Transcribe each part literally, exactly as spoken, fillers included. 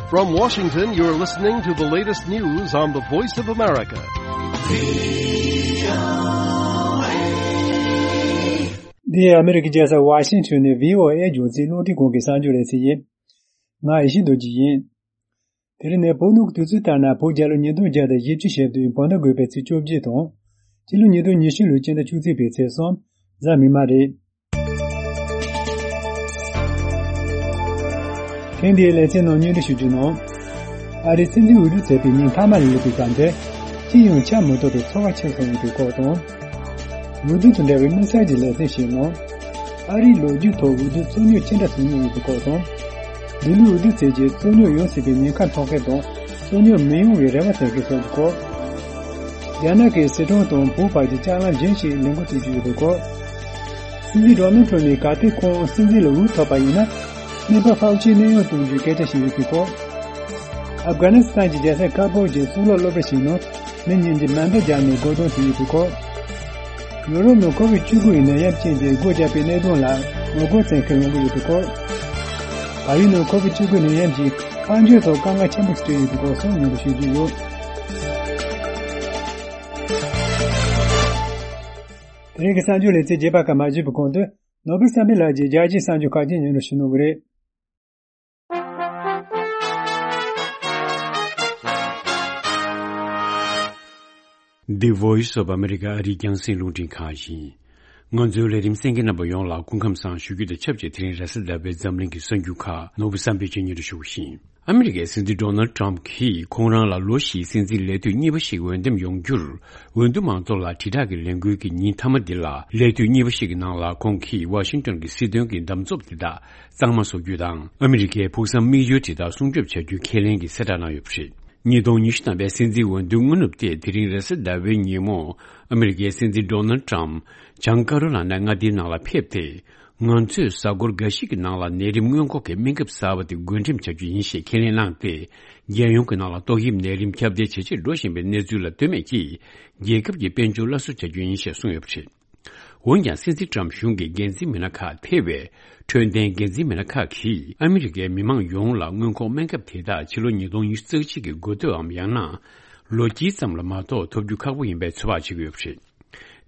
From Washington, you're listening to the latest news on the Voice of America. འདི་ཨ་མི་རི་ཀའི་རྒྱལ་ས་ཝ་ཤིང་ཊོན་ནས་བྷི་ཨོ་ཨེ་རྒྱང་སྲིང་རླུང་འཕྲིན་ཁང་གི་གསར་འགྱུར་ལེ་ཚན་ཡིན། ང་ཡེ་ཤེས་རྡོ་རྗེ་ཡིན། དེ་རིང་ནི་བོད་ནང་གི་དུས་ཚོད་ལྟར་ན་བོད་རྒྱལ་ལོ་ཉིས་སྟོང་བརྒྱ་དང་བཞི་བཅུ་ཞེ་བདུན་བོད་ཟླ་དགུ་པའི་ཚེས་བཅོ་བརྒྱད་དང་། སྤྱི་ལོ་ཉིས་སྟོང་ཉི་ཤུ་ལོའི་སྤྱི་ཟླ་བཅུ་གཅིག་པའི་ཚེས་གསུམ། གཟའ་མིག་དམར་རེད། ཐེངས་འདིའི་ལེ་ཚན་ནང་སྙན་སྒྲོན་ཞུ་རྒྱུ་ནང་། ཨ་རིའི་སྲིད་འཛིན་འོས་བསྡུ་བྱས་པའི་ཉིན་མཐའ་མ་ལ་སླེབས་པའི་སྐབས་འདིར། ཅི་ཡང་ཆགས་མ་ཐུབ་པའི་ཚོར་བ་ཆེ་སོང་ཡོད་པའི་སྐོར་དང་། འོས་བསྡུ་དང་འབྲེལ་བའི་དམིགས་བསལ་གྱི་ལེ་ཚན་ཞིག་ནང་། ཨ་རིའི་ལོ་རྒྱུས་ཐོག་འོས་བསྡུ་རྩོད་རྙོག་ཅི་འདྲ་བྱུང་མྱོང་ཡོད་པའི་སྐོར་དང་། འདི་ལོའི་འོས་བསྡུ་བྱས་རྗེས་རྩོད་རྙོག་ཡོང་སྲིད་པའི་ཉེན་ཁ་མཐོང་མཁན་དང་རྩོད་རྙོག་མི་ཡོང་བའི་རེ་བ་བྱེད་མཁན་སོགས་ཀྱི་སྐོར། རྒྱ་ནག་གིས་སི་ཁྲོན་དང་བོད་བར་གྱི་ལྕགས་ལམ་གཞན་ཞིག་ལས་འགུལ་སྤྲོད་རྒྱུ་ཡོད་པའི་སྐོར། སྲིད་འཛིན་ཌོ་ནལ་ཊམ་ནས་གལ་ཏེ་ཁོང་སྲིད་འཛིན་ལ་འོས་ཐོབ་པ་ཡིན་ན། སྨན་པ་ཧྥའོ་ཆིའི་གནས་དབྱུང་གཏོང་རྒྱུའི་སྐད་ཆ་ཞིག་ཡོད་པའི་སྐོར། ཨབ་གྷ་ནི་སི་ཐན་གྱི་རྒྱལ་ས་ཁ་བོར་གྱི་གཙུག་ལག་སློབ་གྲྭ་ཞིག་ནང་མི་གཉིས་ཀྱིས་མེ་མདའ་བརྒྱབ་ནས་སྒོ་རྡུང་བྱས་ཡོད་པའི་སྐོར། ཡོ་རོབ་ནང་ཁོ་བིད་བཅུ་དགུ་ཡི་ནད་ཡམས་རྐྱེན་གྱིས་སྒོ་བརྒྱབ་པའི་གནད་དོན་ལ་ངོ་རྒོལ་བྱེད་མཁན་ལངས་ཀྱི་ཡོད་པའི་སྐོར། བལ་ཡུལ་ནང་ཁོ་བིད་བཅུ་དགུ་ནད་ཡམས་ཀྱིས་དཔལ་འབྱོར་ཐོག་དཀའ་ངལ་ཆེན་པོ་ཞིག་བཟོས་ཡོད་པའི་སྐོར་སོགས་སྙན་སྒྲོན་ཞུ་རྒྱུ་ཡོད། དེ་རིང་གི་གསར་འགྱུར་ལེ་ཚན་རྒྱས་པ་ཁག་མ་ཞུས་པའི་གོང་དུ། ནོར་བུ་བསམ་འཕེལ་ལགས་ཀྱིས་རྒྱལ་སྤྱིའི་གསར་འགྱུར་ཁག་ཅིག་སྙན་སྒྲོན་ཞུ་གནང་གི་རེད། The Voice of America ཨ་རིའི་རྒྱང་སྲིང་རླུང་འཕྲིན་ཁང་ཡིན། ང་ཚོའི་ལས་རིམ་གསན་མཁན་རྣམ་པ་ཡོངས་ལ་སྐུ་ཁམས་བཟང་ཞུ་རྒྱུ་དང་ཆབས་ཅིག་དེ་རིང་རེས་གཟའ་ཟླ་བའི་འཛམ་གླིང་གི་གསར་འགྱུར་ཁག་ནོར་བུ་བསམ་འཕེལ་གྱིས་སྙན་སྒྲོན་ཞུ་བཞིན། ཨ་མི་རི་ཀའི་སྲིད་འཛིན་ཌོ་ནལ་ཊམ་གྱིས་ཁོང་རང་ལ་ལོ་བཞིའི་སྲིད་འཛིན་ལས་དུས་གཉིས་པ་ཞིག་འོས་འདེམས་ཡོང་རྒྱུར་འོས་བསྡུ་མང་ཚོགས་ལ་དྲིལ་བསྒྲགས་ཀྱི་ལས་འགུལ་གྱི་ཉིན་མཐའ་མ་འདི་ལ། ལས་དུས་གཉིས་པ་ཞིག་གི་ནང་ལ་ཁོང་གིས་ཝ་ཤིང་ཊོན་གྱི་སྲིད་དོན་གྱི་འདམ་རྫབ་དེ་དག་གཙང་མ་བཟོ་རྒྱུ་དང་། ཨ་མི་རི་ཀའི་ཕུགས་བསམ་དམིགས་ཡུལ་དེ་དག་སྲུང་སྐྱོབ་བྱ་རྒྱུའི་ཁས་ལེན་གྱི་གསལ་བསྒྲགས་གནང་ཡོད་པ་རེད། ཉིས་སྟོང་ཉི་ཤུ་ཐམ་པའི་སྲིད་འཛིན་འོས་བསྡུའི་སྔ་ནུབ་སྟེ། དེ་རིང་རེས་གཟའ་ཟླ་བའི་ཉིན་མོ། ཨ་མི་རི་ཀའི་སྲིད་འཛིན་ཌོ་ནལ་ཊམ་བྱང་ཀ་རོ་ལ་ནའི་མངའ་སྡེའི་ནང་ལ་ཕེབས་ཏེ། ང་ཚོས་གཟའ་འཁོར་འགའ་ཞིག་གི་ནང་ལ་ནད་རིམས་སྔོན་འགོག་གི་སྨན་ཁབ་གསར་པ་དེ་བགོ་འགྲེམས་བྱ་རྒྱུ་ཡིན་ཞེས་ཁས་ལེན་གནང་སྟེ། རྒྱལ་ཡོངས་ཀྱི་ནང་ལ་ཏོག་དབྱིབས་ནད་རིམས་ཁྱབ་གདལ་ཇེ་ཆེར་འགྲོ་བཞིན་པའི་གནས་ཚུལ་ལ་ལྟོས་མེད་ཀྱིས། རྒྱལ་ཁབ་ཀྱི་དཔལ་འབྱོར་སླར་གསོ་བྱ་རྒྱུ་ཡིན་ཞེས་གསུངས་ཡོད་པ་རེད། འོན་ཀྱང་། སྲིད་འཛིན་ཊམ་གཞུང་གི་འགན་འཛིན་མི་སྣ་ཁག་ཐེ་བའི་འཕྲོད་བསྟེན་འགན་འཛིན་མི་སྣ་ཁག་གིས་ཨ་མི་རི་ཀའི་མི་མང་ཡོངས་ལ་སྔོན་འགོག་སྨན་ཁབ་དེ་དག་ཕྱི་ལོ་ཉིས་སྟོང་ཉི་ཤུ་རྩ་གཅིག་གི་འགོ་སྟོད་འམ། ཡང་ན་ལོ་དཀྱིལ་ཙམ་ལ་མ་གཏོགས་ཐོབ་རྒྱུ་ཁག་པོ་ཡིན་པའི་ཚོད་དཔག་བྱེད་ཀྱི་ཡོད་པ་རེད།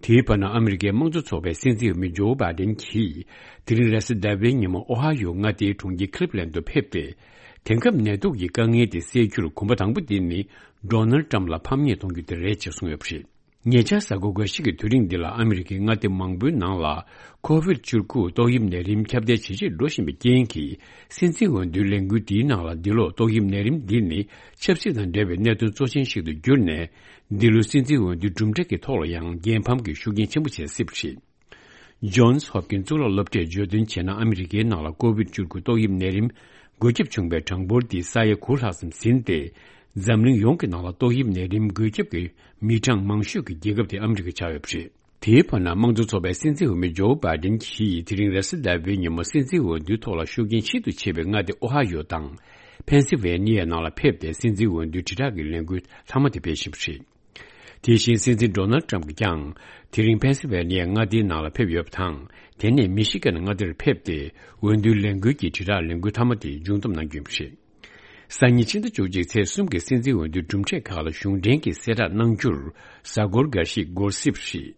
དེའི་བར་ན། ཨ་མི་རི་ཀའི་དམངས་གཙོ་ཚོགས་པའི་སྲིད་འཛིན་འོས་མི་ཇོ་བྷའི་ཌེན་གྱིས་དེ་རིང་རེས་གཟའ་ཟླ་བའི་ཉིན་མོ་ཨོ་ཧ་ཡོ་མངའ་སྡེའི་གྲོང་ཁྱེར་ཁི་ལིབ་ལན་དུ་ཕེབས་ཏེ། དེང་སྐབས་ནད་དུག་གི་དཀའ་ངལ་དེ་སེལ་རྒྱུར་གོམ་པ་དང་པོ་དེ་ནི་ཌོ་ནལ་ཊམ་ལ་ཕམ་ཉེས་གཏོང་རྒྱུ་དེ་རེད་ཅེས་གསུངས་ཡོད་པ་རེད། ཉེ་ཆར་གཟའ་འཁོར་འགའ་ཞིག་གི་དུས་རིང་འདི་ལ་ཨ་མི་རི་ཀའི་མངའ་སྡེ་མང་པོའི་ནང་ལ་ཁོ་བིད་བཅུ་དགུ་ཏོག་དབྱིབས་ནད་རིམས་ཁྱབ་གདལ་ཇེ་ཆེར་འགྲོ་བཞིན་པའི་རྐྱེན་གྱིས། སྲིད་འཛིན་འོས་བསྡུའི་ལས་འགུལ་འདིའི་ནང་ལ་འདི་ལོ་ཏོག་དབྱིབས་ནད་རིམས་འདི་ནི་ཆབ་སྲིད་དང་འབྲེལ་བའི་གནད་དོན་གཙོ་ཆེན་ཞིག་ཏུ་གྱུར་ནས། འདི་ལོའི་སྲིད་འཛིན་འོས་བསྡུའི་གྲུབ་འབྲས་ཀྱི་ཐོག་ལ་ཡང་རྒྱལ་ཕམ་གྱི་ཤུགས་རྐྱེན་ཆེན་པོ་བྱེད་སྲིད་པ་རེད། ཇོན་སི་ཧོབ་ཀིན་གཙུག་ལག་སློབ་གྲྭས་བརྗོད་དོན་བྱས་ན། ཨ་མི་རི་ཀའི་ནང་ལ་ཀོ་བིད་བཅུ་དགུ་ཏོག་དབྱིབས་ནད་རིམས་འགོས་ཁྱབ་བྱུང་བའི་གྲངས་འབོར་འདི་ས་ཡ་དགུ་ལྷག་ཙམ་ཟིན་ཏེ། འཛམ་གླིང་ཡོངས་ཀྱི་ནང་ལ་ཏོག་དབྱིབས་ནད་རིམས་འགོས་ཁྱབ་ཀྱི་མི་གྲངས་མང་ཤོས་ཀྱི་རྒྱལ་ཁབ་དེ་ཨ་མི་རི་ཀ་ཆགས་ཡོད་པ་རེད། དེའི་བར་ན། དམངས་གཙོ་ཚོགས་པའི་སྲིད་འཛིན་འོས་མི་ཇོ་བྷའི་ཌེན་གྱིས་དེ་རིང་རེས་གཟའ་ཟླ་བའི་ཉིན་མོ་སྲིད་འཛིན་འོས་བསྡུའི་ཐོག་ལ་ཤུགས་རྐྱེན་ཤིན་ཏུ་ཆེ་བའི་མངའ་སྡེ་ཨོ་ཧ་ཡོ་དང་། ཕེན་སི་ཝེ་ནི་ཡའི་ནང་ལ་ཕེབས་ཏེ། སྲིད་འཛིན་འོས་བསྡུའི་དྲིལ་བསྒྲགས་ཀྱི་ལས་འགུལ་ལྷག་མ་དེ་སྤེལ་བཞིན་པ་རེད། དེ་བཞིན། སྲིད་འཛིན་ཌོ་ནལ་ཊམ་གྱིས་ཀྱང་དེ་རིང་ཕེན་སི་ཝེ་ནི་ཡ་མངའ་སྡེའི་ནང་ལ་ཕེབས་ཡོད་པ་དང་། དེ་ནས་མི་ཤི་གན་མངའ་སྡེར་ཕེབས་ཏེ། འོས་བསྡུའི་ལས་འགུལ་གྱི་དྲིལ་བསྒྲགས་ལས་འགུལ་མཐའ་མ་དེ་མཇུག་བསྡོམས་གནང་རྒྱུ་ཡིན་པ་རེད། སང་ཉིན་ཕྱི་ཟླ་བཅུ་གཅིག་ཚེས་གསུམ་གྱི་སྲིད་འཛིན་འོས་བསྡུའི་གྲུབ་འབྲས་ཁག་ལ་གཞུང་འབྲེལ་གྱི་གསལ་བསྒྲགས་གནང་རྒྱུར། གཟའ་འཁོར་འགའ་ཞིག་འགོར་སྲིད་པ་རེད།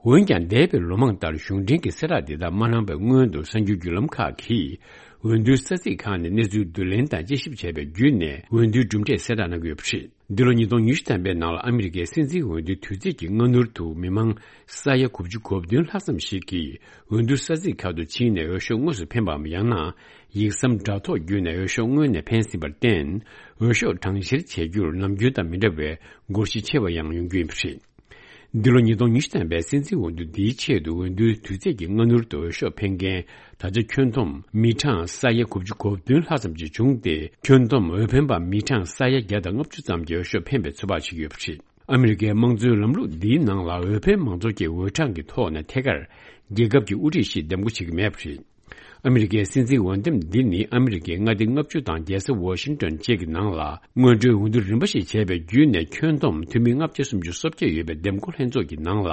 འོན་ཀྱང་། འདས་པའི་ལོ་མང་ལྟར་གཞུང་འབྲེལ་གྱི་གསལ་བསྒྲགས་འདི་དག་མ་གནང་བའི་སྔོན་དུ། གསར་འགྱུར་བརྒྱུད་ལམ་ཁག་གིས་འོས་བསྡུའི་ས་ཚིགས་ཁག་ནས་གནས་ཚུལ་བསྡུ་ལེན་དང་དཔྱད་ཞིབ་བྱས་པའི་བརྒྱུད་ནས། འོས་བསྡུའི་གྲུབ་འབྲས་གསལ་བསྒྲགས་གནང་གི་ཡོད་པ་རེད། འདི་ལོ་ཉིས་སྟོང་ཉི་ཤུ་ཐམ་པའི་ནང་ལ་ཨ་མི་རི་ཀའི་སྲིད་འཛིན་འོས་བསྡུའི་དུས་ཚིགས་ཀྱི་སྔ་སྣུར་དུ། མི་མང་ས་ཡ་དགུ་བཅུ་གོ་བདུན་ལྷག་ཙམ་ཞིག་གིས་འོས་བསྡུ་ས་ཚིགས་ཁག་ཏུ་ཕྱིན་ནས་འོས་ཤོག་དངོས་སུ་འཕེན་པའམ། ཡང་ན་ཡིག་ཟམ་དྲ་ཐོག་བརྒྱུད་ནས་འོས་ཤོག་དངོས་གནས་འཕེན་ཟིན་པར་བརྟེན། འོས་ཤོག་གྲངས་བཤེར་བྱེད་རྒྱུར་ནམ་རྒྱུན་དང་མི་འདྲ་བའི་སྒོར་གཞི་ཆེ་བ་ཡང་ཡོང་རྒྱུ་ཡིན་པ་རེད། འདི་ལོ་ཉིས་སྟོང་ཉི་ཤུ་ཐམ་པའི་སྲིད་འཛིན་འོས་བསྡུ་འདིའི་ཆེད་དུ། འོས་བསྡུའི་དུས་ཚིགས་ཀྱི་སྔ་སྣུར་དུ་འོས་ཤོག་འཕེན་མཁན་ད་ཆ་ཁྱོན་བསྡོམས་མི་གྲངས་ས་ཡ་དགུ་བཅུ་གོ་བདུན་ལྷག་ཙམ་ཞིག་བྱུང་སྟེ། ཁྱོན་བསྡོམས་འོས་འཕེན་པ་མི་གྲངས་ས་ཡ་བརྒྱ་དང་ལྔ་བཅུ་ཙམ་གྱིས་འོས་ཤོག་འཕེན་པའི་ཚོད་དཔག་བྱེད་ཀྱི་ཡོད་པ་རེད། ཨ་མི་རི་ཀའི་དམངས་གཙོའི་ལམ་ལུགས་འདིའི་ནང་ལ། འོས་འཕེན་མང་ཚོགས་ཀྱིས་འོས་གྲངས་ཀྱི་ཐོག་ནས་ཐད་ཀར་རྒྱལ་ཁབ་ཀྱི་དབུ་ཁྲིད་ཞིག་འདེམས་བསྐོ་བྱེད་ཀྱི་མེད་པ་རེད། ཨ་མི་རི་ཀའི་སྲིད་འཛིན་འོས་འདེམས་འདི་ནི། ཨ་མི་རི་ཀའི་མངའ་སྡེ་ལྔ་བཅུ་དང་རྒྱལ་ས་ཝ་ཤིང་ཊོན་བཅས་ཀྱི་ནང་ལ་སྔོན་འགྲོའི་འོས་བསྡུ་རིམ་པ་ཞིག་བྱས་པའི་བརྒྱུད་ནས། ཁྱོན་བསྡོམས་འཐུས་མི་ལྔ་བརྒྱ་སུམ་ཅུ་སོ་བརྒྱད་ཡོད་པའི་འདེམས་བསྐོ་ལྷན་ཚོགས་ཀྱི་ནང་ལ།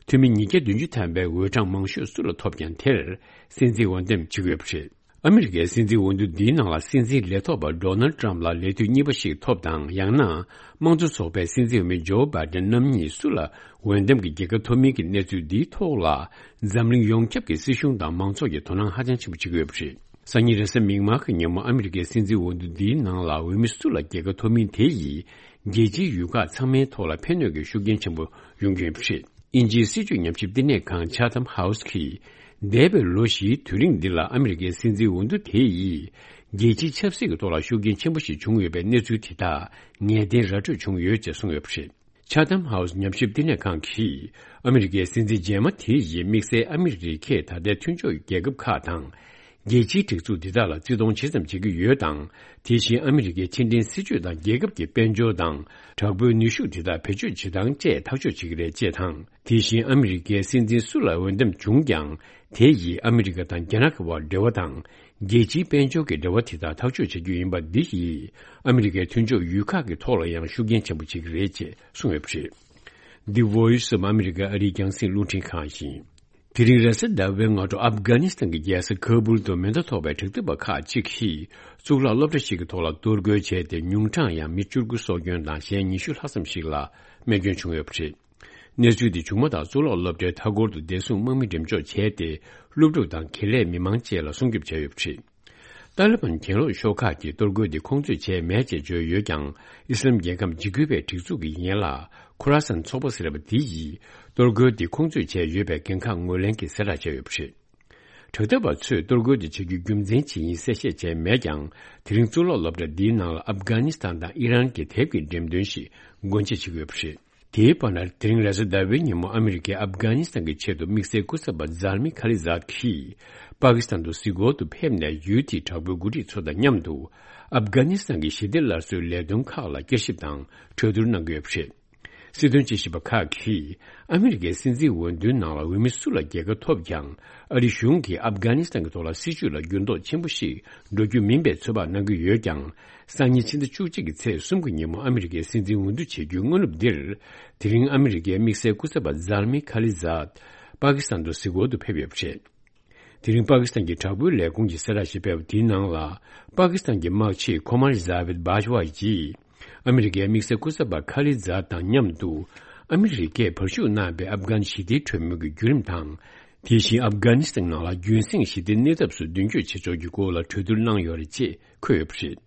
འཐུས་མི་ཉིས་བརྒྱ་བདུན་ཅུ་ཐམ་པའི་འོས་གྲངས་མང་ཤོས་སུ་ལ་ཐོབ་ཀྱང་། དེར་སྲིད་འཛིན་འོས་འདེམས་བྱེད་ཀྱི་ཡོད་པ་རེད། ཨ་མི་རི་ཀའི་སྲིད་འཛིན་འོས་བསྡུ་འདིའི་ནང་ལ་སྲིད་འཛིན་ལས་ཐོག་པ་ཌོ་ནལ་ཊམ་ལ་ལས་དུས་གཉིས་པ་ཞིག་ཐོབ་དང་། ཡང་ན་དམངས་གཙོ་ཚོགས་པའི་སྲིད་འཛིན་འོས་མི་ཇོ་བྷའི་ཌེན་རྣམ་གཉིས་སུ་ལ་འོས་འདེམས་ཀྱི་རྒྱལ་ཁ་ཐོབ་མིན་གྱི་གནས་ཚུལ་འདིའི་ཐོག་ལ། འཛམ་གླིང་ཡོངས་ཁྱབ་ཀྱི་སྲིད་གཞུང་དང་མང་ཚོགས་ཀྱིས་དོ་སྣང་ཧ་ཅང་ཆེན་པོ་བྱེད་ཀྱི་ཡོད་པ་རེད། སང་ཉིན་རེས་གཟའ་མིག་དམར་གྱི་ཉིན་མོ་ཨ་མི་རི་ཀའི་སྲིད་འཛིན་འོས་བསྡུ་འདིའི་ནང་ལ་འོས་མི་སུ་ལ་རྒྱལ་ཁ་ཐོབ་མིན་དེ་ཡིས་རྒྱལ་སྤྱིའི་ཡུལ་ཁག་ཚང་མའི་ཐོག་ལ་ཕན་གནོད་ཀྱི་ཤུགས་རྐྱེན་ཆེན་པོ་ཡོང་རྒྱུ་ཡིན་པ་རེད། དབྱིན་ཇིའི་སྲིད་བྱུས་ཉམས་ཞིབ་བསྟི་གནས་ཁང་Chatham House གིས། འདས་པའི་ལོ་བཞིའི་དུས་རིང་འདི་ལ་ཨ་མི་རི་ཀའི་སྲིད་འཛིན་འོས་བསྡུ་དེ་ཡིས་རྒྱལ་སྤྱིའི་ཆབ་སྲིད་ཀྱི་ཐོག་ལ་ཤུགས་རྐྱེན་ཆེན་པོ་ཞིག་བྱུང་ཡོད་པའི་གནས་ཚུལ་དེ་དག་ངེས་གཏན་ར་སྤྲོད་བྱུང་ཡོད་ཅེས་གསུངས་ཡོད་པ་རེད། Chatham House ཉམས་ཞིབ་བསྟི་གནས་ཁང་གིས་ཨ་མི་རི་ཀའི་སྲིད་འཛིན་རྗེས་མ་དེ་ཡིས་དམིགས་བསལ་ཨ་མི་རི་ཀས་ད་ལྟའི་མཐུན་ཕྱོགས་རྒྱལ་ཁབ་ཁག་དང་། རྒྱལ་སྤྱིའི་སྒྲིག་འཛུགས་འདི་དག་ལ་བརྩི་མཐོང་ཇི་ཙམ་བྱེད་ཀྱི་ཡོད་དང་། དེ་བཞིན་ཨ་མི་རི་ཀའི་ཕྱི་འབྲེལ་སྲིད་ཇུས་དང་རྒྱལ་ཁབ་ཀྱི་དཔལ་འབྱོར་དང་དྲག་པོའི་ནུས་ཤུགས་དེ་དག་བེད་སྤྱོད་བྱེད་སྟངས་བཅས་ཐག་གཅོད་བྱེད་ཀྱི་རེད་ཅེས་དང་། དེ་བཞིན་ཨ་མི་རི་ཀའི་སྲིད་འཛིན་སུ་ལ་འོས་འདེམས་བྱུང་ཀྱང་། དེ་ཡིས་ཨ་མི་རི་ཀ་དང་རྒྱ་ནག་གི་དབར་འབྲེལ་བ་དང་། རྒྱལ་སྤྱིའི་དཔལ་འབྱོར་གྱི་འབྲེལ་བ་དེ་དག་ཐག་གཅོད་བྱ་རྒྱུ་ཡིན་པ་འདི་ཡིས་ཨ་མི་རི་ཀའི་མཐུན་ཕྱོགས་ཡུལ་ཁག་གི་ཐོག་ལ་ཡང་ཤུགས་རྐྱེན་ཆེན་པོ་བྱེད་ཀྱི་རེད་ཅེས་གསུངས་ཡོད་པ་རེད། The Voice of America ཨ་རིའི་རྒྱང་སྲིང་རླུང་འཕྲིན་ཁང་ཡིན། དེ་རིང་རེས་གཟའ་ཟླ་བའི་སྔ་དྲོ་ཨབ་གྷ་ནི་སི་ཐན་གྱི་རྒྱལ་ས་ཁ་བུལ་དུ་མེ་མདའ་ཐོགས་པའི་དྲག་འཐབ་པ་ཁག་ཅིག་གིས་གཙུག་ལག་སློབ་གྲྭ་ཞིག་གི་ཐོག་ལ་གཏོར་རྒོལ་བྱས་ཏེ། ཉུང་མཐའ་ཡང་མི་བཅུ་དགུ་སྲོག་སྐྱོན་དང་གཞན་ཉི་ཤུ་ལྷག་ཙམ་ཞིག་ལ་རྨས་སྐྱོན་བྱུང་ཡོད་པ་རེད། གནས་ཚུལ་དེ་བྱུང་མ་ཐག་གཙུག་ལག་སློབ་གྲྭའི་མཐའ་འཁོར་དུ་བདེ་སྲུང་དམག་མི་འགྲེམས་འཇོག་བྱས་ཏེ། སློབ་ཕྲུག་དང་དགེ་ལས་མི་མང་བཅས་ལ་སྲུང་སྐྱོབ་བྱས་ཡོད་པ་རེད། ཏཱ་ལི་བན་གྱེན་ལོག་ཤོག་ཁག་གིས་གཏོར་རྒོལ་འདི་ཁོང་ཚོས་བྱས་མེད་ཅེས་བརྗོད་ཡོད་ཀྱང་། ཨི་སི་ལམ་རྒྱལ་ཁབ་འཇིགས་སྐུལ་བའི་སྒྲིག་འཛུགས་ཀྱི་ཡན་ལག་ཁུ་ར་སན་ཚོགས་པ་ཟེར་བ་དེ་ཡིས། གཏོར་རྒོལ་འདི་ཁོང་ཚོས་བྱས་ཡོད་པའི་འགན་ཁག་ངོས་ལེན་གྱིས་གསལ་བསྒྲགས་བྱས་ཡོད་པ་རེད། དྲག་འཐབ་པ་ཚོས་གཏོར་རྒོལ་འདི་བྱེད་རྒྱུའི་རྒྱུ་མཚན་ཇི་ཡིན་གསལ་བཤད་བྱས་མེད་ཀྱང་། དེ་རིང་གཙུག་ལག་སློབ་གྲྭ་འདིའི་ནང་ལ་ཨབ་གྷ་ནི་སི་ཐན་དང་ཨི་རན་གྱི་དེབ་ཀྱི་འགྲེམས་སྟོན་ཞིག་སྒོ་འབྱེད་བྱེད་ཀྱི་ཡོད་པ་རེད། དེའི་བར་ན། དེ་རིང་རེས་གཟའ་ཟླ་བའི་ཉིན་མོ་ཨ་མི་རི་ཀས་ཨབ་གྷ་ནི་སི་ཐན་གྱི་ཆེད་དུ་དམིགས་བསལ་སྐུ་ཚབ་པ་ཛལ་མི་ཁ་ལི་ཛཱད་ཀྱིས་པ་ཀི་སི་ཐན་དུ་གཟིགས་སྐོར་དུ་ཕེབས་ནས། ཡུལ་དེའི་དྲག་པོའི་འགོ་ཁྲིད་ཚོ་དང་མཉམ་དུ་ཨབ་གྷ་ནི་སི་ཐན་གྱི་ཞི་བདེ་སླར་གསོའི་ལས་དོན་ཁག་ལ་བསྐྱར་ཞིབ་དང་གྲོས་བསྡུར་གནང་གི་ཡོད་པ་རེད། སྲིད་དོན་དཔྱད་ཞིབ་པ་ཁག་གིས་ཨ་མི་རི་ཀའི་སྲིད་འཛིན་འོས་བསྡུའི་ནང་ལ་འོས་མི་སུ་ལ་རྒྱལ་ཁ་ཐོབ་ཀྱང་། ཨ་རི་གཞུང་གིས་ཨབ་གྷ་ནི་སི་ཐན་གྱི་ཐོག་ལ་སྲིད་བྱུས་ལ་འགྱུར་ལྡོག་ཆེན་པོ་ཞིག་འགྲོ་རྒྱུ་མིན་པའི་ཚོད་དཔག་གནང་གི་ཡོད་ཀྱང་། སང་ཉིན་ཕྱི་ཟླ་བཅུ་གཅིག་གི་ཚེས་གསུམ་གྱི་ཉིན་མོ་ཨ་མི་རི་ཀའི་སྲིད་འཛིན་འོས་བསྡུ་བྱེད་རྒྱུའི་སྔ་ནུབ་འདིར། དེ་རིང་ཨ་མི་རི་ཀའི་དམིགས་བསལ་སྐུ་ཚབ་པ་ཛལ་མི་ཁ་ལི་ཛཱད་པ་ཀི་སི་ཐན་དུ་གཟིགས་སྐོར་དུ་ཕེབས་ཡོད་པ་རེད། དེ་རིང་པ་ཀི་སི་ཐན་གྱི་དྲག་པོའི་ལས་ཁུངས་ཀྱིས་གསལ་བསྒྲགས་ཤིག་སྤེལ་བ་དེའི་ནང་ལ། པ་ཀི་སི་ཐན་གྱི་དམག་སྤྱི་ཁོ་མར་ཛཱ་བིད་བྷཱ་ཇ་ཝ་ཡིས། ཨ་མི་རི་ཀའི་དམིགས་བསལ་སྐུ་ཚབ་པ་ཁ་ལི་ཛཱད་དང་མཉམ་དུ། ཨ་མི་རི་ཀས་བར་ཞུགས་གནང་བའི་ཨབ་གྷན་ཞི་བདེའི་གྲོས་མོལ་གྱི་བརྒྱུད་རིམ་དང་། དེ་བཞིན་ཨབ་གྷ་ནི་སི་ཐན་ནང་ལ་རྒྱུན་སྲིང་ཞི་བདེའི་གནས་ཐབས་སུ་མདུན་སྐྱོད་བྱེད་ཕྱོགས་ཀྱི་སྐོར་ལ་གྲོས་བསྡུར་གནང་ཡོད་རེད་ཅེས་འཁོད་ཡོད་པ་རེད།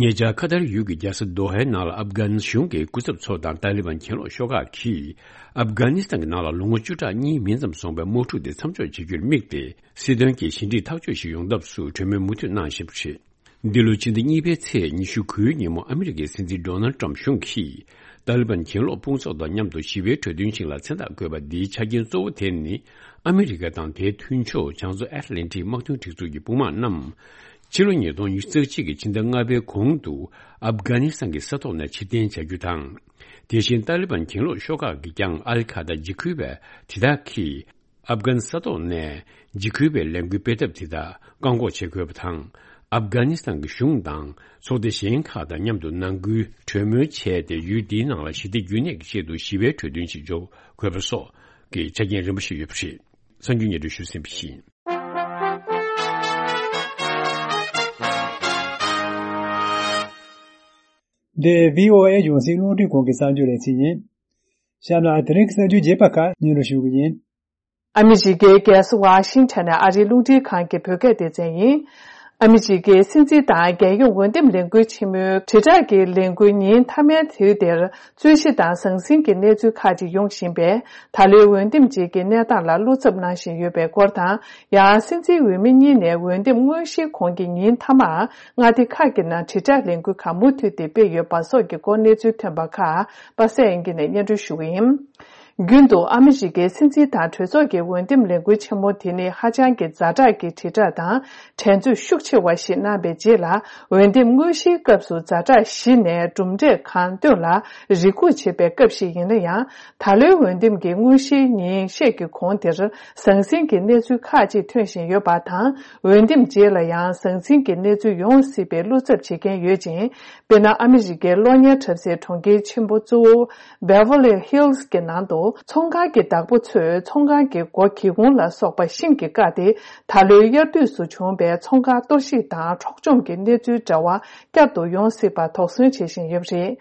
ཉེ་ཆར་ཁ་ཐར་ཡུལ་གྱི་རྒྱལ་ས་དོ་ཧའི་ནང་ལ་ཨབ་གྷ་ནི་གཞུང་གི་སྐུ་ཚབ་ཚོ་དང་ཏཱ་ལི་བན་གྱེན་ལོག་ཤོག་ཁག་གིས། ཨབ་གྷ་ནི་སི་ཐན་གྱི་ནང་ལ་ལོ་ངོ་བཅུ་ཕྲག་གཉིས་མིན་ཙམ་སོང་བའི་དམག་འཁྲུག་དེ་མཚམས་འཇོག་བྱེད་རྒྱུར་དམིགས་ཏེ། སྲིད་དོན་གྱི་ཞི་འགྲིག་ཐག་གཅོད་ཞིག་ཡོང་ཐབས་སུ་གྲོས་མོལ་མུ་མཐུད་གནང་བཞིན་པ་རེད། འདི་ལོའི་ཕྱི་ཟླ་གཉིས་པའི་ཚེས་ཉི་ཤུ་དགུའི་ཉིན་མོ་ཨ་མི་རི་ཀའི་སྲིད་འཛིན་ཌོ་ནལ་ཊམ་གཞུང་གིས། ཏཱ་ལི་བན་གྱེན་ལོག་དཔུང་ཚོགས་དང་མཉམ་དུ་ཞི་བའི་གྲོས་མཐུན་ཞིག་ལ་མཚན་རྟགས་བཀོད་པ་འདིའི་ཆ་རྐྱེན་གཙོ་བོ་དེ་ནི། ཨ་མི་རི་ཀ་དང་དེའི་མཐུན་ཕྱོགས་བྱང་མཚོ་ཨེཊ་ལན་ཊིག་དམག་དོན་སྒྲིག་འཛུགས་ཀྱི་དཔུང་དམག་རྣམས། ཕྱི་ལོ་ཉིས་སྟོང་ཉི་ཤུ་རྩ་གཅིག་གི་ཕྱི་ཟླ་ལྔ་པའི་གོང་དུ་ཨབ་གྷ་ནི་སི་ཐན་གྱི་ས་ཐོག་ནས་ཕྱིར་འཐེན་བྱ་རྒྱུ་དང་། དེ་བཞིན་ཏཱ་ལི་བན་གྱེན་ལོག་ཤོག་ཁག་གིས་ཀྱང་ཨལ་ཁ་ད་འཇིགས་སྐུལ་བ་དེ་དག་གིས། ཨབ་གྷན་ས་ཐོག་ནས་འཇིགས་སྐུལ་བའི་ལས་འགུལ་སྤེལ་ཐབས་དེ་དག་བཀག་འགོག་བྱེད་དགོས་པ་དང་། ཨབ་གྷ་ནི་སི་ཐན་གྱི་གཞུང་དང་ཚོགས་སྡེ་གཞན་ཁག་དང་མཉམ་དུ་ནང་ཁུལ་གྲོས་མོལ་བྱས་ཏེ། ཡུལ་འདིའི་ནང་ལ་ཞི་བདེ་རྒྱུན་གནས་ཀྱི་ཆེད་དུ་ཞི་བའི་གྲོས་མཐུན་ཞིག་འཇོག་དགོས་པ་སོགས་ཀྱི་ཆ་རྐྱེན་རིམ་པ་ཞིག་ཡོད་པ་རེད། གསར་འགྱུར་སྙན་སྒྲོན་ཞུས་ཟིན་པ་ཡིན། འདི་བྷི་ཨོ་ཨེ་རྒྱང་སྲིང་རླུང་འཕྲིན་ཁང་གི་གསར་འགྱུར་ལེ་ཚན་ཡིན། གཤམ་ལ་དེ་རིང་གི་གསར་འགྱུར་རྒྱས་པ་ཁག་སྙན་སྒྲོན་ཞུ་གི་ཡིན། ཨ་མི་རི་ཀའི་རྒྱལ་ས་ཝ་ཤིང་ཊོན་ནས་ཨ་རིའི་རླུང་འཕྲིན་ཁང་གི་བོད་སྐད་སྡེ་ཚན་ཡིན། ཨ་མི་རི་ཀའི་སྲིད་འཛིན་དང་རྒྱལ་ཡོངས་འོས་འདེམས་ལས་འགུལ་ཆེན་མོའི་དྲིལ་བསྒྲགས་ཀྱི་ལས་འགུལ་ཉིན་མཐའ་མའི་དུས་དེར། རྩོད་གཞི་དང་ཟང་ཟིང་གི་གནས་ཚུལ་ཁག་ཅིག་ཡོང་བཞིན་པས། ད་ལོའི་འོས་འདེམས་རྗེས་ཀྱི་གནས་སྟངས་ལ་བློ་འཚབ་གནང་བཞིན་ཡོད་པའི་སྐོར་དང་། ཡང་སྲིད་འཛིན་འོས་མི་གཉིས་ནས་འོས་འདེམས་དངོས་གཞིའི་གོང་གི་ཉིན་མཐའ་མར་མངའ་སྡེ་ཁག་གི་ནང་དྲིལ་བསྒྲགས་ལས་འགུལ་ཁག་མུ་མཐུད་དེ་སྤེལ་ཡོད་པ་སོགས་ཀྱི་སྐོར་གནས་ཚུལ་ཐོན་པ་ཁག་པ་སངས་དབྱངས་སྐྱིད་ནས་སྙན་སྒྲོན་ཞུ་གི་ཡིན། རྒྱུན་དུ་ཨ་མི་རི་ཀའི་སྲིད་འཛིན་དང་གྲོས་ཚོགས་ཀྱི་འོས་འདེམས་ལས་འགུལ་ཆེན་མོ་དེ་ནི་ཧ་ཅང་གི་ཛ་དྲག་གི་དྲིལ་བསྒྲགས་དང་འགྲན་རྩོད་ཤུགས་ཆེ་བ་ཞིག་གནང་བའི་རྗེས་ལ། འོས་འདེམས་དངོས་གཞིའི་སྐབས་སུ་ཛ་དྲག་གཞི་ནས་གྲུབ་འབྲས་གང་ཐོན་ལ་རེ་སྒུག་བྱེད་པའི་སྐབས་ཤིག་ཡིན་ན་ཡང་། ད་ལོའི་འོས་འདེམས་ཀྱི་དངོས་གཞིའི་ཉིན་ཤས་ཀྱི་གོང་དེར་ཟང་ཟིང་གི་གནས་ཚུལ་ཁག་ཅིག་ཐོན་བཞིན་ཡོད་པ་དང་། འོས་འདེམས་རྗེས་ལ་ཡང་ཟང་ཟིང་གི་གནས་ཚུལ་ཡོང་སྲིད་པའི་བློ་འཚབ་བྱེད་མཁན་ཡོད་ཅིང་། དཔེར་ན། ཨ་མི་རི་ཀའི་གློག་བརྙན་འཁྲབ་སའི་གྲོང་ཁྱེར་ཆེན་པོ་གཙོ་བོ་Beverly Hillsགི་ནང་དུ། ཚོང་ཁང་གི་བདག་པོ་ཚོས་ཚོང་ཁང་གི་སྒོ་སྒེའུ་ཁུང་ལ་སོགས་པ་ཤིང་གིས་བཀག་སྟེ། ད་ལོའི་དབྱར་དུས་སུ་བྱུང་བའི་ཚོང་ཁང་གཏོར་བཤིག་དང་འཕྲོག་བཅོམ་གྱི་གནས་ཚུལ་འདྲ་བ་བསྐྱར་དུ་ཡོང་སྲིད་པར་དོགས་ཟོན་བྱེད་བཞིན་ཡོད་པ་རེད།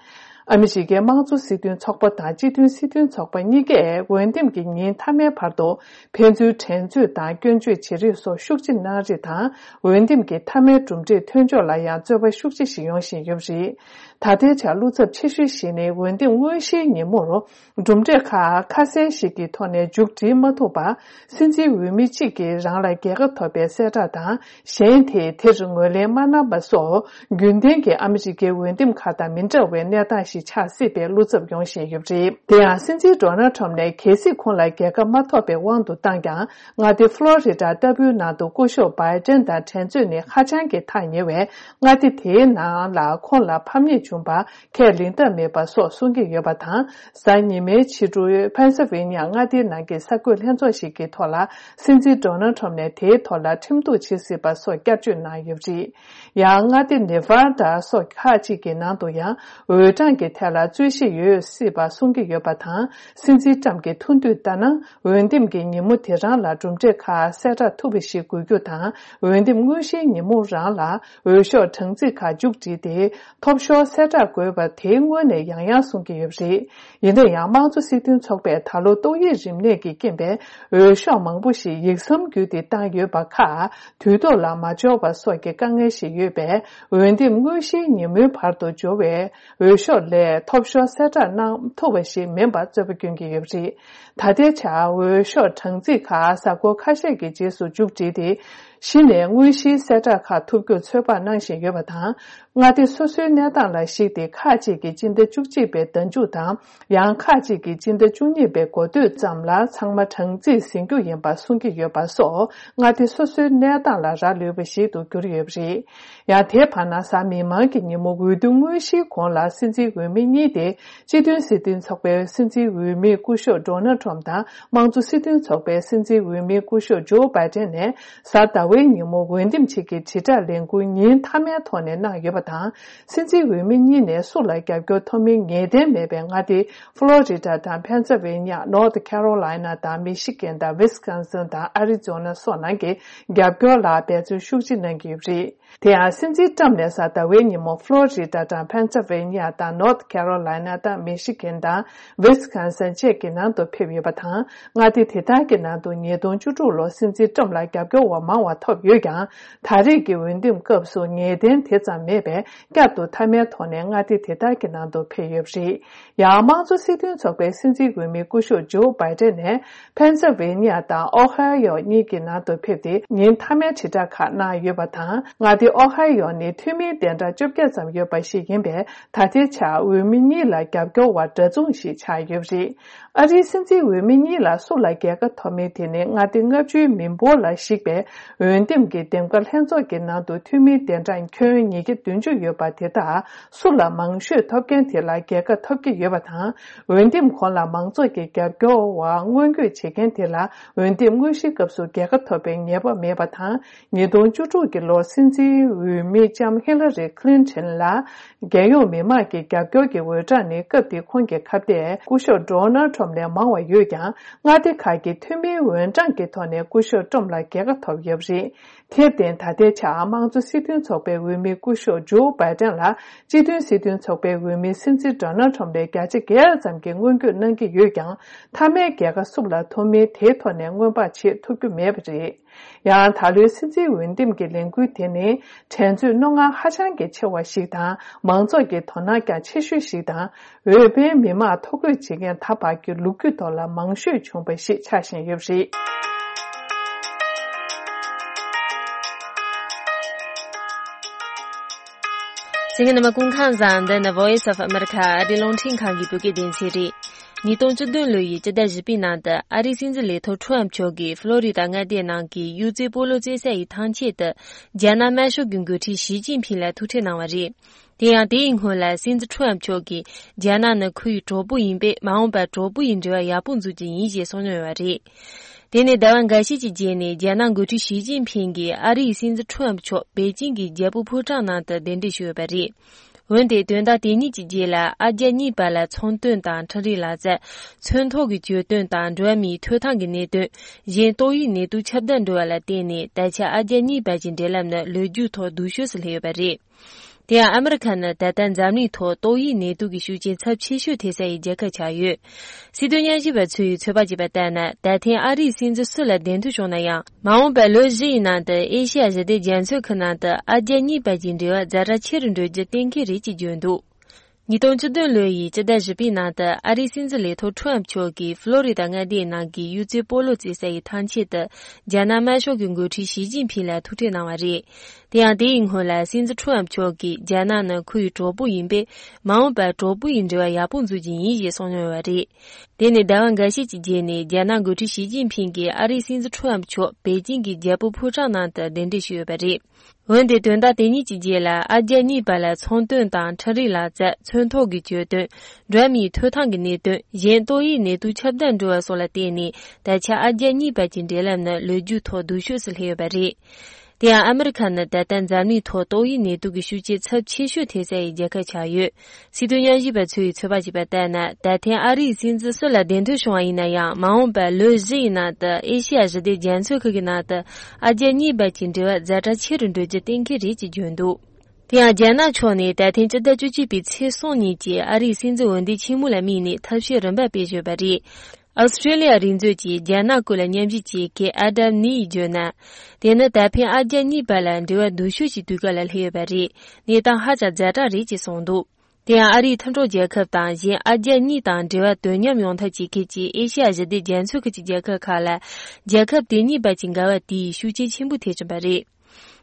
ཨ་མི་རི་ཀའི་དམངས་གཙོ་སྲིད་དོན་ཚོགས་པ་དང་སྤྱི་མཐུན་སྲིད་དོན་ཚོགས་པ་གཉིས་ཀས་འོས་འདེམས་ཀྱི་ཉིན་མཐའ་མའི་བར་དུ་ཕན་ཚུན་འགྲན་རྩོད་དང་སྐྱོན་བརྗོད་བྱེད་རེས་སོགས་ཤུགས་ཆེ་གནང་རེས་དང་། འོས་འདེམས་ཀྱི་མཐའ་མའི་གྲུབ་འབྲས་ཐོན་ཕྱོགས་ལ་ཡང་རྩོད་པ་ཤུགས་ཆེ་ཞིག་ཡོང་བཞིན་ཡོད་པ་རེད། ད་ལྟའི་ཆར་བློ་འཚབ་ཆེ་ཤོས་ཤིག་ནི་འོས་འདེམས་དངོས་གཞིའི་ཉིན་མོར། གྲུབ་འབྲས་ཁག་ཁ་གསལ་ཞིག་གི་ཐོག་ནས་མཇུག་སྒྲིལ་མ་ཐུབ་པར། སྲིད་འཛིན་འོས་མི་གཅིག་གིས་རང་ལ་རྒྱལ་ཁ་ཐོབ་པའི་གསལ་བསྒྲགས་དང་། གཞན་དེས་དེར་ངོས་ལེན་མ་གནང་པ་སོགས། རྒྱུན་ལྡན་གྱི་ཨ་མི་རི་ཀའི་འོས་འདེམས་ཁག་དང་མི་འདྲ་བའི་གནས་སྟངས་ཤིག་ཆགས་སྲིད་པའི་བློ་འཚབ་ཡོང་བཞིན་ཡོད་པ་རེད། དེ་ཡང་སྲིད་འཛིན་ཌོ་ནལ་ཁྲོམ་ནས་གལ་སྲིད་ཁོང་ལ་རྒྱལ་ཁ་མ་ཐོབ་པའི་དབང་དུ་བཏང་ཀྱང་། མངའ་སྡེ་ཧྥ་ལོ་རི་ཌ་ལྟ་བུའི་ནང་དུ་སྐུ་ཞབས་བྷའི་ཏན་དང་འགྲན་རྩོད་ནི་ཧ་ཅང་གི་ཐག་ཉེ་བས། མངའ་སྡེ་དེའི་ནང་ལ་ཁོང་ལ་ཕམ་ཉེས་བྱུང་བར། ཁས་ལེན་ཐབས་མེད་པ་སོགས་གསུང་གི་ཡོད་པ་དང་། གཟའ་ཉི་མའི་ཕྱི་དྲོའི་ཕེན་སི་ཝེ་ནི་ཡ་མངའ་སྡེའི་ནང་གི་གསར་འགོད་ལྷན་ཚོགས་ཤིག་གི་ཐོག་ལ། སྲིད་འཛིན་ཌོ་ནལ་ཁྲོམ་ནས་དེའི་ཐོག་ལ་ཁྲིམས་གཏུག་བྱེད་སྲིད་པ་སོགས་བསྐྱར་བརྗོད་གནང་ཡོད་པ་རེད། ཡང་མངའ་སྡེ་ནེ་ཝར་ཌ་སོགས་ཁག་ཅིག་གི་ནང་དུ་ཡང་། འོས་གྲངས་ཀྱི་ཐད་ལ་རྩོད་གཞི་ཡོད་སྲིད་པ་གསུང་གི་ཡོད་པ་དང་། སྲིད་འཛིན་ཊམ་གྱི་ཐུགས་འདོད་ལྟར་ན། འོས་འདེམས་ཀྱི་ཉིན་མོ་དེ་རང་ལ་གྲུབ་འབྲས་ཁག་གསལ་བསྒྲགས་ཐུབ་པ་ཞིག་དགོས་རྒྱུ་དང་། འོས་འདེམས་དངོས་གཞིའི་ཉིན་མོ་རང་ལ་འོས་ཤོག་གྲངས་རྩིས་ཁག་མཇུག་བསྒྲིལ་ཏེ། ཐོབ་ཤོར་གསལ་བསྒྲགས་དགོས་པ་དེ་སྔོན་ནས་ཡང་ཡང་གསུང་གི་ཡོད་པ་རེད། ཡིན་ན་ཡང་། དམངས་གཙོ་སྲིད་དོན་ཚོགས་པས་ད་ལོ་ཏོག་དབྱིབས་རིམས་ནད་ཀྱི་རྐྱེན་པས། འོས་ཤོག་མང་པོ་ཞིག་ཡིག་ཟམ་བརྒྱུད་དེ་བཏང་ཡོད་པ་ཁག་དུས་ཐོག་ལ་མ་འབྱོར་བ་སོགས་ཀྱི་དཀའ་ངལ་ཞིག་ཡོད་པས། འོས་འདེམས་དངོས་གཞིའི་ཉིན་མོའི་བར་དུ་འབྱོར་བའི་འོས་ཤོག་ལས་ཐོབ་ཤོར་གསལ་བསྒྲགས་གནང་ཐུབ་པ་ཞིག་མིན་པར་རྩོད་པ་སྐྱོན་གྱི་ཡོད་པ་རེད། ད་ལྟའི་ཆར་འོས་ཤོག་གྲངས་རྩིས་ཁག་གཟའ་འཁོར་ཁ་ཤས་ཀྱི་རྗེས་སུ་མཇུག་བསྒྲིལ་ཏེ། གཞི་ནས་དངོས་གཞིའི་གསལ་བསྒྲགས་ཁག་ཐུབ་རྒྱུར་ཚོད་དཔག་གནང་བཞིན་ཡོད་པ་དང་། མངའ་སྡེ་སོ་སོའི་གནས་སྟངས་ལ་གཞིགས་ཏེ། ཁག་ཅིག་གིས་སྤྱི་ཟླ་བཅུ་གཅིག་པའི་ཟླ་མཇུག་དང་། ཡང་ཁག་ཅིག་གིས་སྤྱི་ཟླ་བཅུ་གཉིས་པའི་འགོ་སྟོད་ཙམ་ལ་ཚང་མ་གྲངས་རྩིས་ཟིན་རྒྱུ་ཡིན་པ་གསུང་གི་ཡོད་པ་སོགས། མངའ་སྡེ་སོ་སོའི་གནས་སྟངས་ལ་རག་ལུས་པ་ཞིག་ཏུ་གྱུར་ཡོད་པ་རེད། ཡང་དེའི་བར་ན། གཟའ་མིག་དམར་གྱི་ཉིན་མོ། འོས་བསྡུ་དངོས་གཞིའི་གོང་ལ་སྲིད་འཛིན་འོས་མི་གཉིས་ཏེ། སྤྱི་མཐུན་སྲིད་དོན་ཚོགས་པའི་སྲིད་འཛིན་འོས་མི་སྐུ་ཞབས་ཌོ་ནལ་ཁྲོམ་དང་། དམངས་གཙོ་སྲིད་དོན་ཚོགས་པའི་སྲིད་འཛིན་འོས་མི་སྐུ་ཞབས་ཇོ་བྷའི་ཏན་ནས། གཟའ་ཟླ་བའི་ཉིན་མོ་འོས་འདེམས་ཆེད་ཀྱི་དྲིལ་བསྒྲགས་ལས་འགུལ་ཉིན་མཐའ་མའི་ཐོག་ནས་གནང་ཡོད་པ་དང་། སྲིད་འཛིན་འོས་མི་གཉིས་ནས་སུ་ལ་རྒྱབ་སྐྱོར་ཐོབ་མིན་ངེས་གཏན་མེད་པའི་མངའ་སྡེ་ཕློ་རི་ཌ་དང་ཕེན་སི་ཝེ་ནི་ཡ། ནོར་ཐི་ཁེ་རོ་ལའི་ན་དང་མི་ཤི་གན་དང་ཝི་སི་ཀོན་སིན་དང་ཨ་རི་ཛོ་ན་སོགས་ནང་གི་རྒྱབ་སྐྱོར་ལ་འབད་བརྩོན་ཤུགས་ཆེ་གནང་གི་ཡོད་པ་རེད། དེ་ཡང་། སྲིད་འཛིན་ཊམ་ནས་གཟའ་ཟླ་བའི་ཉིན་མོ་ཕློ་རི་ཌ་དང་ཕེན་སི་ཝེ་ནི་ཡ་དང་ནོར་ཐི་ཁེ་རོ་ལའི་ན་དང་མི་ཤི་གན་དང་ཝི་སི་ཀོན་སིན་བཅས་ཀྱི་ནང་དུ་ཕེབས་ཡོད་པ་དང་། མངའ་སྡེ་དེ་དག་གི་ནང་དུ་ཉིས་སྟོང་བཅུ་དྲུག་ལོར་སྲིད་འཛིན་ཊམ་ལ་རྒྱབ་སྐྱོར་བ་མང་བ་ཐོབ་ཡོད་ཀྱང་། ད་རེས་ཀྱི་འོས་འདེམས་སྐབས་སུ་ངེས་གཏན་དེ་ཙམ་མེད་པས། བསྐྱར་དུ་མཐའ་མའི་ཐོག་ནས་མངའ་སྡེ་དེ་དག་གི་ནང་དུ་ཕེབས་ཡོད་པ་རེད། ཡང་། དམངས་གཙོ་སྲིད་དོན་ཚོགས་པའི་སྲིད་འཛིན་འོས་མི་སྐུ་ཞབས་ཇོ་བྷའི་ཏན་ནས། ཕེན་སི་ཝེ་ནི་ཡ་དང་ཨོ་ཧའེ་ཡོ་གཉིས་ཀྱི་ནང་དུ་ཕེབས་ཏེ། ཉིན་མཐའ་མའི་དྲིལ་བསྒྲགས་ཁག་གནང་ཡོད་པ་དང་། མངའ་སྡེ་ཨོ་ཧའེ་ཡོ་ནི་འཐུས་མིའི་གདན་གྲངས་བཅོ་བརྒྱད་ཙམ་ཡོད་པ་ཞིག་ཡིན་པས། ད་ལྟའི་ཆར་འོས་མི་གཉིས་ལ་རྒྱབ་སྐྱོར་བ་འདྲ་མཚུངས་ཤིག་ཆགས་ཡོད་པ་རེད། ཨ་རིའི་སྲིད་འཛིན་འོས་མི་གཉིས་ལ་སུ་ལ་རྒྱལ་ཁ་ཐོབ་མིན་དེ་ནི། མངའ་སྡེ་ལྔ་བཅུའི་མི་འབོར་ལ་གཞིགས་པའི་འོས་འདེམས་ཀྱི་འདེམས་ཀ་ལྷན་ཚོགས་ཀྱི་ནང་དུ། འཐུས་མིའི་གདན་གྲངས་ཁྱོན་ཉིས་བརྒྱ་བདུན་ཅུ་ཡོད་པ་དེ་དག་སུ་ལ་མང་ཤོས་ཐོབ་མཁན་དེ་ལ་རྒྱལ་ཁ་ཐོབ་ཀྱི་ཡོད་པ་དང་། འོས་འདེམས་གོང་ལ་མང་ཚོགས་ཀྱི་རྒྱབ་སྐྱོར་བ་སྔོན་འགོད་བྱེད་མཁན་དེ་ལ། འོས་འདེམས་དངོས་གཞིའི་སྐབས་སུ་རྒྱལ་ཁ་ཐོབ་པའི་ངེས་པ་མེད་པ་དང་། ཉིས་སྟོང་བཅུ་དྲུག་གི་ལོར་སྲིད་འཛིན་འོས་མི་ལྕམ་ཧི་ལ་རི་ཁི་ལིན་ཊོན་ལ། རྒྱལ་ཡོངས་མི་མང་གི་རྒྱབ་སྐྱོར་གྱི་འོས་གྲངས་ནི། སྐབས་དེའི་ཁོང་གི་ཁ་གཏད་སྐུ་ཞབས་ཌོ་ནལ་ཁྲོམ་ལས་མང་བ་ཡོད་ཀྱང་། མངའ་སྡེ་ཁག་གི་འཐུས་མིའི་འོས་གྲངས་ཀྱི་ཐོག་ནས་སྐུ་ཞབས་ཁྲོམ་ལ་རྒྱལ་ཁ་ཐོབ་ཡོད་པ་རེད། དེར་བརྟེན། ད་ལྟའི་ཆར་དམངས་གཙོ་སྲིད་དོན་ཚོགས་པའི་འོས་མི་སྐུ་ཞབས་ཇོ་བྷའི་ཏན་ལ། སྤྱི་མཐུན་སྲིད་དོན་ཚོགས་པའི་འོས་མི་སྲིད་འཛིན་ཌོ་ནལ་ཁྲོམ་ལས་བརྒྱ་ཆ་བརྒྱད་ཙམ་གྱིས་སྔོན་སྐྱོད་གནང་གི་ཡོད་ཀྱང་། མཐའ་མའི་རྒྱལ་ཁ་སུ་ལ་ཐོབ་མིན་དེའི་ཐོག་ནས་སྔོན་དཔག་བྱེད་ཐུབ་རྒྱུ་མེད་པ་རེད། ཡང་། ད་ལོའི་སྲིད་འཛིན་འོས་འདེམས་ཀྱི་ལས་འགུལ་དེ་ནི། འགྲན་རྩོད་རྣོ་ངར་ཧ་ཅང་གི་ཆེ་བ་ཞིག་དང་། མང་ཚོགས་ཀྱི་དོ་སྣང་ཀྱང་ཆེ་ཤོས་ཤིག་དང་། འོས་འཕེན་མི་མང་ཐོ་འགོད་བྱེད་མཁན་ད་བར་གྱི་ལོ་རྒྱུས་ཐོག་ལ་མང་ཤོས་བྱུང་བ་ཞིག་ཆགས་བཞིན་ཡོད་པ་རེད། གསན་མཁན་རྣམ་པ་སྐུ་ཁམས་བཟང་། འདི་ནི་Voice of America ཨ་རིའི་རླུང་འཕྲིན་ཁང་གི་བོད་སྐད་སྡེ་ཚན་རེད། ཉིས་སྟོང་བཅུ་བདུན་ལོ་ཡི་སྤྱི་ཟླ་བཞི་པའི་ནང་དུ། ཨ་རིའི་སྲིད་འཛིན་ལས་ཐོག་ཁྲོམ་མཆོག་གིས་ཕློ་རི་ཌ་མངའ་སྡེའི་ནང་གི་གཡུ་རྩེ་སྤོ་ལོ་རྩེད་ས་ཡི་ཐང་ཆད་དུ། རྒྱ་ནག་དམར་ཤོག་གི་འགོ་ཁྲིད་ཞི་ཅིན་ཕིང་ལ་ཐུག་འཕྲད་གནང་བ་རེད། དེ་ཡང་། དེའི་སྔོན་ལ་སྲིད་འཛིན་ཁྲོམ་མཆོག་གིས། རྒྱ་ནག་ནི་ཁོའི་གྲོགས་པོ་ཡིན་པས། མ་འོངས་པར་གྲོགས་པོ་ཡི་འབྲེལ་བ་ཡག་པོ་འཛུགས་རྒྱུ་ཡིན་ཞེས་གསུངས་མྱོང་ཡོད་པ་རེད། དེ་ནས་ཟླ་བ་འགའ་ཤས་ཀྱི་རྗེས་ནས། རྒྱ་ནག་འགོ་ཁྲིད་ཞི་ཅིན་ཕིང་གིས་ཨ་རིའི་སྲིད་འཛིན་ཁྲོམ་མཆོག་པེ་ཅིང་གི་རྒྱལ་པོ་ཕོ་བྲང་ནང་དུ་གདན་འདྲེན་ཞུས་ཡོད་པ་རེད། འོན་ཏེ་དོན་དག་དེ་གཉིས་ཀྱི་རྗེས་ལ་ཨ་རྒྱ་གཉིས་བར་ལ་ཚོང་དོན་དང་འཕྲིན་རིག་ལག་རྩལ། ཚོན་ཐོག་གི་གྱོད་དོན་དང་འགྲོ་བ་མིའི་ཐོབ་ཐང་གི་གནད་དོན། གཞན་ཏོག་དབྱིབས་ནད་དུག་ཁྱབ་གདལ་འགྲོ་བ་ལ་བརྟེན་ནས་ད་ཆ་ཨ་རྒྱ་གཉིས་བར་གྱི་འབྲེལ་ལམ་ནི་ལོ་རྒྱུས་ཐོག་སྡུག་ཤོས་སུ་སླེབས་ཡོད་པ་རེད། དེ་ཡང་ཨ་མི་རི་ཁ་ནི་ད་ལྟ་འཛམ་གླིང་ཐོག་ཏོག་དབྱིབས་ནད་དུག་གི་ཤུགས་རྐྱེན་ཚབས་ཆེ་ཤོས་ཐེབས་ས་ཡི་རྒྱལ་ཁབ་ཆགས་ཡོད། སྲིད་དོན་ཉམས་ཞིབ་པ་ཚོས་ཚོད་དཔག་བྱས་པ་ལྟར་ན། ད་ཐེངས་ཨ་རིའི་སྲིད་འཛིན་སུ་ལ་གདན་འཐོན་བྱུང་ན་ཡང་། མ་འོངས་པའི་ལོ་བཞི་ཡི་ནང་དུ་ཨེ་ཤེ་ཡ་ཞི་བདེ་རྒྱ་མཚོའི་ཁུལ་ནང་དུ་ཨ་རྒྱ་གཉིས་བར་གྱི་འབྲེལ་བ་ཛ་དྲག་ཆེ་རུ་འགྲོ་རྒྱུ་གཏན་འཁེལ་རེད་ཅེས་བརྗོད་འདུག་ཉིས་སྟོང་བཅུ་བདུན་ལོ་ཡི་སྤྱི་ཟླ་བཞི་པའི་ནང་དུ་ཨ་རིའི་སྲིད་འཛིན་ལས་ཐོག་ཁྲོམ་མཆོག་གིས་ཕློ་རི་ད་མངའ་སྡེའི་ནང་གི་གཡུལ་རྩེ་སྤོ་ལོ་རྩེ་ས་ཡི་ཐང་ཆེན་དུ་རྒྱ་ནག་དམར་ཤོག་གི་འགོ་ཁྲིད་ཞི་ཅིན་ཕིང་ལ་ཐུག་འཕྲད་གནང་བ་རེད། དེ་ཡང་དེ་ཡི་སྔོན་ལ་སྲིད་འཛིན་ཁྲོམ་མཆོག་གིས་རྒྱ་ནག་ནི་ཁོ་ཡི་གྲོགས་པོ་ཡིན་པས། མ་འོངས་པར་གྲོགས་པོ་ཡི་འབྲེལ་བ་ཡག་པོ་འཛུགས་རྒྱུ་ཡིན་ཞེས་གསུངས་མྱོང་བ་རེད། དེ་ནས་ཟླ་བ་འགའ་ཤས་ཀྱི་རྗེས་ནས་རྒྱ་ནག་འགོ་ཁྲིད་ཞི་ཅིན་ཕིང་གིས་ཨ་རིའི་སྲིད་འཛིན་ཁྲོམ་མཆོག་པེ་ཅིང་གི་རྒྱལ་པོ་ཕོ་བྲང་ནང་དུ་གདན་འདྲེན་ཞུས་ཡོད་པ་རེད། འོན་ཏེ་དོན་དག་དེ་གཉིས་ཀྱི་རྗེས་ལ་ཨ་རྒྱ་གཉིས་བར་ལ་ཚོང་དོན་དང་འཕྲིན་རིག་ལག་རྩལ། ཚོན་ཐོག་གི་གྱོད་དོན། འགྲོ་བ་མིའི་ཐོབ་ཐང་གི་གནད་དོན། གཞན་ཏོག་དབྱིབས་ནད་དུག་ཁྱབ་གདལ་འགྲོ་བ་སོགས་ལ་བརྟེན་ནས་ད་ཆ་ཨ་རྒྱ་གཉིས་བར་གྱི་འབྲེལ་ལམ་ནི་ལོ་རྒྱུས་ཐོག་སྡུག་ཤོས་སུ་སླེབས་ཡོད་པ་རེད། དེ་ཡང་ཨ་མི་རི་ཁ་ནི་ད་ལྟ་འཛམ་གླིང་ཐོག་ཏོག་དབྱིབས་ནད་དུག་གི་ཤུགས་རྐྱེན་ཚབས་ཆེ་ཤོས་ཐེབས་ས་ཡི་རྒྱལ་ཁབ་ཆགས་ཡོད། སྲིད་དོན་ཉམས་ཞིབ་པ་ཚོས་ཚོད་དཔག་བྱས་པ་ལྟར་ན། ད་ཐེངས་ཨ་རིའི་སྲིད་འཛིན་སུ་ལ་གདན་འཐོན་བྱུང་བ་ཡིན་ན་ཡང་། མ་འོངས་པར་ལོ་བཞི་ཡི་ནང་དུ་ཨེ་ཤེ་ཡ་ཞི་བདེ་རྒྱ་མཚོའི་ཁུལ་གྱི་ནང་དུ་ཨ་རྒྱ་གཉིས་བར་གྱི་འབྲེལ་བ་ཛ་དྲག་ཆེ་རུ་འགྲོ་རྒྱུ་གཏན་འཁེལ་རེད་ཅེས་བརྗོད་འདུག་དེ་ཡང་རྒྱ་ནག་ཕྱོགས་ནས་ད་ཐེངས་སྤྱི་ཟླ་བཅུ་གཅིག་པའི་ཚེས་གསུམ་ཉིན་གྱི་ཨ་རིའི་སྲིད་འཛིན་འོས་འདེམས་ཆེན་མོ་ལ་དམིགས་ནས་ཐབས་ཤེས་རིམ་པ་སྤེལ་བཞིན་ཡོད་པ་རེད། ཨོ་སི་ཀྲེ་ལི་ཡ་རིག་མཛོད་ཀྱི་རྒྱ་ནག་སྐོར་ལ་ཉམས་ཞིབ་བྱེད་མཁན་ཨ་དམ་ནི་ཡིས་བརྗོད་ན། དེ་ནི་ད་ཕན་ཨ་རྒྱ་གཉིས་བར་ལ་འབྲེལ་བ་སྡུག་ཤོས་ཀྱི་དུས་སྐབས་ལ་སླེབས་ཡོད་པ་རེད། གནས་སྟངས་ཧ་ཅང་ཛ་དྲག་རེད་ཅེས་གསུངས་འདུག་དེ་ཡང་ཨ་རིའི་མཐུན་གྲོགས་རྒྱལ་ཁབ་དང་གཞན་ཨ་རྒྱ་གཉིས་དང་འབྲེལ་བ་དོ་མཉམ་ཡོང་ཐབས་བྱེད་མཁན་གྱི་ཨེ་ཤེ་ཡ་ཞི་བདེ་རྒྱ་མཚོའི་ཁུལ་གྱི་རྒྱལ་ཁབ་ཁག་ལ། རྒྱལ་ཁབ་དེ་གཉིས་བར་གྱི་འགལ་བ་དེའི་ཤུགས་རྐྱེན་ཆེན་པོ་ཐེབས་བཞིན་པ་རེད།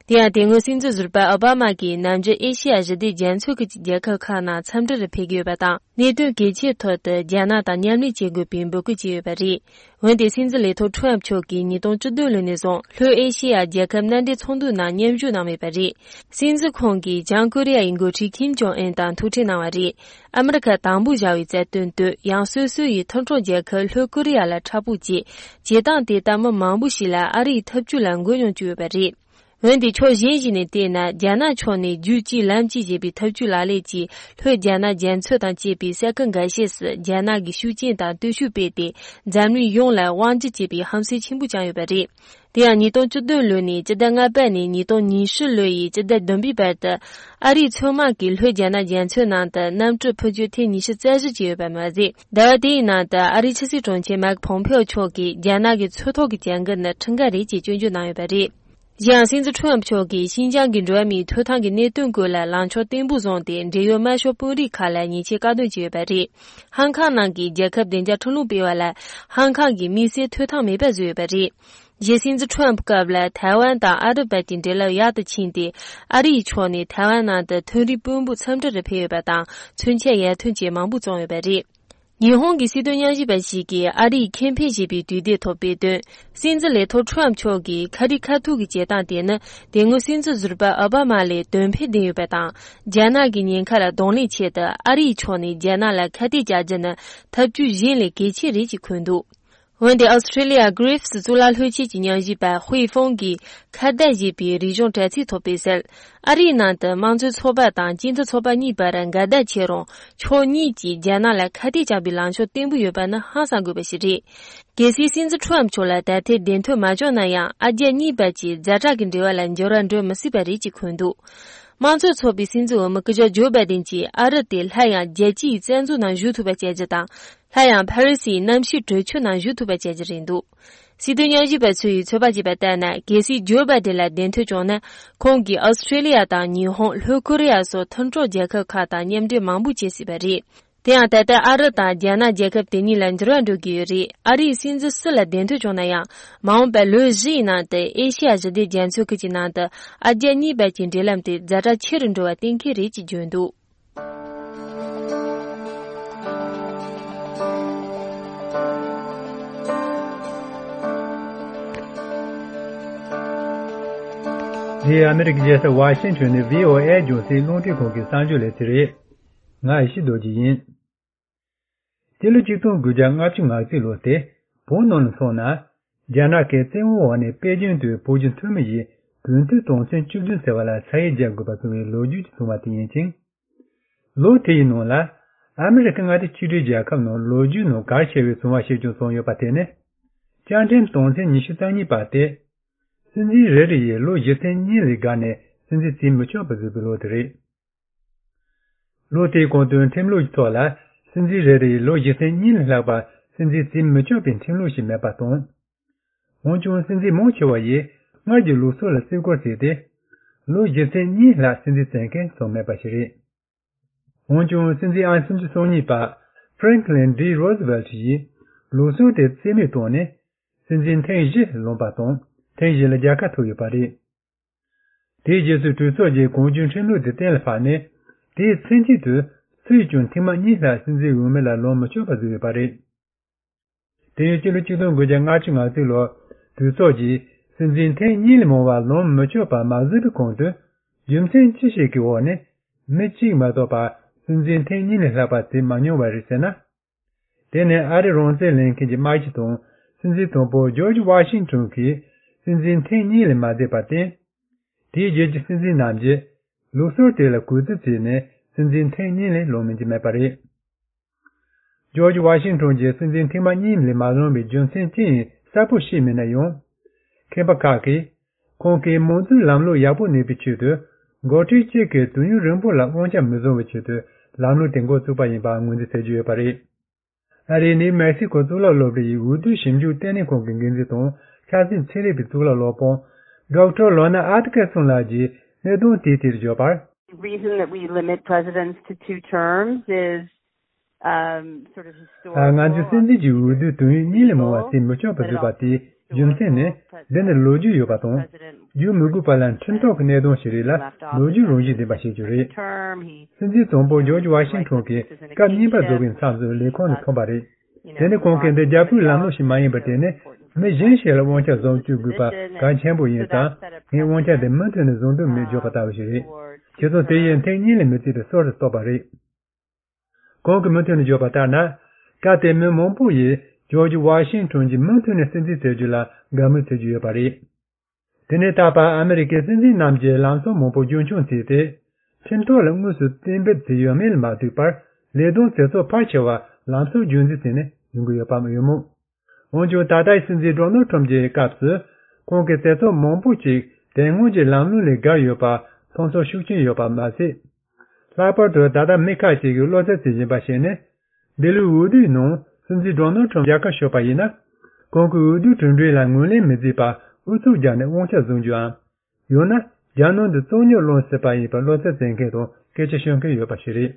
དེ་ཡང་དེ་སྔོན་སྲིད་འཛིན་ཟུར་པ་ཨོ་བྷ་མ་གིས་ནམ་རྒྱུན་ཨེ་ཤེ་ཡ་ཞི་བདེ་རྒྱ་མཚོའི་ཁུལ་གྱི་རྒྱལ་ཁབ་ཁག་ནང་འཚམས་འདྲིར་ཕེབས་ཀྱི་ཡོད་པ་དང་། གནད་དོན་གལ་ཆེའི་ཐོག་ཏུ་རྒྱ་ནག་དང་མཉམ་ལས་བྱེད་དགོས་པའི་འབོད་སྐུལ་བྱས་ཡོད་པ་རེད། འོན་ཏེ་སྲིད་འཛིན་ལས་ཐོག་ཁྲོམ་མཆོག་གིས་ཉིས་སྟོང་བཅུ་བདུན་ལོ་ནས་བཟུང་ལྷོ་ཨེ་ཤེ་ཡ་རྒྱལ་ཁབ་མནའ་འབྲེལ་ཚོགས་འདུ་ནང་མཉམ་ཞུགས་གནང་མེད་པ་རེད། སྲིད་འཛིན་ཁོང་གིས་བྱང་ཀོ་རི་ཡ་ཡི་འགོ་ཁྲིད་ཁིམ་ཇོང་ཨུན་དང་ཐུག་འཕྲད་གནང་བ་རེད། ཨ་མི་རི་ཁ་དང་པོ་བཞག་པའི་རྩ་དོན་དེ་ཡང་སོ་སོ་ཡི་མཐུན་གྲོགས་རྒྱལ་ཁབ་ལྷོ་ཀོ་རི་ཡ་ལ་འཕྲག་ཕུག་བྱས། བྱེད་སྟངས་དེ་ལྟ་མི་མང་པོ་ཞིག་ལ་ཨ་རིའི་ཐབས་ཇུས་ལ་མགོ་གཡོག་བཅུག་ཡོད་པ་རེད། འོན་ཏེ་ཕྱོགས་གཞན་ཞིག་ནས་བལྟས་ན། རྒྱ་ནག་ཕྱོགས་ནས་རྒྱུད་གཅིག་ལམ་གཅིག་ཅེས་པའི་ཐབས་ཇུས་ལག་ལེན་གྱིས་ལྷོ་རྒྱ་ནག་རྒྱ་མཚོ་དང་བཅས་པའི་ས་ཁུལ་འགའ་ཤས་སུ་རྒྱ་ནག་གི་ཤུགས་རྐྱེན་དང་སྟོབས་ཤུགས་སྤེལ་ཏེ། འཛམ་གླིང་ཡོངས་ལ་དབང་སྒྱུར་བྱེད་པའི་ཧམ་སེམས་ཆེན་པོ་བཅངས་ཡོད་པ་རེད། དེ་ཡང་ཉིས་སྟོང་བཅུ་བདུན་ལོ་ནས་སྤྱི་ཟླ་ལྔ་པ་ནས་ཉིས་སྟོང་ཉི་ཤུ་ལོ་ཡི་སྤྱི་ཟླ་བདུན་པའི་བར་དུ། ཨ་རིའི་མཚོ་དམག་གིས་ལྷོ་རྒྱ་ནག་རྒྱ་མཚོའི་ནང་དུ་གནམ་གྲུ་འཕུར་སྐྱོད་ཐེངས་ཉི་ཤུ་རྩ་བཞི་བྱས་ཡོད་པ་མ་ཟད། ཟླ་བ་དེའི་ནང་དུ་ཨ་རིའི་ཕྱི་སྲིད་དྲུང་ཆེ་མཱིག་ཕོམ་ཕེའོ་མཆོག་གིས་རྒྱ་ནག་གི་མཚོ་ཐོག་གི་བྱ་འགུལ་ནི་ཁྲིམས་འགལ་རེད་ཅེས་སྐྱོན་བརྗོད་གནང་ཡོད་པ་རེད། གཞན་ཡང་སྲིད་འཛིན་ཁྲོམ་མཆོག་གིས་ཤིན་ཅང་གི་འགྲོ་བ་མིའི་ཐོབ་ཐང་གི་གནད་དོན་སྐོར་ལ་ལངས་ཕྱོགས་བརྟན་པོ་བཟུང་སྟེ། འབྲེལ་ཡོད་དམར་ཤོག་དཔོན་རིགས་ཁག་ལ་ཉེས་ཆད་བཀག་སྡོམ་བྱས་ཡོད་པ་རེད། ཧང་ཁང་ནང་གི་རྒྱལ་ཁབ་བདེ་འཇགས་ཁྲིམས་ལུགས་སྤེལ་བ་ལ་ཧང་ཁང་གི་དམིགས་བསལ་ཐོབ་ཐང་མེད་པ་བཟོས་ཡོད་པ་རེད། གཞན་སྲིད་འཛིན་ཁྲོམ་སྐབས་ལ་ཐའེ་ཝན་དང་ཨ་རི་བར་གྱི་འབྲེལ་ལམ་ཡག་ཏུ་ཕྱིན་ཏེ། ཨ་རིའི་ཕྱོགས་ནས་ཐའེ་ཝན་ནང་དུ་མཐོ་རིམ་དཔོན་པོ་འཚམས་འདྲིར་ཕེབས་ཡོད་པ་དང་། མཚོན་ཆ་ཡར་ཐོན་བཅས་མང་པོ་བཙོང་ཡོད་པ་རེད། ཉི་ཧོང་གི་སྲིད་དོན་ཉམས་ཞིབ་པ་ཞིག་གིས་ཨ་རིའི་ཁེ་ཕན་ཞེས་པའི་དུས་དེབ་ཐོག་སྤེལ་དོན། སྲིད་འཛིན་ལས་ཐོག་ཁྲོམ་མཆོག་གིས་ཁ་རི་ཁ་ཐུག་གི་བྱེད་སྟངས་དེ་ནི། དེ་སྔོན་སྲིད་འཛིན་ཟུར་པ་ཨོ་བྷ་མ་ལས་དོན་ཕན་ལྡན་ཡོད་པ་དང་། རྒྱ་ནག་གི་ཉེན་ཁ་ལ་གདོང་ལེན་ཆེད་དུ། ཨ་རིའི་ཕྱོགས་ནས་རྒྱ་ནག་ལ་ཁ་གཏད་བཅག་རྒྱུ་ནི་ཐབས་ཇུས་གཞན་ལས་གལ་ཆེ་རེད་ཅེས་འཁོད་འདུག་འོན་ཏེ་ཨོ་སི་ཀྲེ་ལི་ཡ་གྷི་རིབ་སི་གཙུག་ལག་སློབ་ཆེན་གྱི་ཉམས་ཞིབ་པ་ཧུའེ་ཧྥུང་གིས་ཁ་བརྡ་ཞེས་པའི་རིག་གཞུང་དྲ་ཚིགས་ཐོག་སྤེལ་གསལ། ཨ་རིའི་ནང་དུ་དམངས་གཙོའི་ཚོགས་པ་དང་སྤྱི་མཐུན་ཚོགས་པ་གཉིས་བར་འགལ་ཟླ་ཆེ་རུང་། ཕྱོགས་གཉིས་ཀྱིས་རྒྱ་ནག་ལ་ཁ་གཏད་བཅག་པའི་ལངས་ཕྱོགས་བརྟན་པོ་ཡོད་པ་ནི་ཧང་སང་དགོས་པ་ཞིག་རེད། གལ་སྲིད་སྲིད་འཛིན་ཁྲོམ་མཆོག་ལ་ད་ཐེངས་གདན་འཐོན་མ་བྱུང་ན་ཡང་། ཨ་རྒྱ་གཉིས་བར་གྱི་ཛ་དྲག་གི་འབྲེལ་བ་ལ་འགྱུར་བ་འགྲོ་མི་སྲིད་པ་རེད་ཅེས་འཁོད་འདུག་དམངས་གཙོའི་ཚོགས་པའི་སྲིད་འཛིན་འོས་མི་སྐུ་ཞབས་ཇོ་བྷའི་ཏིན་གྱིས་ཨ་རི་དེ་སླར་ཡང་རྒྱལ་སྤྱིའི་རྩ་འཛུགས་ནང་ཞུགས་ཐུབ་པ་བྱ་རྒྱུ་དང་། སླར་ཡང་ཕ་རི་སིའི་གནམ་གཤིས་གྲོས་ཆོད་ནང་ཞུགས་ཐུབ་པ་བྱ་རྒྱུ་རེད་འདུག་སྲིད་དོན་ཉམས་ཞིབ་པ་ཚོས་ཚོད་དཔག་བྱས་པ་ལྟར་ན། གལ་སྲིད་ཇོ་བྷའི་ཏིན་ལ་གདན་འཐོན་བྱུང་ན། ཁོང་གིས་ཨོ་སི་ཀྲེ་ལི་ཡ་དང་ཉི་ཧོང་། ལྷོ་ཀོ་རི་ཡ་སོགས་མཐུན་གྲོགས་རྒྱལ་ཁབ་ཁག་དང་མཉམ་འབྲེལ་མང་པོ་བྱེད་སྲིད་པ་རེད། དེ་ཡང་ད་ལྟ་ཨ་རི་དང་རྒྱ་ནག་རྒྱལ་ཁབ་དེ་གཉིས་ལ་འགྱུར་བ་འགྲོ་གི་ཡོད་རེད། ཨ་རིའི་སྲིད་འཛིན་སུ་ལ་གདན་འཐོན་བྱུང་ན་ཡང་། མ་འོངས་པའི་ལོ་བཞི་ཡི་ནང་དུ་ཨེ་ཤེ་ཡ་ཞི་བདེ་རྒྱ་མཚོའི་ཁུལ་གྱི་ནང་དུ་ཨ་རྒྱ་གཉིས་བར་གྱི་འབྲེལ་ལམ་དེ་ཛ་དྲག་ཆེ་རུ་འགྲོ་བ་གཏན་འཁེལ་རེད་ཅེས་བརྗོད་འདུག་འདི་ཨ་མི་རི་ཀའི་རྒྱལ་ས་ཝ་ཤིང་ཊོན་ནས་བྷི་ཨོ་ཨེ་རྒྱང་སྲིང་རླུང་འཕྲིན་ཁང་གི་གསར་འགྱུར་ལས་ཚན་རེད། ང་ཡེ་ཤེས་རྡོ་རྗེ་ཡིན། སྤྱི་ལོ་ཆིག་སྟོང་དགུ་བརྒྱ་ལྔ་བཅུ་ང་གཅིག་ལོ་སྟེ། བོད་ནང་ལ་སོང་ན། རྒྱ་ནག་གི་བཙན་དབང་འོག་ནས་པེ་ཅིང་དུ་བོད་ཀྱི་འཐུས་མི་ཡིས་དགུན་དུས་དོན་ཚན་བཅུ་བདུན་ཟེར་བ་ལ་ས་ཡིག་རྒྱག་དགོས་པ་བཟོ་བའི་ལོ་རྒྱུས་ཀྱིས་བཟུང་བ་དེ་ཡིན་ཅིང་། ལོ་དེའི་ནང་ལ། ཨ་མི་རི་ཀ་མངའ་སྡེ་གཅིག་སྒྲིལ་རྒྱལ་ཁབ་ནང་ལོ་རྒྱུས་ནང་གལ་ཆེ་བའི་བྱུང་བ་ཞིག་ཀྱང་བྱུང་ཡོད་པ་དེ་ནི། བཅའ་ཁྲིམས་དོན་ཚན་ཉི་ཤུ་རྩ་གཉིས་པ་སྟེ། སྲིད་འཛིན་རེ་རེ་ཡིས་ལོ་བཞི་ཚན་གཉིས་ལས་བརྒལ་ནས་སྲིད་འཛིན་བྱེད་མི་ཆོག་པ་བཟོས་པའི་ལོ་དེ་རེད། ལོ་དེའི་གོང་དུ་ཁྲིམས་ལུགས་ཀྱི་ཐོག་ལ་སྲིད་འཛིན་རེ་རེ་ཡིས་ལོ་བཞི་ཚན་གཉིས་ལས་ལྷག་པ་སྲིད་འཛིན་བྱེད་མི་ཆོག་པའི་ཁྲིམས་ལུགས་ཤིག་མེད་པ་དང་། འོན་ཀྱང་སྲིད་འཛིན་མང་ཆེ་བ་ཡིས་སྔར་གྱི་ལུགས་སྲོལ་ལ་བརྩི་བཀུར་བྱས་ཏེ། ལོ་བཞི་ཚན་གཉིས་ལྷག་སྲིད་འཛིན་བྱེད་མཁན་སུ་མེད་པ་ཞིག་རེད། འོན་ཀྱང་སྲིད་འཛིན་ཨང་སུམ་ཅུ་སོ་གཉིས་པ་Franklin D Roosevelt ཡིས་ལུགས་སྲོལ་དེ་རྩིས་མེད་བཏང་ནས་སྲིད་འཛིན་ཐེངས་བཞི་ལོན་པ་དང་ཐེངས་བཞི་ལ་རྒྱལ་ཁ་ཐོབ་ཡོད་པ་རེད། དེའི་རྗེས་སུ་གྲོས་ཚོགས་ཀྱིས་གོང་བརྗོད་ཁྲིམས་ལུགས་དེ་གཏན་ལ་ཕབ་ནས་དེའི་ཚུན་ཆད་དུ་སུས་ཀྱང་ཐེངས་མ་གཉིས་ལྷག་སྲིད་འཛིན་འོས་མི་ལ་ལོན་མི་ཆོག་པ་བཟོས་ཡོད་པ་རེད། དེ་ཡང་སྤྱི་ལོ་ཆིག་སྟོང་དགུ་བརྒྱ་ལྔ་བཅུ་ང་གཅིག་ལོར་གྲོས་ཚོགས་ཀྱིས་སྲིད་འཛིན་ཐེངས་གཉིས་ལས་མང་བ་ལོན་མི་ཆོག་པ་མ་བཟོས་པའི་གོང་དུ། རྒྱུ་མཚན་ཅི་ཞིག་གི་འོག་ནས་མི་གཅིག་མ་གཏོགས་པ་སྲིད་འཛིན་ཐེངས་གཉིས་ལས་ལྷག་པ་བྱེད་མ་མྱོང་བ་རེད་ཟེར་ན། དེ་ནི་ཨ་རིའི་རང་བཙན་ལེན་མཁན་གྱི་དམག་སྤྱི་དང་སྲིད་འཛིན་དང་པོ་ཇོརྗ་ཝ་ཤིང་ཊོན་གྱིས་སྲིད་འཛིན་ཐེངས་གཉིས་ལས་མ་བྱས་པར་བརྟེན། དེའི་རྗེས་ཀྱི་སྲིད་འཛིན་རྣམས་ཀྱིས་ལུགས་སྲོལ་དེ་ལ་གུས་བརྩི་བྱས་ནས་སྲིད་འཛིན་ཐེངས་གཉིས་ལས་ལོན་མིན་གྱི་མེད་པ་རེད། ཇོརྗ་ཝ་ཤིང་ཊོན་གྱིས་སྲིད་འཛིན་ཐེངས་མ་གཉིས་ལས་མ་ལོན་པའི་རྒྱུ་མཚན་ཅི་ཡིན་གསལ་པོ་ཤེས་མེད་ན་ཡང་། མཁས་པ་ཁག་གིས། ཁོང་གིས་མང་གཙོའི་ལམ་ལུགས་ཡག་པོ་གནས་པའི་ཆེད་དུ། འགོ་ཁྲིད་གཅིག་གིས་དུས་ཡུན་རིང་པོ་ལ་དབང་ཆ་མི་བཟུང་བའི་ཆེད་དུ་ལམ་ལུགས་དེ་འགོ་བཙུགས་པ་ཡིན་པ་ངོས་འཛིན་བྱེད་ཀྱི་ཡོད་པ་རེད། ཨ་རིའི་ནིའུ་མེག་སི་ཀོ་གཙུག་ལག་སློབ་གྲྭ་ཡི་འོས་བསྡུ་ཞིབ་འཇུག་ལྟེ་གནས་ཁང་གི་འགན་འཛིན་དང་ཆབ་སྲིད་ཚན་རིག་པའི་གཙུག་ལག་སློབ་དཔོན་ཌོག་ཊར་ལོ་ན་ཨ་ཏི་ཀེར་སོན་ལགས་ཀྱིས་གནད་དོན་དེའི་ཐད་བརྗོད་པར། Reason that we limit presidents to two terms is, um, sort of ང་ཚོས་སྲིད་འཛིན་གྱི་འོས་བསྡུ་དུས་ཡུན་གཉིས་ལས་མང་བ་བྱེད་མི་ཆོག་པ་བཟོས་པ་དེའི་རྒྱུ་མཚན་ནི། འདི་ནི་ལོ་རྒྱུས་ཡོད་པ་དང་། བརྒྱུད་མི་དགོས་པ་ལ་ཁྲིམས་ཐོག་གི་གནད་དོན་ཞིག་རེད་ལ་ལོ་རྒྱུས་རང་བཞིན་ལྡན་པ་ཞིག་ཀྱང་རེད། སྲིད་འཛིན་དང་པོ་ཇོརྗ་ཝ་ཤིང་ཊོན་གྱིས་སྐབས་གཉིས་པ་རྫོགས་པའི་མཚམས་སུ་ལས་ཁུངས་ནས་འཁོད་པ་རེད། དེ་ནི་ཁོང་གིས་འདི་རྒྱལ་པོའི་ལམ་ལུགས་ཤིག་མ་ཡིན་པར་བརྟེན་ནས་མི་གཞན་ཞིག་ལ་དབང་ཆ་བཟུང་བཅུག་དགོས་པ་གལ་ཆེན་པོ་ཡིན་ཙང་ངས་དབང་ཆ་དེ་མུ་མཐུད་ནས་བཟུང་འདོད་མེད་བརྗོད་པ་ལྟ་བུ་ཞིག་རེད། བྱས་ཙང་དེ་ཡིས་ཐེངས་གཉིས་ལས་མི་བྱེད་པའི་སྲོལ་དེ་བཏོད་པ་རེད། ཁོང་གིས་མུ་མཐུད་ནས་བརྗོད་པ་ལྟར་ན། སྐབས་དེར་མི་མང་པོ་ཡིས་ཇོརྗ་ཝ་ཤིང་ཊོན་གྱིས་མུ་མཐུད་ནས་སྲིད་འཛིན་བྱེད་རྒྱུ་ལ་དགའ་མོས་བྱེད་ཀྱི་ཡོད་པ་རེད། དེ་ནས་ད་བར་ཨ་མི་རི་ཀའི་སྲིད་འཛིན་རྣམས་ཀྱིས་ལམ་སང་མང་པོ་རྒྱུན་འཁྱོངས་བྱས་ཏེ། ཁྲིམས་ཐོག་ལ་དངོས་སུ་གཏན་འབེབས་བྱས་ཡོད་མེད་ལ་མ་ལྟོས་པར་ལས་དོན་མཛད་ཚོགས་ཕལ་ཆེ་བ་ལམ་སང་རྒྱུན་འཛིན་བྱས་ནས་ཡོང་གི་ཡོད་པ་ཡོད་མོད། འོན་ཀྱང་ད་ལྟའི་སྲིད་འཛིན་ཌོ་ནལ་ཊམ་གྱི་སྐབས་སུ་ཁོང་གིས་མཛད་ཚོགས་མང་པོ་ཅིག་དེ་སྔོན་གྱི་ལམ་ལུགས་ལས་བརྒལ་ཡོད་པ་མཐོང་ཚོར་ཤུགས་ཆེན་ཡོད་པ་མ་ཟད། ལྷག་པར་དུ་ད་ལྟ་མི་ཁག་ཅིག་གིས་བློ་འཚབ་བྱེད་བཞིན་པ་ཞིག་ནི། འདི་ལོའི་འོས་བསྡུའི་ནང་སྲིད་འཛིན་ཌོ་ནལ་ཊམ་རྒྱལ་ཁ་ཤོར་བ་ཡིན་ན། ཁོང་གིས་འོས་བསྡུའི་གྲུབ་འབྲས་ལ་ངོས་ལེན་མི་བྱེད་པར་ཨུ་ཚུགས་བརྒྱབ་ནས་དབང་ཆ་བཟུང་རྒྱུའམ། ཡང་ན་རྒྱལ་ནང་དུ་བཙོན་འཇུག་སློང་སྲིད་པ་ཡིན་པར་བློ་འཚབ་བྱེད་མཁན་དང་སྐད་ཆ་ཤོད་མཁན་ཡོད་པ་ཞིག་རེད།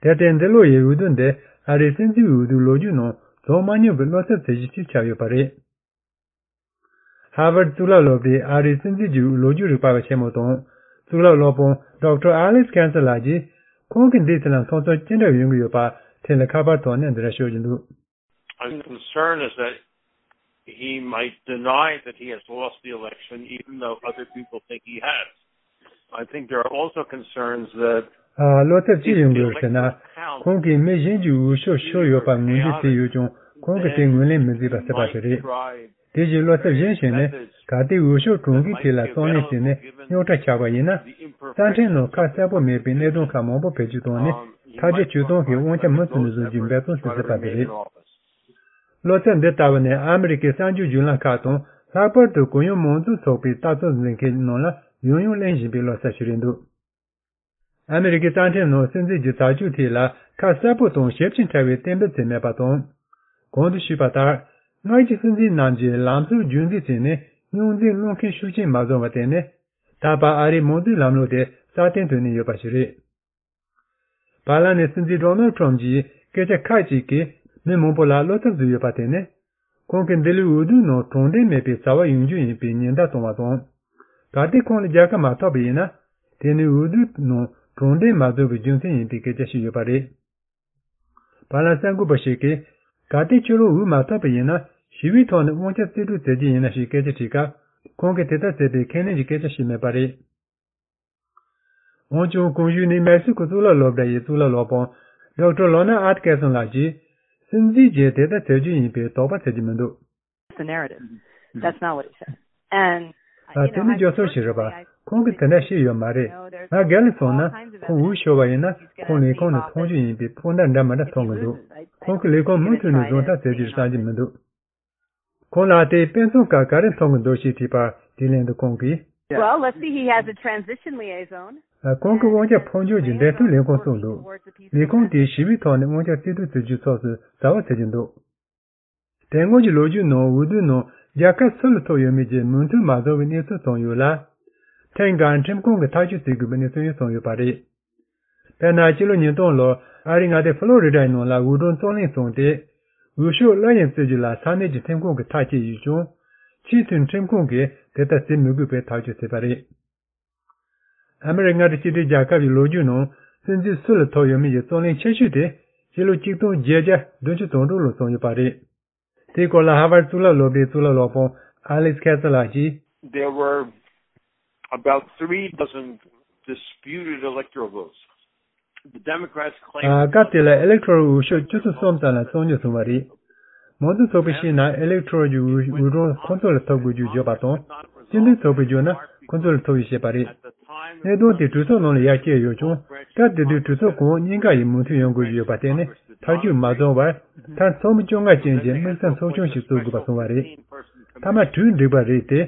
དེར་བརྟེན་འདི་ལོ་ཡི་འོས་བསྡུ་འདི་ཨ་རིའི་སྲིད་འཛིན་འོས་བསྡུའི་ལོ་རྒྱུས་ནང་བྱུང་མ་མྱོང་པའི་བློ་འཚབ་བྱེད་གཞི་ཞིག་ཆགས་ཡོད་པ་རེད། ཧར་ཝརཌ་གཙུག་ལག་སློབ་གྲྭའི་ཨ་རིའི་སྲིད་འཛིན་གྱི་ལོ་རྒྱུས་རིག་པ་བ་ཆེན་མོ་དང་གཙུག་ལག་སློབ་དཔོན་ཌོག་ཊར་ཨ་ལེག་སི་ཁན་སར་ལགས་ཀྱིས་ཁོང་གིས་འདིའི་ཐད་ལ་མཐོང་ཚུལ་ཅི་འདྲ་ཡོང་གི་ཡོད་པ་ཐད་ལ་ཁ་པར་ཐོག་ནས་འདི་འདྲ་ཤོད་ཀྱི་འདུག My concern is that he might deny that he has lost the election, even though other people think he has. I think there are also concerns that ཨ། བློ་འཚབ་ཅི་ཡོང་དགོས་ཟེར་ན། ཁོང་གིས་མི་གཞན་གྱི་འོས་ཤོག་ཤོར་ཡོད་པ་ངོས་འཛིན་བྱས་ཡོད་ཀྱང་ཁོང་གིས་དེ་ངོས་ལེན་མི་བྱེད་པ་ཟེར་བ་དེ་རེད། དེ་བཞིན་བློ་འཚབ་གཞན་ཞིག་ནི་གལ་ཏེ་འོས་ཤོག་གྲུང་གི་ཐད་ལ་གཙང་ལེན་བྱས་ནས་རྙོག་དྲ་ཆགས་པ་ཡིན་ན། རྩ་ཁྲིམས་ནང་ཁ་གསལ་པོ་མེད་པའི་གནད་དོན་ཁག་མང་པོ་བེད་སྤྱོད་བཏང་ནས་ཐག་གཅོད་བྱེད་སྟངས་ཀྱི་དབང་ཆ་མུ་མཐུད་ནས་བཟུང་རྒྱུའི་འབད་བརྩོན་ཞིག་བྱེད་པ་དེ་རེད། བློ་འཚབ་འདི་ལྟ་བུ་ནི་ཨ་མི་རི་ཀའི་གསར་འགྱུར་བརྒྱུད་ལམ་ཁག་དང་ལྷག་པར་དུ་གུ་ཡངས་མང་གཙོའི་ཚོགས་པའི་ལྟ་རྟོག་འཛིན་མཁན་ནང་ལ་ཡང་ཡང་གླེང་བཞིན་པའི་བློ་འཚབ་ཞིག་རེད་འདུག་ཨ་མི་རི་ཀའི་རྩ་ཁྲིམས་ནང་སྲིད་འཛིན་གྱི་བྱ་སྤྱོད་ཐད་ལ་ཁ་གསལ་པོ་དང་ཞིབ་ཅིང་ཕྲ་བའི་གཏན་འབེབས་བྱས་མེད་པ་དང་། གོང་དུ་ཞུས་པ་ལྟར། སྔར་གྱི་སྲིད་འཛིན་རྣམས་ཀྱིས་ལམ་སང་རྒྱུན་འཛིན་བྱས་ནས་རྙོག་འཛིང་སློང་མཁན་ཤུགས་ཆེན་མ་བྱུང་བར་བརྟེན་ནས། ད་བར་ཨ་རིའི་མང་གཙོའི་ལམ་ལུགས་དེ་སྲ་བརྟན་དུ་གནས་ཡོད་པ་ཞིག་རེད། བར་ལམ་ནས་སྲིད་འཛིན་ཌོ་ནལ་ཊམ་གྱིས་སྐད་ཆ་ཁག་ཅིག་གིས་མི་མང་པོ་ལ་བློ་འཚབ་བཟོས་ཡོད་པ་དེ་ནི། ཁོང་གིས་འདི་ལོའི་འོས་བསྡུའི་ནང་དྲང་བདེན་མེད་པའི་བྱ་བ་ཡོང་རྒྱུ་ཡིན་པའི་ཉེན་བརྡ་བཏང་བ་དང་། གལ་ཏེ་ཁོང་ལ་རྒྱལ་ཁ་མ་ཐོབ་པ་ཡིན་ན། དེ་ནི་འོས་བསྡུའི་ནང་དྲང་བདེན་མ་བཟོ་བའི་རྒྱུ་མཚན་ཡིན་པའི་སྐད་ཆ་ཞིག་ཡོད་པ་རེད། བར་ལམ་གསར་འགོད་པ་ཞིག་གིས། གལ་ཏེ་ཁྱོད་རང་འོས་མ་ཐོབ་པ་ཡིན་ན་ཞི་བའི་ཐོག་ནས་དབང་ཆ་རྩིས་སྤྲོད་མཛད་རྒྱུ་ཡིན་ན་ཞེས་སྐད་ཆ་དྲིས་སྐབས། ཁོང་གིས་དེ་ལྟར་ཟེར་བའི་ཁས་ལེན་གྱི་སྐད་ཆ་ཞིག་མེད་པ་རེད། འོན་ཀྱང་གོང་ཞུས་ནིའུ་མེག་སི་ཀོ་གཙུག་ལག་སློབ་གྲྭ་ཡི་གཙུག་ལག་སློབ་དཔོན་ཌོག་ཊར་ལོ་ན་ཨ་ཏི་ཀེར་སོན་ལགས་ཀྱིས། སྲིད་འཛིན་གྱིས་དེ་ལྟར་ཟེར་རྒྱུ་ཡིན་པའི་དོགས་པ་ཟེར་གྱི་མི་འདུག That's the narrative. That's not what he said. And, ཨ། དེ་ནི་བརྗོད་སྲོལ་ཞིག་རེད་པ། ཁོང་གིས་དེ་འདྲ་བཤད་ཡོད་མ་རེད། ང་སྒེར་ལ་སོང་ན་ཁོང་འུ་ཤོར་བ་ཡིན་ན་ཁོང་ལས་ཁུངས་ནས་མཐོང་རྒྱུ་ཡིན་པའི་ཕོགས་འདྲ་འདྲ་མི་འདྲ་མཐོང་གི་འདུག་ཁོང་གི་ལས་ཁུངས་མུ་མཐུད་ནས་བཟུང་ཐབས་བྱེད་རྒྱུར་བསམ་གྱི་མི་འདུག་ཁོང་ལ་དེའི་དཔེ་མཚོན་སྐབས་ག་རེ་མཐོང་གི་འདུག་ཞེས་དྲིས་པར་དེའི་ལན་དུ་ཁོང་གིས། Well, let's see, he has a transition liaison. ཁོང་གི་དབང་ཆ་འཕོ་འགྱུར་གྱི་འབྲེལ་མཐུད་ལས་ཁུངས་བཙུགས་འདུག་ལས་ཁུངས་དེས་ཞི་བའི་ཐོག་ནས་དབང་ཆ་རྩིས་སྤྲོད་བྱེད་རྒྱུའི་ཕྱོགས་སུ་ཟ་བ་ཟ་གྱི་འདུག་དེ་སྔོན་གྱི་ལོ་རྒྱུས་ནང་འོས་བསྡུའི་ནང་རྒྱལ་ཁབ་སུ་ལ་ཐོབ་ཡོད་མེད་ཀྱི་མོས་མཐུན་མ་བྱུང་བའི་གནས་ཚུལ་བྱུང་ཡོད་ལ། ཐེངས་འགའ་ཁྲིམས་ཁང་གིས་ཐག་གཅོད་བྱེད་དགོས་པའི་གནས་ཚུལ་ཡང་བྱུང་ཡོད་པ་རེད། དཔེར་ན་སྤྱི་ལོ་ཉིས་སྟོང་ལོར་ཨ་རིའི་མངའ་སྡེ་ཕློ་རི་ཌའི་ནང་ལ་འོས་སྒྲུང་རྩོད་གླེང་བྱུང་སྟེ། འོས་ཤོག་སླར་ཡང་བཙལ་རྒྱུ་ལ་ས་གནས་ཀྱི་ཁྲིམས་ཁང་གིས་ཐག་བཅད་ཡོད་ཀྱང་། ཆེས་མཐོའི་ཁྲིམས་ཁང་གིས་དེ་ལྟར་བྱེད་མི་དགོས་པའི་ཐག་གཅོད་བྱས་པ་རེད། ཨ་མི་རི་ཀ་མངའ་སྡེ་གཅིག་སྒྲིལ་རྒྱལ་ཁབ་ཀྱི་ལོ་རྒྱུས་ནང་སྲིད་འཛིན་སུ་ལ་ཐོབ་ཡོད་མེད་ཀྱི་རྩོད་གླེང་ཆེ་ཤོས་དེ་སྤྱི་ལོ་ཆིག་སྟོང་བརྒྱད་བརྒྱ་བདུན་ཅུ་དོན་དྲུག་ལོར་བྱུང་ཡོད་པ་རེད། དེའི་སྐོར་ལ་ཧར་ཝར་གཙུག་ལག་སློབ་གྲྭའི་གཙུག་ལག་སློབ་དཔོན་ཨ་ལེག་སི་ཁེ་སི་ལགས་ཀྱིས། There were about three dozen disputed electoral votes. The Democrats claimed སྐབས་དེ་ལ་ཨི་ལེག་ཊོ་རལ་འོས་ཤོག་བཅུ་ཚོ་གསུམ་ཙམ་ལ་རྩོད་རྙོག་བྱུང་བ་རེད། མང་གཙོ་ཚོགས་པས་བཤད་ན་ཨི་ལེག་ཊོ་རལ་གྱི་འོས་འོས་སྒྲུང་ཁོ་ཚོ་ལ་ཐོབ་དགོས་རྒྱུ་བརྗོད་པ་དང་། སྤྱི་འཐུས་ཚོགས་པས་བརྗོད་ན་ཁོ་ཚོ་ལ་ཐོབ་ཡོད་ཞེས་པ་རེད། གནད་དོན་དེ་གྲོས་ཚོགས་ནང་ལ་ཡར་བསྐྱལ་ཡོད་ཀྱང་། སྐབས་དེ་དུས་གྲོས་ཚོགས་གོང་འོག་གཉིས་ཀ་ཡི་མོས་མཐུན་ཡོང་དགོས་ཀྱི་ཡོད་པ་བརྟེན་ནས་ཐག་གཅོད་མ་བྱུང་བར། མཐར་ཚོགས་མི་བཅོ་ལྔ་ཅན་གྱི་དམིགས་བསལ་ཚོགས་ཆུང་ཞིག་བཙུགས་དགོས་པ་བྱུང་བ་རེད། མཐའ་མ་གྲོས་འགྲིག་པ་རེད་དེ།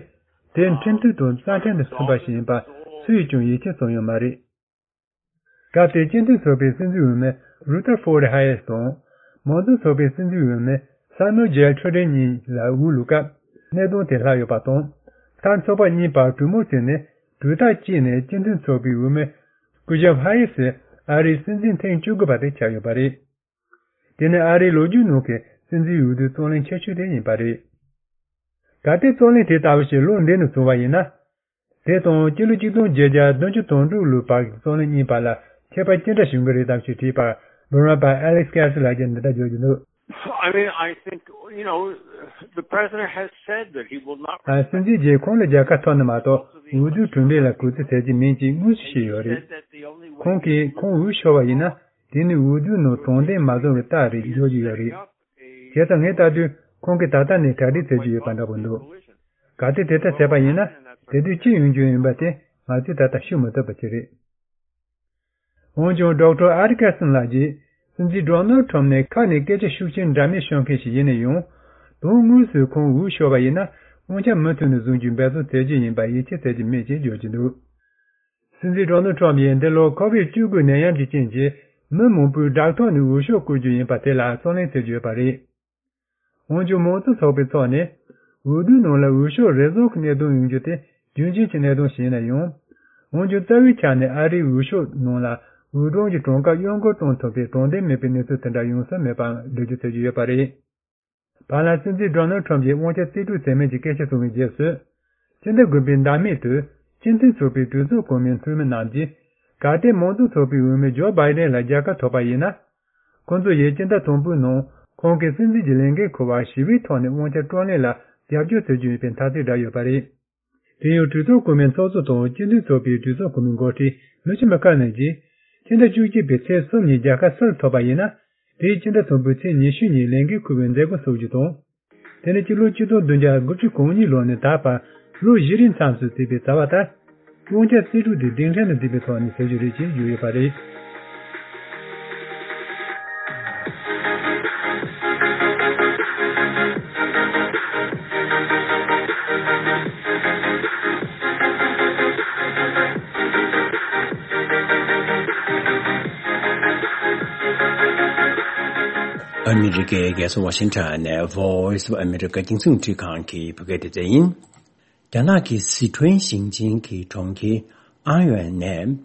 དེ་ཁྲིམས་མཐུན་དང་རྩ་ཁྲིམས་དང་མཐུན་པ་ཞིག་ཡིན་པ་སུས་ཀྱང་ཡིད་ཆེས་བྱུང་ཡོད་མ་རེད། སྐབས་དེའི་སྤྱི་མཐུན་ཚོགས་པའི་སྲིད་འཛིན་འོས་མི་རུ་ཐར་ཧྥོར་ཌི་ཧ་ཡེ་སི་དང་། མང་གཙོ་ཚོགས་པའི་སྲིད་འཛིན་འོས་མི་སེ་མུ་ཨེལ་ཇེ་ཁྲོ་ཌེན་གཉིས་ལ་འོས་བླུགས་སྐབས་གནད་དོན་དེ་ལྷག་ཡོད་པ་དང་། མཐར་ཚོགས་པ་གཉིས་བར་གྲོས་མོལ་བྱས་ནས་གྲོས་ཐག་བཅད་ནས་སྤྱི་མཐུན་ཚོགས་པའི་འོས་མི་ཀུ་ཇབ་ཧ་ཡེ་སི་ཨ་རིའི་སྲིད་འཛིན་ཐེངས་བཅུ་དགུ་པ་དེ་ཆགས་ཡོད་པ་རེད། དེ་ནི་ཨ་རིའི་ལོ་རྒྱུས་ནང་གི་སྲིད་འཛིན་འོས་བསྡུའི་རྩོད་གླེང་ཆེ་ཤོས་དེ་ཡིན་པ་རེད། གལ་ཏེ་རྩོད་གླེང་དེ་ལྟ་བུ་ཞིག་ལོ་འདི་ནས་བྱུང་བ་ཡིན་ན། དེ་དང་སྤྱི་ལོ་ཆིག་སྟོང་བརྒྱད་བརྒྱ་བདུན་ཅུ་དོན་དྲུག་ལོའི་བར་གྱི་རྩོད་གླེང་གཉིས་བར་ལ་ཁྱད་པར་ཅི་འདྲ་བྱུང་གི་རེད་དམ་ཞེས་དྲིས་པར་འབུམ་རམས་པ་ཨ་ལེག་སི་ཁེ་སི་ལགས་ཀྱིས་འདི་ལྟར་བརྗོད་ཀྱི་འདུག I mean, I think, you know, the president has said that he will not ཨ། སྲིད་འཛིན་གྱིས་ཁོང་ལ་རྒྱལ་ཁ་ཐོབ་ན་མ་གཏོགས་འོས་བསྡུའི་གྲུབ་འབྲས་ལ་གུས་བརྩི་བྱེད་ཀྱི་མིན་ཅེས་དངོས་སུ་བཤད་ཡོད་རེད། ཁོང་གིས་ཁོང་འོས་ཤོར་བ་ཡིན་ན། དེ་ནི་འོས་བསྡུའི་ནང་དྲང་བདེན་མ་བྱུང་བའི་རྟགས་རེད་བརྗོད་ཀྱི་ཡོད་རེད། བྱས་ཙང་ངས་ལྟ་དུས་ཁོང་གིས་ད་ལྟ་ནས་གྲ་སྒྲིག་བྱེད་ཀྱི་ཡོད་པ་འདྲ་པོ་འདུག་གལ་ཏེ་དེ་ལྟར་བྱས་པ་ཡིན་ན་དེ་དུས་ཅི་ཡོང་རྒྱུ་ཡིན་པ་དེ་ང་ཚོས་ད་ལྟ་ཤོད་མི་ཐུབ་པ་ཅིག་རེད། འོན་ཀྱང་ཌོག་ཊར་ཨ་རི་ཀར་སན་ལགས་ཀྱིས་སྲིད་འཛིན་ཌོ་ནལ་ཁྲམ་ནི་ཁ་ནས་སྐད་ཆ་ཤུགས་ཆེན་འདྲ་མིན་ཤོད་མཁན་ཞིག་ཡིན་ན་ཡང་། དོན་དངོས་སུ་ཁོང་འོས་ཤོར་བ་ཡིན་ན་དབང་ཆ་མུ་མཐུད་ནས་བཟུང་རྒྱུའི་འབད་བརྩོན་བྱེད་རྒྱུ་ཡིན་པ་ཡིད་ཆེས་བྱེད་ཀྱི་མེད་ཅེས་བརྗོད་ཀྱི་འདུག་སྲིད་འཛིན་ཌོ་ནལ་ཁྲམ་ཡིས་འདི་ལོ་ཁོ་བིཌ་བཅུ་དགུ་ནད་ཡམས་ཀྱི་རྐྱེན་གྱིས་མི་མང་པོས་བྲག་ཐོག་ནས་འོས་ཤོག་བཀོད་རྒྱུ་ཡིན་པ་དེ་ལ་རྩོད་གླེང་བྱེད་ཀྱི་ཡོད་པ་རེད། འོན་ཀྱང་མང་གཙོ་ཚོགས་པའི་ཐོག་ནས་འོས་བསྡུའི་ནང་ལ་འོས་ཤོག་རེ་བཟུང་གི་གནད་དོན་ཡོང་རྒྱུ་དེ་རྒྱུན་ཆད་ཀྱི་གནད་དོན་ཞིག་ཡིན་ན་ཡང་། འོན་ཀྱང་རྩ་བའི་ཆ་ནས་ཨ་རིའི་འོས་ཤོག་ནང་ལ་འོས་སྒྲུང་གི་གྲངས་ཀ་གཡོ་འགུལ་གཏོང་ཐུབ་པའི་དྲང་བདེན་མེད་པའི་གནས་ཚུལ་དེ་འདྲ་ཡོང་ས་མེད་པ་འགྲེལ་བརྗོད་བྱེད་ཀྱི་ཡོད་པ་རེད། བར་ལ་སྲིད་འཛིན་ཌོ་ནལ་ཁྲམ་གྱིས་དབང་ཆ་རྩིས་སྤྲོད་བྱས་མིན་གྱི་སྐད་ཆ་གསུངས་པའི་རྗེས་སུ། ཕྱི་ཟླ་དགུ་པའི་ཟླ་མེད་དུ་སྤྱི་མཐུན་ཚོགས་པའི་གྲོས་ཚོགས་གོང་མའི་འཐུས་མི་རྣམས་ཀྱིས་གལ་ཏེ་མང་གཙོ་ཚོགས་པའི་འོས་མི་ཇོ་བྷའི་ཌེན་ལ་རྒྱལ་ཁ་ཐོབ་པ་ཡིན་ན། ཁོང་ཚོ་ཡིས་སྤྱི་ཟླ་དང་པོའི་ནང་ཁོང་གིས་སྲིད་འཛིན་གྱི་ལས་འགན་འཁུར་བར་ཞི་བའི་ཐོག་ནས་དབང་ཆ་བཀྲམ་གླེང་ལ་རྒྱབ་སྐྱོར་བྱེད་རྒྱུ་ཡིན་པའི་འཐབ་རྩོད་བསྒྲགས་ཡོད་པ་རེད། དེ་ཡང་གྲོས་ཚོགས་གོང་མའི་ཚོགས་གཙོ་དང་སྤྱི་མཐུན་ཚོགས་པའི་གྲོས་ཚོགས་གོང་མའི་འགོ་ཁྲིད་མི་ཆི་མི་ཁེ་ནལ་གྱིས་ཕྱི་ཟླ་བཅུ་གཅིག་པའི་ཚེས་གསུམ་ཉིན་རྒྱལ་ཁ་སུ་ལ་ཐོབ་པ་ཡིན་ན། དེའི་ཕྱི་ཟླ་དང་པོའི་ཚེས་ཉི་ཤུ་ཉིན་ལས་འགན་འཁུར་བའི་མཛད་སྒོ་འཚོགས་རྒྱུ་དང་། དེ་ནི་སྤྱི་ལོ་ཆིག་སྟོང་བདུན་བརྒྱ་དགུ་བཅུ་གོ་གཉིས་ལོ་ནས་ད་བར་ལོ་བཞི་རིང་མཚམས་སུ་བརྩིས་པའི་རྩ་བ་ལྟར། དབང་ཆ་རྩིས་སྤྲོད་དེ་གདན་འདྲེན་ལ་འཛིན་པའི་ཐོག་ནས་བྱེད་རྒྱུ་རེད་ཅེས་བརྗོད་ཡོད་པ་རེད། ཨ་མི་རི་ཀའི་རྒྱལ་ས་ཝ་ཤིང་ཊོན་ནས་Voice of America རྒྱང་སྲིང་འཕྲིན་ཁང་གི་བོད་སྐད་སྡེ་ཚན་ཡིན། རྒྱ་ནག་གི་སི་ཁྲོན་ཞིང་ཆེན་གྱི་གྲོང་ཁྱེར་ཨང་ཡོན་ནས་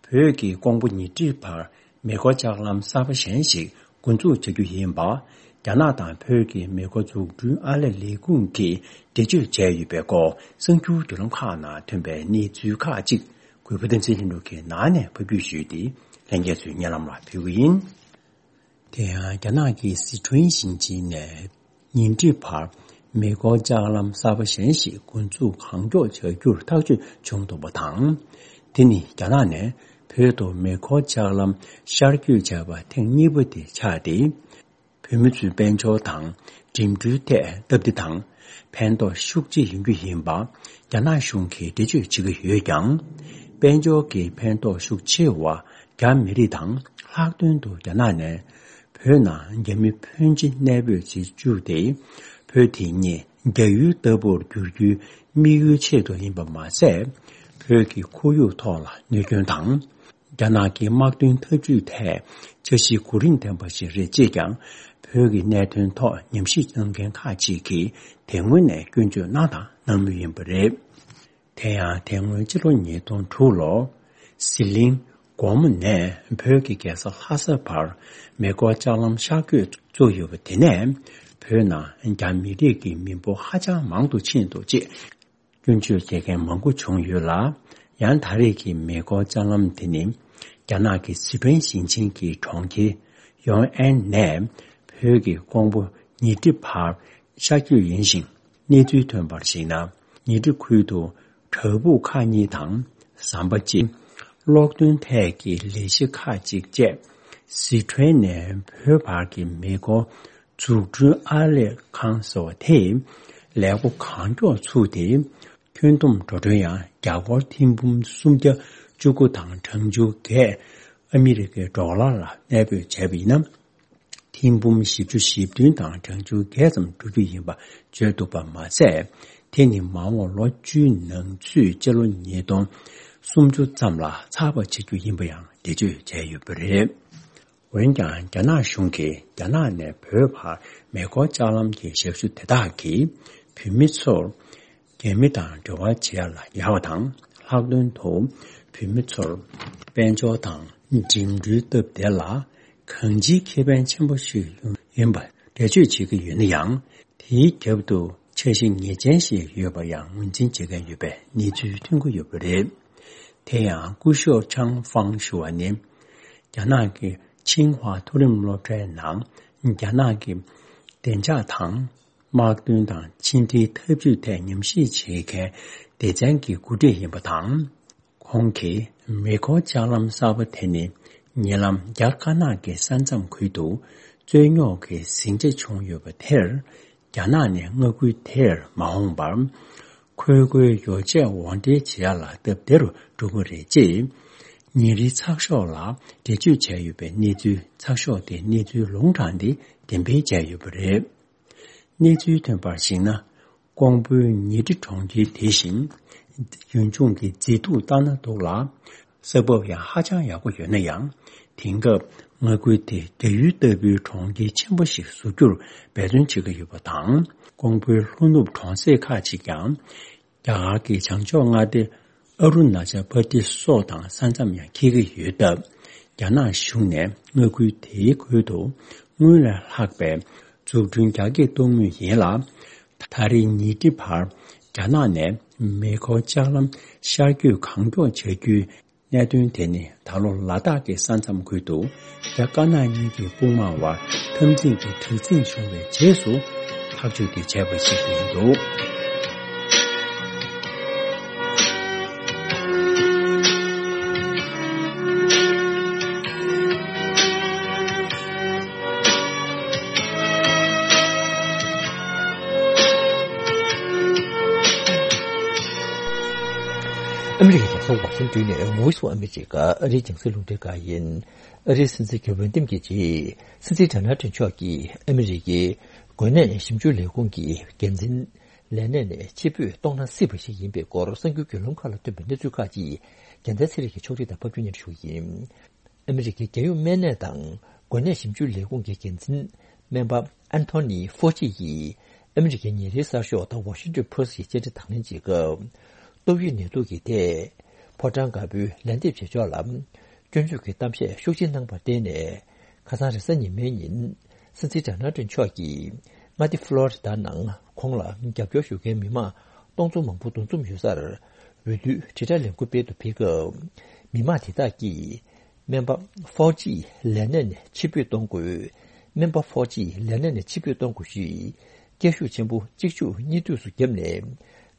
བོད་ཀྱི་ཀོང་པོ་ཉིང་ཁྲི་བར་མེ་འཁོར་ལྕགས་ལམ་གསར་པ་གཞན་ཞིག་འགོ་འཛུགས་བྱ་རྒྱུ་ཡིན་པ། རྒྱ་ནག་དང་བོད་ཀྱི་མེ་འཁོར་འཛུགས་སྐྲུན་ཨར་ལས་ལས་ཁུངས་ཀྱིས་འགྲེལ་བརྗོད་བྱས་ཡོད་པའི་སྐོར་གསར་འགྱུར་བརྒྱུད་ལམ་ཁག་ནང་ཐོན་པའི་གནས་ཚུལ་ཁག་ཅིག་གུས་པ་བསྟན་འཛིན་ལྷུན་གྲུབ་ཀྱིས་ནང་ནས་ཕབ་སྒྱུར་ཞུས་ཏེ་ལྷན་རྒྱས་ཚོའི་སྙན་ལམ་ལ་ཕུལ་གྱི་ཡིན། དེ་ཡང་རྒྱ་ནག་གི་སི་ཁྲོན་ཞིང་ཆེན་ནས་ཉིང་ཁྲི་བར་མེ་འཁོར་ལྕགས་ལམ་གསར་པ་གཞན་ཞིག་འགོ་འཛུགས་གང་མགྱོགས་བྱ་རྒྱུར་ཐག་གཅོད་བྱུང་འདུག་པ་དང་། དེ་ནི་རྒྱ་ནག་ནས་བོད་དུ་མེ་འཁོར་ལྕགས་ལམ་ཤར་བསྐྱོད་བྱས་པ་ཐེངས་གཉིས་པ་དེ་ཆགས་ཏེ། བོད་མི་ཚོའི་དཔལ་འབྱོར་དང་འགྲིམ་འགྲུལ་ཐད་སྟབས་བདེ་དང་ ཕན་ཐོགས་ཤུགས་ཆེ་ཡོང་རྒྱུ་ཡིན་པ་རྒྱ་ནག་གཞུང་གིས་འགྲེལ་བརྗོད་བྱེད་ཀྱི་ཡོད་ཀྱང་། དཔལ་འབྱོར་གྱི་ཕན་ཐོགས་ཤུགས་ཆེ་བ་རྒྱ་མི་རིགས་དང་ལྷག་དོན་དུ་རྒྱ་ནག་ནས་བོད་ནང་རྒྱ་མི་ཕོན་ཆེ་གནས་སྤོས་བྱེད་བཅུག་སྟེ། བོད་དེ་ཉིད་རྒྱ་ཡུལ་ལྟ་བུར་འགྱུར་རྒྱུའི་དམིགས་ཡུལ་ཆེད་དུ་ཡིན་པ་མ་ཟད། བོད་ཀྱི་ཁོར་ཡུག་ཐོག་ལ་གནོད་སྐྱོན་དང་། རྒྱ་ནག་གི་དམག་དོན་འཐབ་ཇུས་ཐད་འཆར་གཞི་གོ་རིམ་ལྡན་པ་ཞིག་རེད་ཅེས་ཀྱང་བོད་ཀྱི་གནད་དོན་ཐོག་ཉམས་ཞིབ་གནང་མཁན་ཁག་ཅིག་གིས་དེ་སྔོན་ནས་སྐྱོན་བརྗོད་གནང་དང་གནང་མུས་ཡིན་པ་རེད། དེ་ཡང་དེ་སྔོན་སྤྱི་ལོ་ཉིས་སྟོང་དྲུག་ལོར་ཟི་ལིང་སྒོ་མོ་ནས་བོད་ཀྱི་རྒྱལ་ས་ལྷ་ས་བར་མེ་འཁོར་ལྕགས་ལམ་ཤར་བསྐྱོད་བཙུགས་ཡོད་པ་དེ་ནས་བོད་ནང་རྒྱ་མི་རིགས་ཀྱི་མི་འབོར་ཧ་ཅང་མང་དུ་ཕྱིན་འདུག་ཅེས། སྐྱོན་བརྗོད་བྱེད་མཁན་མང་པོ་བྱུང་ཡོད་ལ། ཡང་ད་རེས་ཀྱི་མེ་འཁོར་ལྕགས་ལམ་དེ་ནི་རྒྱ་ནག་གི་སི་ཁྲོན་ཞིང་ཆེན་གྱི་གྲོང་ཁྱེར་ཡོང་ཨན་ནས་བོད་ཀྱི་ཀོང་པོ་ཉི་ཁྲི་བར་ཤར་བསྐྱོད་ཡིན་ཞིང་། གནས་ཚུལ་ཐོན་པར་གཞིགས་ན། ཉི་ཁྲི་ཁུལ་དུ་བྲག་ཕུག་ཁག་གཉིས་དང་ཟམ་པ་གཅིག་གློག་འདོན་ཐད་ཀྱི་ལས་གཞི་ཁག་ཅིག་བཅས་སི་ཁྲོན་ནས་བོད་བར་གྱི་མེ་འཁོར་འཛུགས་སྐྲུན་ཨར་ལས་ཁང་ཟེར་བ་དེས་ལས་འགོ་གང་མགྱོགས་ཚུགས་ཏེ། ཁྱོན་བསྡོམས་འགྲོ་གྲོན་ཡང་རྒྱ་སྒོར་ཐེར་འབུམ་སུམ་བརྒྱ་བཅུ་དགུ་དང་གྲངས་ཆུང་བརྒྱད་ཨ་མི་རི་ཀའི་ཌོ་ལར་ལ་གནས་སྤོས་བྱས་པ་ཡིན་ན། ཐེར་འབུམ་བཞི་བཅུ་ཞེ་བདུན་དང་གྲངས་ཆུང་བརྒྱད་ཙམ་འགྲོ་རྒྱུ་ཡིན་པ་བརྗོད་འདུག་པ་མ་ཟད། དེ་ནི་མ་འོངས་ལོ་བཅུའི་ནང་ཚུད་སྤྱི་ལོ་ཉིས་སྟོང་སུམ་ཅུ་ཙམ་ལ་ཚགས་པར་བྱེད་རྒྱུ་ཡིན་པ་ཡང་འགྲེལ་བརྗོད་བྱས་ཡོད་པ་རེད། འོན་ཀྱང་རྒྱ་ནག་གཞུང་གིས་རྒྱ་ནག་ནས་བོད་བར་མེ་འཁོར་ལྕགས་ལམ་གྱི་ཞབས་ཞུ་དེ་དག་གིས་བོད་མི་ཚོར་རྒྱ་མི་དང་འབྲེལ་བ་བྱེད་ཡ་ལ་ཡག་པ་དང་། ལྷག་དོན་དུ་བོད་མི་ཚོར་དཔལ་འབྱོར་དང་འགྲིམ་འགྲུལ་སྟབས་བདེ་ལ་གང་ཅིའི་ཁེ་ཕན་ཆེན་པོ་ཞིག་ཡོང་ཡིན་པ་འགྲེལ་བརྗོད་བྱེད་ཀྱི་ཡོད་ན་ཡང་། དེའི་རྒྱབ་ཏུ་འཆར་གཞི་ངེས་ཅན་ཞིག་ཡོད་པ་ཡང་ངོས་འཛིན་བྱེད་མཁན་ཡོད་པའི་གནས་ཚུལ་ཐོན་གྱི་ཡོད་པ་རེད། དེ་ཡང་སྐུ་ཞབས་ཆང་ཧྥང་ཞུ་བ་ནི། རྒྱ་ནག་གི་ཆིང་ཧྭ་མཐོ་རིམ་སློབ་གྲྭའི་ནང་རྒྱ་ནག་གི་བདེ་འཇགས་དང་། དམག་དོན་དང་ཕྱི་འབྲེལ་འཐབ་ཇུས་ཐད་ཉམས་ཞིབ་བྱེད་མཁན་སྡེ་ཚན་གྱི་འགོ་ཁྲིད་ཡིན་པ་དང་། ཁོང་གིས་མེ་འཁོར་ལྕགས་ལམ་གསར་པ་དེ་ནི་ཉེ་ལམ་རྒྱ་དཀར་ནག་གི་ས་མཚམས་ཁུལ་དུ་རྩོད་རྙོག་གི་ཟིང་ཆ་བྱུང་ཡོད་པ་དེར། རྒྱ་ནག་ནས་མངའ་ཁུལ་དེར་མ་འོངས་པར། ཁོལ་རྒོལ་ཡོ་བྱད་དབོར་འདྲེན་བྱེད་ཡ་ལ་སྟབས་བདེ་རུ་འགྲོ་གི་རེད་ཅེས། ཉིན་རེའི་ཚགས་ཤོག་ལ་འགྲེལ་བརྗོད་བྱས་ཡོད་པའི་གནས་ཚུལ་ཚགས་ཤོག་དེའི་གནས་ཚུལ་ལུང་དྲངས་ཏེ་འགྲེམས་སྤེལ་བྱས་ཡོད་པ་རེད། གནས་ཚུལ་ཐོན་པར་གཞིགས་ན། ཀོང་པོའི་ཉི་ཁྲི་གྲོང་ཁྱེར་དེ་བཞིན་ཡུལ་ལྗོངས་ཀྱི་མཛེས་སྡུག་ལྟ་ན་སྡུག་ལ། ས་བབ་ཡང་ཧ་ཅང་ཡག་པོ་ཡོད་ན་ཡང་། དེང་སྐབས་མངའ་ཁུལ་དེ་རྒྱ་ཡུལ་ལྟ་བུའི་གྲོང་ཁྱེར་ཆེན་པོ་ཞིག་བཟོ་རྒྱུར་འབད་བརྩོན་བྱེད་ཀྱི་ཡོད་པ་དང་། ཀོང་པོའི་ལྷོ་ནུབ་གྲོང་གསེབ་ཁག་ཅིག་ཀྱང་། རྒྱ་གར་གྱི་བྱང་ཕྱོགས་མངའ་སྡེ་ཨ་རུ་ན་ཅལ་པར་དི་སོགས་དང་ས་མཚམས་ཡང་འཁེལ་གྱི་ཡོད་སྟབས། རྒྱ་ནག་གཞུང་ནས་མངའ་ཁུལ་དེའི་ཁུལ་དུ་སྔོན་ལས་ལྷག་པའི་འཛུགས་སྐྲུན་རྒྱ་སྐྱེད་གཏོང་མུས་ཡིན་ལ། ད་རེས་ཉིན་ཁྲི་བར་རྒྱ་ནག་ནས་མེ་འཁོར་ལྕགས་ལམ་ཤར་བསྐྱོད་གང་མགྱོགས་བྱ་རྒྱུའི་གནད་དོན་དེ་ནི་ད་ལོ་ལ་དྭགས་ཀྱི་ས་མཚམས་ཁུལ་དུ་རྒྱ་དཀར་ནག་གཉིས་ཀྱི་དཔུང་དམག་དབར་འཐབ་འཛིང་གི་དྲག་འཛིང་བྱུང་བའི་རྗེས་སུ་ཐག་གཅོད་དེ་བྱས་པ་ཞིག་ཡིན་འདུག། ཨ་མི་རི་ཀའི་རྒྱལ་ས་ཝ་ཤིང་ཏོན་ནས་Voice of America ཨ་རིའི་རྒྱང་སྲིང་རླུང་འཕྲིན་ཁང་ཡིན། ཨ་རིའི་སྲིད་འཛིན་གྱི་འོས་འདེམས་ཀྱི་རྗེས། སྲིད་འཛིན་ཌོ་ནལ་ཊམ་མཆོག་གིས་ཨ་མི་རི་ཀའི་འགོས་ནད་ཞིབ་འཇུག་ལས་ཁུངས་ཀྱི་འགན་འཛིན་ལས་གནས་ནས་ཕྱིར་འབུད་གཏོང་ན་སྲིད་པ་ཞིག་ཡིན་པའི་སྐོར་གསར་འགྱུར་བརྒྱུད་ལམ་ཁག་ལ་ཐོན་པའི་གནས་ཚུལ་ཁག་ཅིག་རྒྱལ་མཚན་ཚེ་རིང་གིས་ཕྱོགས་སྒྲིག་དང་ཕབ་སྒྱུར་སྙན་སྒྲོན་ཞུ་གི་ཡིན། ཨ་མི་རི་ཀའི་རྒྱལ་ཡོངས་སྨན་གནས་དང་འགོས་ནད་ཞིབ་འཇུག་ལས་ཁུངས་ཀྱི་འགན་འཛིན་སྨན་པ་ཨན་ཐོ་ནི་ཧྥོ་ཅི་ཡིས་ཨ་མི་རི་ཀའི་ཉིན་རེའི་གསར་ཤོག་The Washington Post ཡི་བཅར་འདྲི་དང་ལེན་བྱེད་སྐབས། ཏོག་དབྱིབས་ནད་དུག་གི་ཐད་ཕོ་བྲང་དཀར་པོའི་ལན་འདེབས་བྱེད་ཕྱོགས་ལ་སྐྱོན་བརྗོད་ཀྱི་གཏམ་བཤད་ཤུགས་ཆེ་གནང་བར་བརྟེན་ནས། ཁ་སང་རེས་གཟའ་ཉི་མའི་ཉིན་སྲིད་འཛིན་ཌོ་ནལ་ཊམ་མཆོག་གིས་མངའ་སྡེ་ཕློ་རི་ཌ་ནང་ཁོང་ལ་རྒྱབ་སྐྱོར་ཞུ་མཁན་མི་མང་སྟོང་ཚོ་མང་པོ་འདུ་འཛོམས་ཡོད་སར་འོས་བསྡུའི་དྲིལ་བསྒྲགས་ལས་འགུལ་སྤེལ་དུ་ཕེབས་སྐབས། མི་མང་དེ་དག་གིས། སྨན་པ་ཧྥའོ་ཅི་ལས་གནས་ནས་ཕྱིར་འབུད་གཏོང་དགོས། སྨན་པ་ཧྥའོ་ཅི་ལས་གནས་ནས་ཕྱིར་འབུད་གཏོང་དགོས་ཞེས་སྐད་ཤུགས་ཆེན་པོ་གཅིག་མཇུག་གཉིས་མཐུད་སུ་བརྒྱབ་ནས།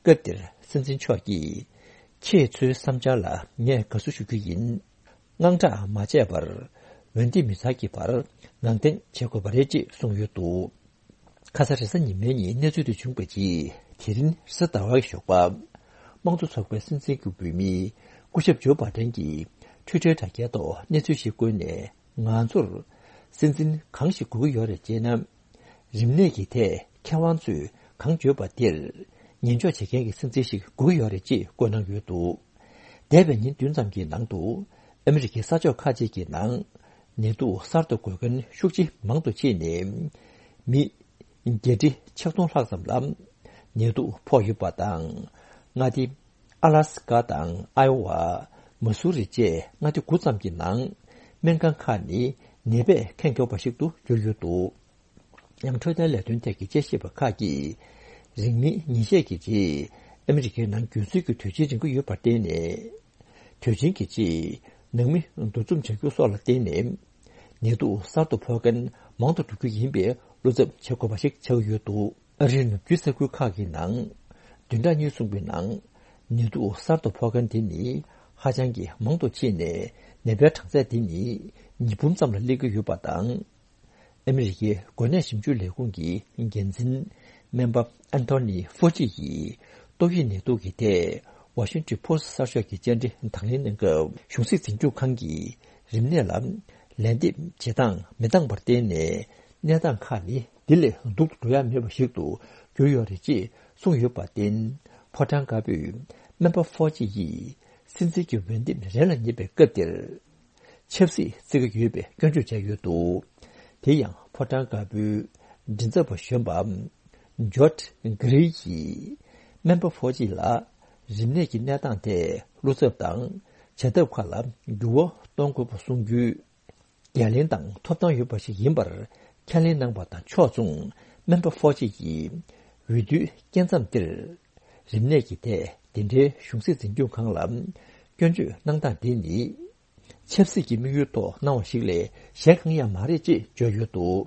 སྐབས་དེར་སྲིད་འཛིན་མཆོག་གིས། ཁྱེད་ཚོའི་བསམ་འཆར་ལ་ངས་དགའ་བསུ་ཞུ་རྒྱུ་ཡིན། དངངས་སྐྲག་མ་བྱས་པར། འོས་འདེམས་མི་ཚང་གི་བར་ངང་བསྟེན་བྱེད་དགོས་པ་རེད་ཅེས་གསུངས་ཡོད་འདུག། ཁ་ས་རེས་གཟའ་ཉི་མའི་ཉིན་གནས་ཚུལ་དེ་བྱུང་བའི་རྗེས། དེ་རིང་རེས་གཟའ་ཟླ་བ་གི་ཞོགས་པ། དམངས་གཙོ་ཚོགས་པའི་སྲིད་འཛིན་གྱི་འོས་མི་སྐུ་ཞབས་ཇོ་བྷ་ཏན་གྱིས་ཊུའི་ཊར་དྲ་རྒྱའི་ཐོག་གནས་ཚུལ་ཞིག་བཀོད་ནས། ང་ཚོར་སྲིད་འཛིན་གང་ཞིག་དགོས་ཀྱི་ཡོད་རེད་ཅེ་ན། རིམས་ནད་ཀྱི་ཐད་མཁས་དབང་ཚོས་གང་བརྗོད་པ་དེར་ཉན་འཇོག་བྱེད་མཁན་གྱི་སྲིད་འཛིན་ཞིག་དགོས་ཀྱི་ཡོད་རེད་ཅེས་བཀོད་གནང་ཡོད་འདུག་འདས་པའི་ཉིན་བདུན་ཙམ་གྱི་ནང་དུ། ཨ་མི་རི་ཀའི་ས་ཕྱོགས་ཁག་ཅིག་གི་ནང་ནད་དུག་གསར་དུ་འགོས་མཁན་ཤུགས་ཆེ་མང་དུ་ཕྱིན་ནས། མི་བརྒྱད་ཁྲི་ཆིག་སྟོང་ལྷག་ཙམ་ལ་ནད་དུག་ཕོག་ཡོད་པ་དང་། མངའ་སྡེ་ཨ་ལ་སི་ཀ་དང་ཨའི་ཝ། མ་སུ་རི་བཅས་མངའ་སྡེ་དགུ་ཙམ་གྱི་ནང་སྨན་ཁང་ཁག་ནི་ནད་པས་ཁེངས་ཡོད་པ་ཞིག་ཏུ་གྱུར་ཡོད་འདུག་ཡང་འཕྲོད་བསྟེན་ལས་དོན་ཐད་ཀྱི་དཔྱད་ཞིབ་པ་ཁག་གིས། རིང་མིན་ཉིན་ཤས་ཀྱི་རྗེས་ཨ་མི་རི་ཀའི་ནང་རྒྱུན་སྲོལ་གྱི་དུས་ཆེན་རིང་པོ་ཡོད་པར་བརྟེན་ནས། དུས་ཆེན་གྱི་རྗེས་ནང་མི་འདུ་འཛོམས་བྱ་རྒྱུ་སོགས་ལ་བརྟེན་ནས། ནད་དུག་གསར་དུ་ཕོག་མཁན་མང་དུ་འགྲོ་རྒྱུ་ཡིན་པའི་བློ་འཚབ་བྱེད་དགོས་པ་ཞིག་ཆགས་ཀྱི་ཡོད་འདུག་ཨ་རིའི་ནུབ་རྒྱུད་ས་ཁུལ་ཁག་གི་ནང་བདུན་ཕྲག་གཉིས་གསུངས་པའི་ནང་ནད་དུག་གསར་དུ་ཕོག་མཁན་དེ་ནི་ཧ་ཅང་གི་མང་དུ་ཕྱིན་ནས། ནད་པའི་གྲངས་ཚད་དེ་ནི་ཉིས་འབུམ་ཙམ་ལ་སླེབས་ཀྱི་ཡོད་པ་དང་། ཨ་མི་རི་ཀའི་འགོས་ནད་ཞིབ་འཇུག་ལས་ཁུངས་ཀྱི་འགན་འཛིན་སྨན་པ་ཨན་ཐོ་ནི་ཧྥོ་ཅི་ཡིས་ཏོག་དབྱིབས་ནད་དུག་གི་ཐད་ཝ་ཤིང་ཊོན་པོ་སི་གསར་ཤོག་གི་བཅར་འདྲི་དང་ལེན་གནང་སྐབས། གཞུང་སྲིད་འཛིན་སྐྱོང་ཁང་གིས་རིམས་ནད་ལ་ལན་འདེབས་བྱེད་སྟངས་མི་འདང་བར་བརྟེན་ནས། གནས་སྟངས་ཁག་ནི་འདི་ལས་སྡུག་ཏུ་འགྲོ་ཡ་མེད་པ་ཞིག་ཏུ་གྱུར་ཡོད་རེད་ཅེས་གསུངས་ཡོད་པར་བརྟེན། ཕོ་བྲང་དཀར་པོས་སྨན་པ་ཧྥོ་ཅི་ཡིས་སྲིད་འཛིན་གྱི་འོས་འདེམས་རན་ལ་ཉེ་བའི་སྐབས་དེར། ཆབ་སྲིད་བརྩི་གི་ཡོད་པའི་སྐྱོན་བརྗོད་བྱས་ཡོད་འདུག་དེ་ཡང་ཕོ་བྲང་དཀར་པོའི་མགྲིན་ཚབ་པ་གཞོན་པ་ཇོར་ཇི་གྷི་རི་ཡིས་སྨན་པ་ཧྥོ་ཅི་ལ་རིམས་ནད་ཀྱི་གནས་སྟངས་ཐད་བློ་འཚབ་དང་བྱ་ཐབས་ཁག་ལ་འགྱུར་བ་གཏོང་དགོས་པ་གསུང་རྒྱུའི་འགན་ལེན་དང་ཐོབ་ཐང་ཡོད་པ་ཞིག་ཡིན་པར་ཁས་ལེན་གནང་བ་དང་ཕྱོགས་མཚུངས། སྨན་པ་ཧྥོ་ཅི་ཡིས་འོས་བསྡུའི་སྐྱེལ་མཚམས་འདིར་རིམས་ནད་ཀྱི་ཐད་དེ་འདྲའི་གཞུང་སྲིད་འཛིན་སྐྱོང་ཁང་ལ་སྐྱོན་བརྗོད་གནང་སྟངས་དེ་ནི། ཆབ་སྲིད་ཀྱི་དམིགས་ཡུལ་ཐོག་གནང་བ་ཞིག་ལས་གཞན་གང་ཡང་མ་རེད་ཅེས་བརྗོད་ཡོད་འདུག་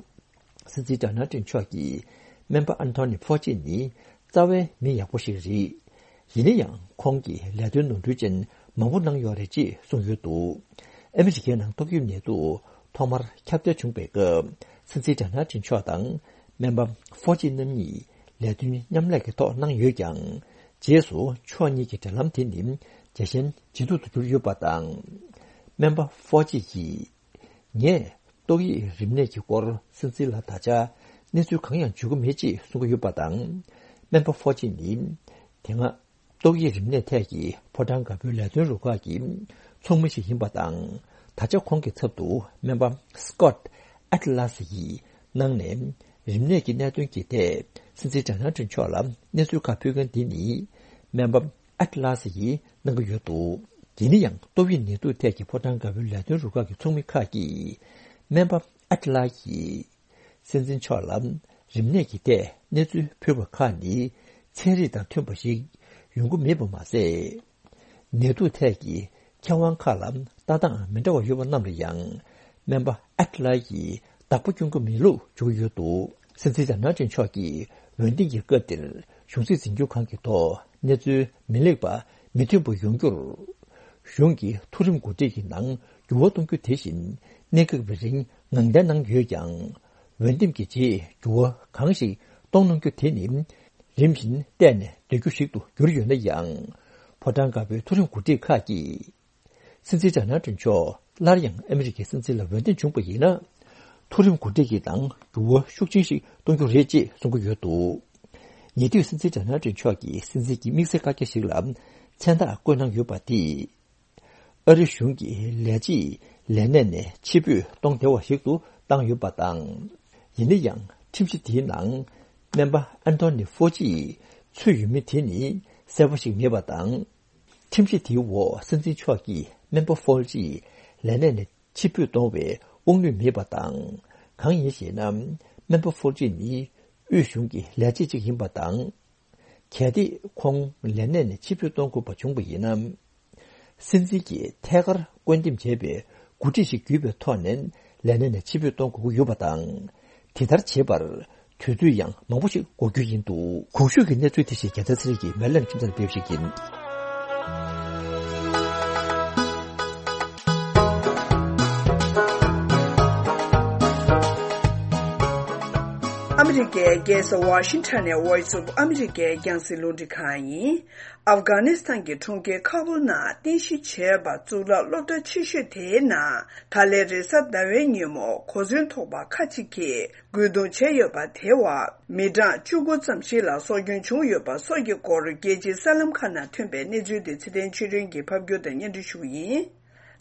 སྲིད་འཛིན་ཌོ་ནལ་ཊམ་མཆོག་གིས་སྨན་པ་ཨན་ཐོ་ནི་ཧྥོ་ཅི་ནི་རྩ་བའི་མི་ཡག་པོ་ཞིག་རེད། ཡིན་ན་ཡང་ཁོང་གིས་ལས་དོན་ནོར་འཁྲུལ་ཅན་མང་པོ་གནང་ཡོད་རེད་ཅེས་གསུངས་ཡོད་འདུག་ཨ་མི་རི་ཀའི་ནང་ཏོག་དབྱིབས་ནད་དུག་ཐོག་མར་ཁྱབ་གདལ་བྱུང་པའི་སྐབས། སྲིད་འཛིན་ཌོ་ནལ་ཊམ་མཆོག་དང་སྨན་པ་ཧྥོ་ཅི་རྣམ་གཉིས་ལས་དོན་མཉམ་ལས་ཀྱི་ཐོག་གནང་ཡོད་ཀྱང་། རྗེས་སུ་ཕྱོགས་གཉིས་ཀྱི་འབྲེལ་ལམ་དེ་ནི་ཇེ་ཞན་ཇེ་སྡུག་ཏུ་གྱུར་ཡོད་པ་དང་། སྨན་པ་ཧྥོ་ཅི་ཡིས། ངས་ཏོག་དབྱིབས་རིམས་ནད་ཀྱི་སྐོར་སྲིད་འཛིན་ལ་ད་ཆ་གནས་ཚུལ་གང་ཡང་བརྗོད་ཀྱི་མེད་ཅེས་གསུང་གི་ཡོད་པ་དང་། སྨན་པ་ཧྥོ་ཅི་ནི་དེ་སྔ་ཏོག་དབྱིབས་རིམས་ནད་ཐད་ཀྱི་ཕོ་བྲང་དཀར་པོའི་ལས་དོན་རུ་ཁག་གི་ཚོགས་མི་ཞིག་ཡིན་པ་དང་། ད་ཆ་ཁོང་གི་ཚབ་ཏུ་སྨན་པ་སི་ཀོད་ཨེ་ཏི་ལ་སི་ཡིས་གནང་ནས། རིམས་ནད་ཀྱི་གནད་དོན་གྱི་ཐད་སྲིད་འཛིན་ཌོ་ནལ་ཊམ་མཆོག་ལ་གནས་ཚུལ་ཁག་ཕུལ་མཁན་དེ་ནི་སྨན་པ་ཨེ་ཏི་ལ་སི་ཡིས་གནང་གི་ཡོད་འདུག་ཡིན་ན་ཡང་ཏོག་དབྱིབས་ནད་དུག་ཐད་ཀྱི་ཕོ་བྲང་དཀར་པོའི་ལས་དོན་རུ་ཁག་གི་ཚོགས་མི་ཁག་གིས་སྨན་པ་ཨེ་ཏི་ལ་ཡིས་སྲིད་འཛིན་མཆོག་ལ་རིམས་ནད་ཀྱི་ཐད་གནས་ཚུལ་ཕུལ་བ་ཁག་ནི་ཚན་རིག་དང་མཐུན་པ་ཞིག་ཡོང་གི་མེད་པ་མ་ཟད། ནད་དུག་ཐད་ཀྱི་མཁས་དབང་ཁག་ལ་ལྟ་སྟངས་མི་འདྲ་བ་ཡོད་པ་རྣམས་ལ་ཡང་སྨན་པ་ཨེ་ཏི་ལ་ཡིས་བདག་པོ་སྐྱོན་གྱི་མེད་ལུགས་བརྗོད་ཀྱི་ཡོད་འདུག་སྲིད་འཛིན་ཌོ་ནལ་ཊམ་མཆོག་གིས་འོས་ལྡན་གྱི་སྐབས་དེར་གཞུང་སྲིད་འཛིན་སྐྱོང་ཁང་གི་ཐོག་གནས་ཚུལ་མི་ལེགས་པ་མི་མཐུན་པ་ཡོང་རྒྱུར། གཞུང་གི་མཐོ་རིམ་འགོ་ཁྲིད་ཀྱི་ནང་འགྱུར་བ་གཏོང་རྒྱུ་དེ་བཞིན་གནད་འགག་པའི་རིགས་ངང་འདས་གནང་ཡོད་ཀྱང་། འོས་འདེམས་ཀྱི་རྗེས་འགྱུར་བ་གང་ཞིག་གཏོང་གནང་རྒྱུ་དེ་ནི་རིམ་བཞིན་བལྟས་ནས་སྡོད་རྒྱུ་ཞིག་ཏུ་གྱུར་ཡོད་ན་ཡང་། ཕོ་བྲང་དཀར་པོའི་མཐོ་རིམ་འགོ་ཁྲིད་ཁག་གིས། སྲིད་འཛིན་ཌོ་ནལ་ཊམ་མཆོག་སླར་ཡང་ཨ་མི་རི་ཀའི་སྲིད་འཛིན་ལ་འོས་འདེམས་བྱུང་བ་ཡིན་ན། མཐོ་རིམ་འགོ་ཁྲིད་ཀྱི་ནང་འགྱུར་བ་ཤུགས་ཆེན་ཞིག་གཏོང་རྒྱུ་རེད་ཅེས་གསུང་གི་ཡོད་འདུག་ཉེ་དུས་སྲིད་འཛིན་ཌོ་ནལ་ཊམ་མཆོག་གིས་སྲིད་འཛིན་གྱི་དམིགས་བསལ་བཀའ་རྒྱ་ཞིག་ལ་མཚན་རྟགས་བཀོད་གནང་ཡོད་པ་དེས། ཨ་རི་གཞུང་གི་ལས་བྱེད་ལས་གནས་ནས་ཕྱིར་འབུད་གཏོང་བདེ་བ་ཞིག་ཏུ་བཏང་ཡོད་པ་དང་། ཡིན་ན་ཡང་ཁྲིམས་གཞི་དེའི་ནང་སྨན་པ་ཨན་ཐོ་ནི་ཧྥོ་ཅི་ཚུད་ཡོད་མེད་དེ་ནི་གསལ་པོ་ཞིག་མེད་པ་དང་། ཁྲིམས་གཞི་དེའི་འོག་སྲིད་འཛིན་མཆོག་གིས་སྨན་པ་ཧྥོ་ཅི་ལས་གནས་ནས་ཕྱིར་འབུད་གཏོང་བའི་དབང་ནུས་མེད་པ་དང་། གང་ཡིན་ཞེ་ན། སྨན་པ་ཧྥོ་ཅི་ནི་དབུས་གཞུང་གི་ལས་བྱེད་ཅིག་ཡིན་པ་དང་། གལ་ཏེ་ཁོང་ལས་གནས་ནས་ཕྱིར་འབུད་གཏོང་དགོས་པ་བྱུང་བ་ཡིན་ན། སྲིད་འཛིན་གྱིས་ཐད་ཀར་བཀོད་འདེམས་བྱས་པའི་འགོ་ཁྲིད་ཞིག་བརྒྱུད་པའི་ཐོག་ནས་ལས་གནས་ནས་ཕྱིར་འབུད་གཏོང་དགོས་ཀྱི་ཡོད་པ་དང་། དེ་ལྟར་བྱེད་པར་དུས་ཚོད་ཡང་མང་པོ་ཞིག་འགོར་རྒྱུ་ཡིན་འདུག་གོང་ཞུས་ཀྱི་གནས་ཚུལ་དེ་བཞིན་རྒྱལ་མཚན་ཚེ་རིང་གིས་མེ་ལན་ཁྲིམས་ཚང་ཕེབས་ཤིག་ཡིན། ཨ་ ཨ་མི་རི་ཀའི་རྒྱལ་ས་ཝ་ཤིང་ཊོན་ནས་Voice of America་རྒྱང་སྲིང་རླུང་འཕྲིན་ཁང་ཡིན། ཨབ་གྷ་ནི་སི་ཐན་གྱི་གྲོང་ཁྱེར་ཁ་བུལ་ནང་རྟེན་གཞི་བྱས་པ་གཙུག་ལག་སློབ་གྲྭ་ཆེ་ཤོས་དེའི་ནང་ད་ལན་རེས་གཟའ་ཟླ་བའི་ཉིན་མོ་གོ་མཚོན་ཐོགས་པ་ཁག་ཅིག་གིས་རྒོལ་རྡུང་བྱས་ཡོད་པ་དེ་བ་མི་གྲངས་བཅུ་དགུ་ཙམ་ཞིག་ལ་སྲོག་སྐྱོན་བྱུང་ཡོད་པ་སོགས་ཀྱི་སྐོར་རྒྱལ་སྤྱིའི་གསར་ལམ་ཁག་ནང་ཐོན་པའི་གནས་ཚུལ་དེ་ཚེ་བརྟན་ཆོས་སྒྲོན་གྱིས་ཕབ་སྒྱུར་དང་སྙན་སྒྲོན་ཞུ་གི་ཡིན།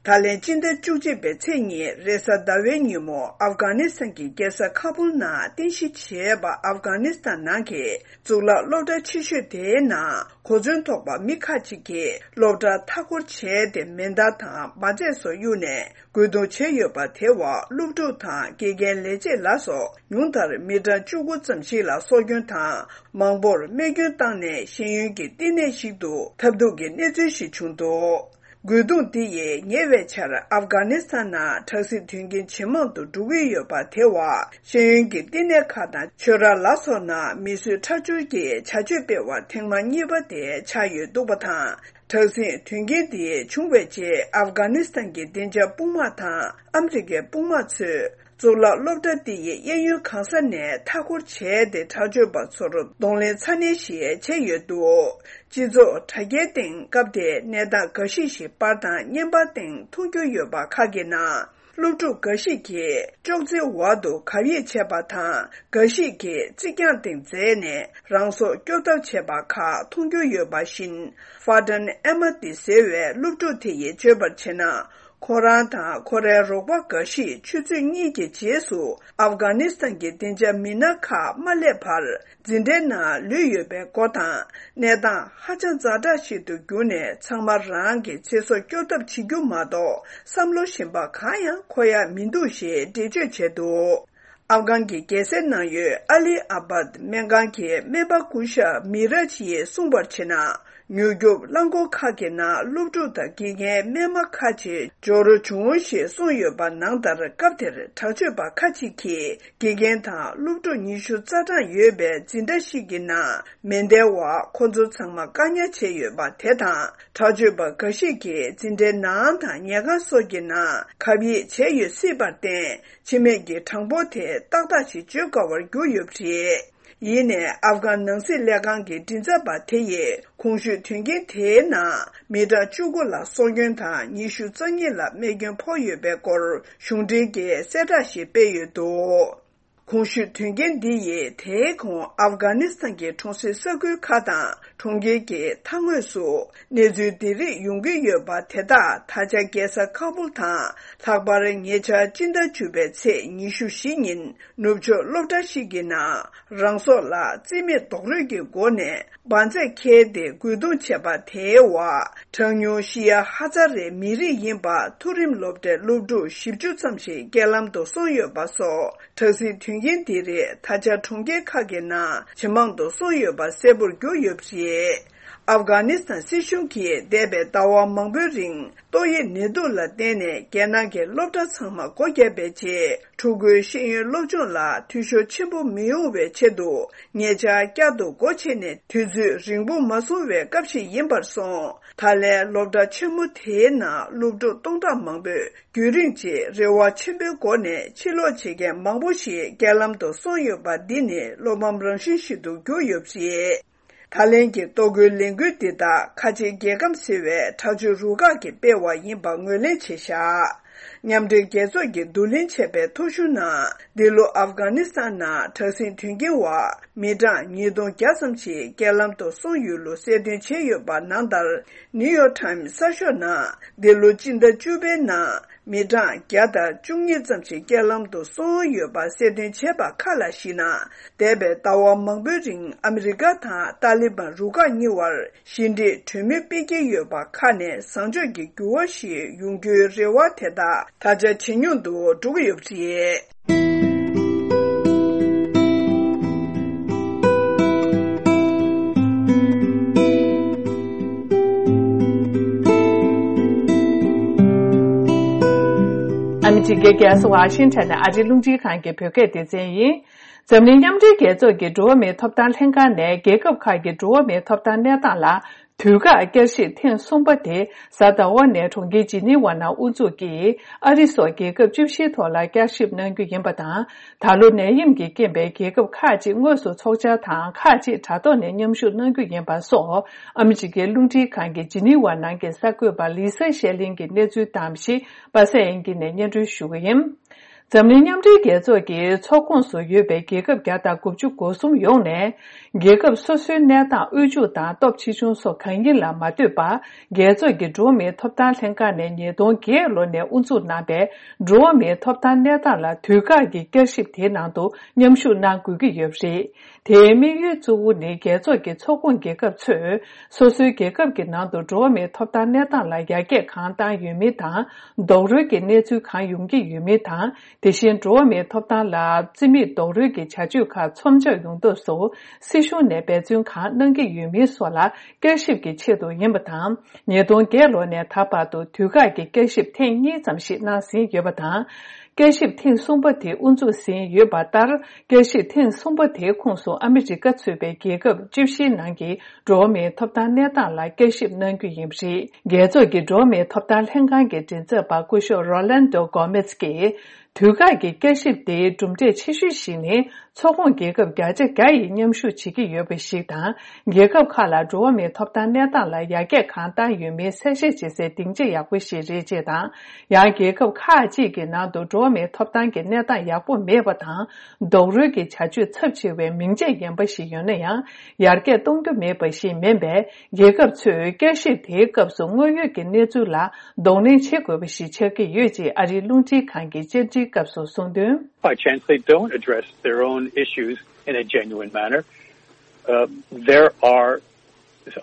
ད་ལན་སྤྱི་ཟླ་བཅུ་གཅིག་པའི་ཚེས་གཉིས་རེས་གཟའ་ཟླ་བའི་ཉིན་མོ་ཨབ་གྷ་ནི་སི་ཐན་གྱི་རྒྱལ་ས་ཁ་བུལ་ནང་རྟེན་གཞི་བྱས་པ་ཨབ་གྷ་ནི་སི་ཐན་ནང་གི་གཙུག་ལག་སློབ་གྲྭ་ཆེ་ཤོས་དེའི་ནང་གོ་མཚོན་ཐོགས་པ་མི་ཁག་ཅིག་གིས་སློབ་གྲྭ་མཐའ་སྐོར་བྱས་ཏེ་མེ་མདའ་དང་མ་རྩེད་སོགས་གཡུགས་ནས་རྒོལ་རྡུང་བྱས་ཡོད་པ་དེ་བ་སློབ་ཕྲུག་དང་དགེ་རྒན་ལས་བྱེད་ལ་སོགས་ཉུང་མཐར་མི་གྲངས་བཅུ་དགུ་ཙམ་ཞིག་ལ་སྲོག་སྐྱོན་དང་མང་པོར་རྨས་སྐྱོན་བཏང་ནས་ཤེས་ཡོན་གྱི་བསྟི་གནས་ཤིག་ཏུ་ཐབས་སྡུག་གི་གནས་ཚུལ་ཞིག་བྱུང་འདུག་རྒོལ་རྡུང་འདི་ཡིས་ཉེ་བའི་ཆར་ཨབ་གྷ་ནི་སི་ཐན་ནང་དྲག་ཟིང་དོན་རྐྱེན་ཇེ་མང་དུ་འགྲོ་གི་ཡོད་པ་དེ་བ་ཤེས་ཡོན་གྱི་བསྟི་གནས་ཁག་དང་ཆོས་ར་ལ་སོགས་ནང་མི་གསོད་ཁྲག་སྦྱོར་གྱི་བྱ་སྤྱོད་སྤེལ་བ་ཐེངས་མ་གཉིས་པ་དེ་ཆགས་ཡོད་འདུག་པ་དང་། དྲག་ཟིང་དོན་རྐྱེན་འདི་བྱུང་བའི་རྗེས་ཨབ་གྷ་ནི་སི་ཐན་གྱི་བདེ་འཇགས་དཔུང་དམག་དང་ཨ་མི་རི་ཀའི་དཔུང་དམག་ཚོས་གཙུག་ལག་སློབ་གྲྭ་འདི་ཡི་གཡས་གཡོན་གང་ས་ནས་མཐའ་སྐོར་བྱས་ཏེ་དྲག་སྤྱོད་པ་ཚོར་གདོང་ལེན་ཚ་ནན་ཞིག་བྱས་ཡོད་འདུག་སྤྱི་ཚོགས་དྲ་རྒྱའི་སྟེང་སྐབས་དེའི་གནས་སྟངས་འགའ་ཞིག་ཞིག་པར་དང་བརྙན་པར་སྟེང་མཐོང་རྒྱུ་ཡོད་པ་ཁག་གི་ནང་། སློབ་ཕྲུག་འགའ་ཞིག་གིས་ཅོག་ཙེའི་འོག་ཏུ་གབ་ཡིབ་བྱས་པ་དང་། འགའ་ཞིག་གིས་རྩིག་གྱང་སྟེང་འཛེགས་ནས་རང་སྲོག་སྐྱོབ་ཐབས་བྱས་པ་ཁག་མཐོང་རྒྱུ་ཡོད་པ་བཞིན། ཧྥ་ཏན་ཨེ་མ་ཏི་ཟེར་བའི་སློབ་ཕྲུག་དེ་ཡིས་བརྗོད་པར་བྱས་ན། ཁོ་རང་དང་ཁོ་རའི་རོགས་པ་འགའ་ཞིག་ཆུ་ཚོད་གཉིས་ཀྱི་རྗེས་སུ་ཨབ་གྷ་ནི་སི་ཐན་གྱི་བདེ་འཇགས་མི་སྣ་ཁག་མ་སླེབས་བར། འཛིན་གྲྭའི་ནང་ལུས་ཡོད་པའི་སྐོར་དང་། གནས་སྟངས་ཧ་ཅང་ཛ་དྲག་ཞིག་ཏུ་གྱུར་ནས། ཚང་མ་རང་གི་ཚེ་སྲོག་སྐྱོབ་ཐབས་བྱེད་རྒྱུ་མ་གཏོགས། བསམ་བློ་གཞན་པ་གང་ཡང་འཁོར་ཡ་མི་འདུག་ཞེས་འགྲེལ་བརྗོད་བྱས་འདུག་ཨབ་གྷན་གྱི་རྒྱལ་སའི་ནང་ཡོད་ཨ་ལི་ཨ་བཱད་སྨན་ཁང་གི་སྨན་པ་སྐུ་ཞབས་མི་རཱཇ་ཡིས་གསུངས་པར་བྱས་ན། མྱུར་སྐྱོབ་རླངས་འཁོར་ཁག་གི་ནང་སློབ་ཕྲུག་དང་དགེ་རྒན་སྨན་མ་ཁག་ཅིག་འབྱོར་བྱུང་ཞེས་གསུངས་ཡོད་པ་ནང་ལྟར། སྐབས་དེར་དྲག་སྤྱོད་པ་ཁག་ཅིག་གིས་དགེ་རྒན་དང་སློབ་ཕྲུག་ཉི་ཤུ་རྩ་གྲངས་ཡོད་པའི་འཛིན་གྲྭ་ཞིག་གི་ནང་མེ་མདའི་འོག་ཁོ་ཚོ་ཚང་མ་བཀག་ཉར་བྱས་ཡོད་པ་དེ་དང་། དྲག་སྤྱོད་པ་འགའ་ཞིག་གིས་འཛིན་གྲྭའི་ནང་དང་ཉལ་ཁང་སོགས་ཀྱི་ནང་གབ་ཡིབ་བྱས་ཡོད་སྲིད་པར་བརྟེན། འཆི་རྨས་ཀྱི་གྲངས་འབོར་དེ་ཏག་ཏག་ཅིག་བརྗོད་དཀའ་བར་གྱུར་ཡོད་པ་རེད། ཡིན་ནའི་ཨབ་གྷན་ནང་སྲིད་ལས་ཁང་གི་མགྲིན་ཚབ་པ་དེ་ཡིས་གོང་ཞུས་དོན་རྐྱེན་དེའི་ནང་མི་གྲངས་བཅུ་དགུ་ལ་སྲོག་སྐྱོན་དང་ཉི་ཤུ་རྩ་གཉིས་ལ་རྨས་སྐྱོན་ཕོག་ཡོད་པའི་སྐོར་གཞུང་འབྲེལ་གྱི་གསལ་བསྒྲགས་ཤིག་སྤེལ་ཡོད་འདུག་གོང་ཞུས་དོན་རྐྱེན་འདི་ཡིས་དེའི་གོང་ཨབ་གྷ་ནི་སི་ཐན་གྱི་གྲོང་གསེབ་ས་ཁུལ་ཁག་དང་གྲོང་ཁྱེར་གྱི་མཐའ་ངོས་སུ་གནས་ཚུལ་འདི་རིགས་ཡོང་གི་ཡོད་པ་དེ་དག་ད་ཆ་རྒྱལ་ས་ཁ་བུལ་དང་། ལྷག་པར་ཉེ་ཆར་སྤྱི་ཟླ་བཅུ་པའི་ཚེས་ཉི་ཤུ་བཞི་ཉིན་ནུབ་ཕྱོགས་སློབ་གྲྭ་ཞིག་གི་ནང་རང་སྲོག་ལ་རྩིས་མེད་རྡོག་རོལ་གྱི་སྒོ་ནས་འབར་རྫས་ཁྱེར་ཏེ་རྒོལ་རྡུང་བྱས་པ་དེའི་འོག་གྲངས་ཉུང་ཤི་ཡ་ཧ་ཙ་རེ་མི་རིགས་ཡིན་པ་མཐོ་རིམ་སློབ་གྲྭའི་སློབ་ཕྲུག་བཞི་བཅུ་ཙམ་ཞིག་རྐྱེན་ལམ་དུ་སོང་ཡོད་པ་སོགས། དྲག་ཟིང་དོན་རྐྱེན་འདི་རིགས་ད་ཆ་གྲོང་ཁྱེར་ཁག་གི་ནང་ཇེ་མང་དུ་སོང་ཡོད་པ་གསལ་པོར་གྱུར་ཡོད་པ་རེད། ཨབ་གྷ་ནི་སི་ཐན་སྲིད་གཞུང་གིས་འདས་པའི་ཟླ་བ་མང་པོའི་རིང་ཏོག་དབྱིབས་ནད་དུག་ལ་བརྟེན་ནས་རྒྱལ་ནང་གི་སློབ་གྲྭ་ཚང་མ་སྒོ་བརྒྱབ་པའི་རྗེས། ཕྲུ་གུའི་ཤེས་ཡོན་སློབ་སྦྱོང་ལ་འཐུས་ཤོར་ཆེན་པོ་མི་ཡོང་བའི་ཆེད་དུ། ཉེ་ཆར་བསྐྱར་དུ་སྒོ་ཕྱེ་ནས་དུས་ཚོད་རིང་པོ་མ་སོང་བའི་སྐབས་ཤིག་ཡིན་པར་སོང་། ད་ལན་སློབ་གྲྭ་ཆེན་མོ་དེའི་ནང་སློབ་ཕྲུག་སྟོང་ཕྲག་མང་པོས། རྒྱུན་རིང་ཅིག་རེ་བ་ཆེན་པོའི་སྒོ་ནས་ཕྱིར་ལོག་བྱེད་མཁན་མང་པོ་ཞིག་རྐྱེན་ལམ་དུ་སོང་ཡོད་པ་འདི་ནི་བློ་ཕམ་རང་བཞིན་ཞིག་ཏུ་གྱུར་ཡོད་པ་རེད། ད་ལན་གྱི་ལྟོ་གོས་ལས་འགུལ་འདི་དག་ཁ་ཆེ་རྒྱལ་ཁམས་ཟེར་བའི་དྲག་སྤྱོད་རུ་ཁག་གིས་སྤེལ་བ་ཡིན་པ་ངོས་ལེན་བྱས་བཞག་མཉམ་འབྲེལ་རྒྱལ་ཚོགས་ཀྱིས་བསྡུ་ལེན་བྱས་པའི་ཐོ་གཞུང་ནང་། འདི་ལོ་ཨབ་གྷ་ནི་སི་ཐན་ནང་དྲག་ཟིང་དོན་རྐྱེན་འོག་མི་གྲངས་ཉིས་སྟོང་བརྒྱ་ཙམ་ཞིག་རྐྱེན་ལམ་དུ་སོང་ཡོད་ལུགས་གསལ་སྟོན་བྱས་ཡོད་པ་ནང་ལྟར། ནིའུ་ཡོག་ཊའིམ་གསར་ཤོག་ནང་འདི་ལོ་སྤྱི་ཟླ་བཅུ་པའི་ནང་མི་གྲངས་བརྒྱ་དང་བཅུ་གཉིས་ཙམ་ཞིག་རྐྱེན་ལམ་དུ་སོང་ཡོད་པ་གསལ་སྟོན་བྱས་པ་ཁག་ལ་གཞིགས་ན། འདས་པའི་ཟླ་བ་མང་པོའི་རིང་ཨ་མི་རི་ཀ་དང་ཏཱ་ལི་བན་རུ་ཁག་གཉིས་བར་ཞི་འགྲིག་གྲོས་མོལ་སྤེལ་གྱི་ཡོད་པ་ཁག་ནས་བཟང་ཕྱོགས་ཀྱི་འགྱུར་བ་ཞིག་ཡོང་རྒྱུའི་རེ་བ་དེ་དག་ད་ཆ་ཇེ་ཉུང་དུ་འགྲོ་གི་ཡོད་པ་རེད། ཨ་མི་རི་ཀའི་རྒྱལ་ས་ཝ་ཤིང་ཊོན་ནས་ཨ་རིའི་རླུང་འཕྲིན་ཁང་གི་བོད་སྐད་སྡེ་ཚན་ཡིན། འཛམ་གླིང་མཉམ་འབྲེལ་རྒྱལ་ཚོགས་ཀྱི་འགྲོ་བ་མིའི་ཐོབ་ཐང་ལྷན་ཁང་ནས་རྒྱལ་ཁབ་ཁག་གི་འགྲོ་བ་མིའི་ཐོབ་ཐང་གནས་སྟངས་ལ་ དུས་བཀག་བསྐྱར་ཞིབ་ཐེངས་གསུམ་པ་དེ་གཟའ་ཟླ་བ་ནས་གྲོང་ཁྱེར་ཇི་ནི་ཝ་ནང་དབུ་འཛུགས་ཀྱིས་ཨ་རི་སོགས་རྒྱལ་ཁབ་བཅུ་བཞིའི་ཐོག་ལ་བསྐྱར་ཞིབ་གནང་རྒྱུ་ཡིན་པ་དང་། ད་ལོ་ནད་ཡམས་ཀྱི་རྐྱེན་པས་རྒྱལ་ཁབ་ཁག་ཅིག་དངོས་སུ་ཚོགས་བཅར་དང་ཁག་ཅིག་དྲ་ཐོག་ནས་མཉམ་ཞུགས་གནང་རྒྱུ་ཡིན་པ་སོགས། ཨ་མི་རི་ཀའི་རླུང་འཕྲིན་ཁང་གི་ཇི་ནི་ཝ་ནང་གི་གསར་འགོད་པ་ལི་ས་ཤེ་ལིན་གྱི་གནས་ཚུལ་དང་གཞི་པ་སེ་ཨན་གྱི་ནས་སྙན་སྒྲོན་ཞུ་གི་ཡིན། འཛམ་གླིང་མཉམ་འབྲེལ་རྒྱལ་ཚོགས་ཀྱི་ཚོགས་ཁོངས་སུ་ཡོད་པའི་རྒྱལ་ཁབ་བརྒྱ་དང་དགུ་བཅུ་གོ་གསུམ་ཡོངས་ནས། རྒྱལ་ཁབ་སོ་སོའི་གནས་སྟངས་དབུལ་ཕྱུག་དང་སྟོབས་ཆེ་ཆུང་སོགས་གང་ཡིན་ལ་མ་ལྟོས་པར། རྒྱལ་ཚོགས་ཀྱི་འགྲོ་བ་མིའི་ཐོབ་ཐང་ལྷན་ཁང་ནས་ཉིས་སྟོང་བརྒྱད་ལོ་ནས་དབུ་འཛུགས་གནང་པའི་འགྲོ་བ་མིའི་ཐོབ་ཐང་གནས་སྟངས་ལ་དུས་བཀག་གི་བསྐྱར་ཞིབ་དེའི་ནང་དུ་མཉམ་ཞུགས་གནང་དགོས་ཀྱི་ཡོད་པ་རེད། དེའི་དམིགས་ཡུལ་གཙོ་བོ་ནི། རྒྱལ་ཚོགས་ཀྱི་ཚོགས་ཁོངས་རྒྱལ་ཁབ་ཚོས་སོ་སོའི་རྒྱལ་ཁབ་ཀྱི་ནང་དུ་འགྲོ་བ་མིའི་ཐོབ་ཐང་གནས་སྟངས་ལ་ཡར་རྒྱས་གང་བཏང་ཡོད་མིན་དང་། རྡོག་རོལ་གྱི་གནས་ཚུལ་གང་ཡོང་གི་ཡོད་མིན་དང་། དེ་བཞིན་འགྲོ་བ་མིའི་ཐོབ་ཐང་ལ་རྩིས་མེད་རྡོག་རོལ་གྱི་བྱ་སྤྱོད་ཁག་མཚམས་འཇོག་ཡོང་ཐབས་སུ་སྲིད་གཞུང་ནས་འབད་བརྩོན་གང་གནང་གི་ཡོད་མིན་སོགས་ལ་བསྐྱར་ཞིབ་ཀྱི་ཆེད་དུ་ཡིན་པ་དང་། ཉིས་སྟོང་བརྒྱད་ལོ་ནས་ད་བར་དུ་དུས་བཀག་གི་བསྐྱར་ཞིབ་ཐེངས་གཉིས་ཙམ་ཞིག་གནང་ཟིན་ཡོད་པ་དང་། བསྐྱར་ཞིབ་ཐེངས་གསུམ་པ་དེ་དབུ་འཛུགས་ཟིན་ཡོད་པ་ལྟར། བསྐྱར་ཞིབ་ཐེངས་གསུམ་པ་དེའི་ཁོངས་སུ་ཨ་མི་རི་ཀ་ཚུད་པའི་རྒྱལ་ཁབ་བཅུ་བཞིའི་ནང་གི་འགྲོ་བ་མིའི་ཐོབ་ཐང་གནས་སྟངས་ལ་བསྐྱར་ཞིབ་གནང་རྒྱུ་ཡིན་པ་རེད། རྒྱལ་ཚོགས་ཀྱི་འགྲོ་བ་མིའི་ཐོབ་ཐང་ལྷན་ཁང་གི་མགྲིན་ཚབ་པ་སྐུ་ཞབས་རོ་ལན་དོ་གོ་མེས་ཀྱིས། དུས་བཀག་གི་བསྐྱར་ཞིབ་དེའི་གྲུབ་འབྲས་ཆེ་ཤོས་ཤིག་ནི། ཚོགས་ཁོངས་རྒྱལ་ཁབ་བརྒྱ་ཆ་བརྒྱ་ཡིས་མཉམ་ཞུགས་བྱེད་ཀྱི་ཡོད་པ་ཞིག་དང་། རྒྱལ་ཁབ་ཁག་ལ་འགྲོ་བ་མིའི་ཐོབ་ཐང་གནས་སྟངས་ལ་ཡར་རྒྱས་གང་བཏང་ཡོད་མེད་གསལ་བཤད་བྱེད་སའི་སྡིངས་ཆ་ཡག་པོ་ཞིག་རེད་ཅེས་དང་། ཡང་རྒྱལ་ཁབ་ཁག་ཅིག་གི་ནང་དུ་འགྲོ་བ་མིའི་ཐོབ་ཐང་གི་གནས་སྟངས་ཡག་པོ་མེད་པ་དང་། རྡོག་རོལ་གྱི་བྱ་སྤྱོད་ཚབས་ཆེ་བའི་མིང་ཆད་ངན་པ་ཞིག་ཡོད་ན་ཡང་། ཡར་རྒྱས་གཏོང་རྒྱུ་མེད་པ་ཞིག་མིན་པས། རྒྱལ་ཁབ་ཚོས་བསྐྱར་ཞིབ་དེའི་སྐབས་སུ་དངོས་ཡོད་ཀྱི་གནས་ཚུལ་ལ་གདོང་ལེན་བྱེད་དགོས་པ་ཞིག་ཆགས་ཀྱི་ཡོད་ཅེས་ཨ་རིའི་རླུང་འཕྲིན་ཁང་གི་བཅར་འདྲིའི་སྐབས་སུ་གསུངས་དོན། By chance they don't address their own issues in a genuine manner. Uh, there are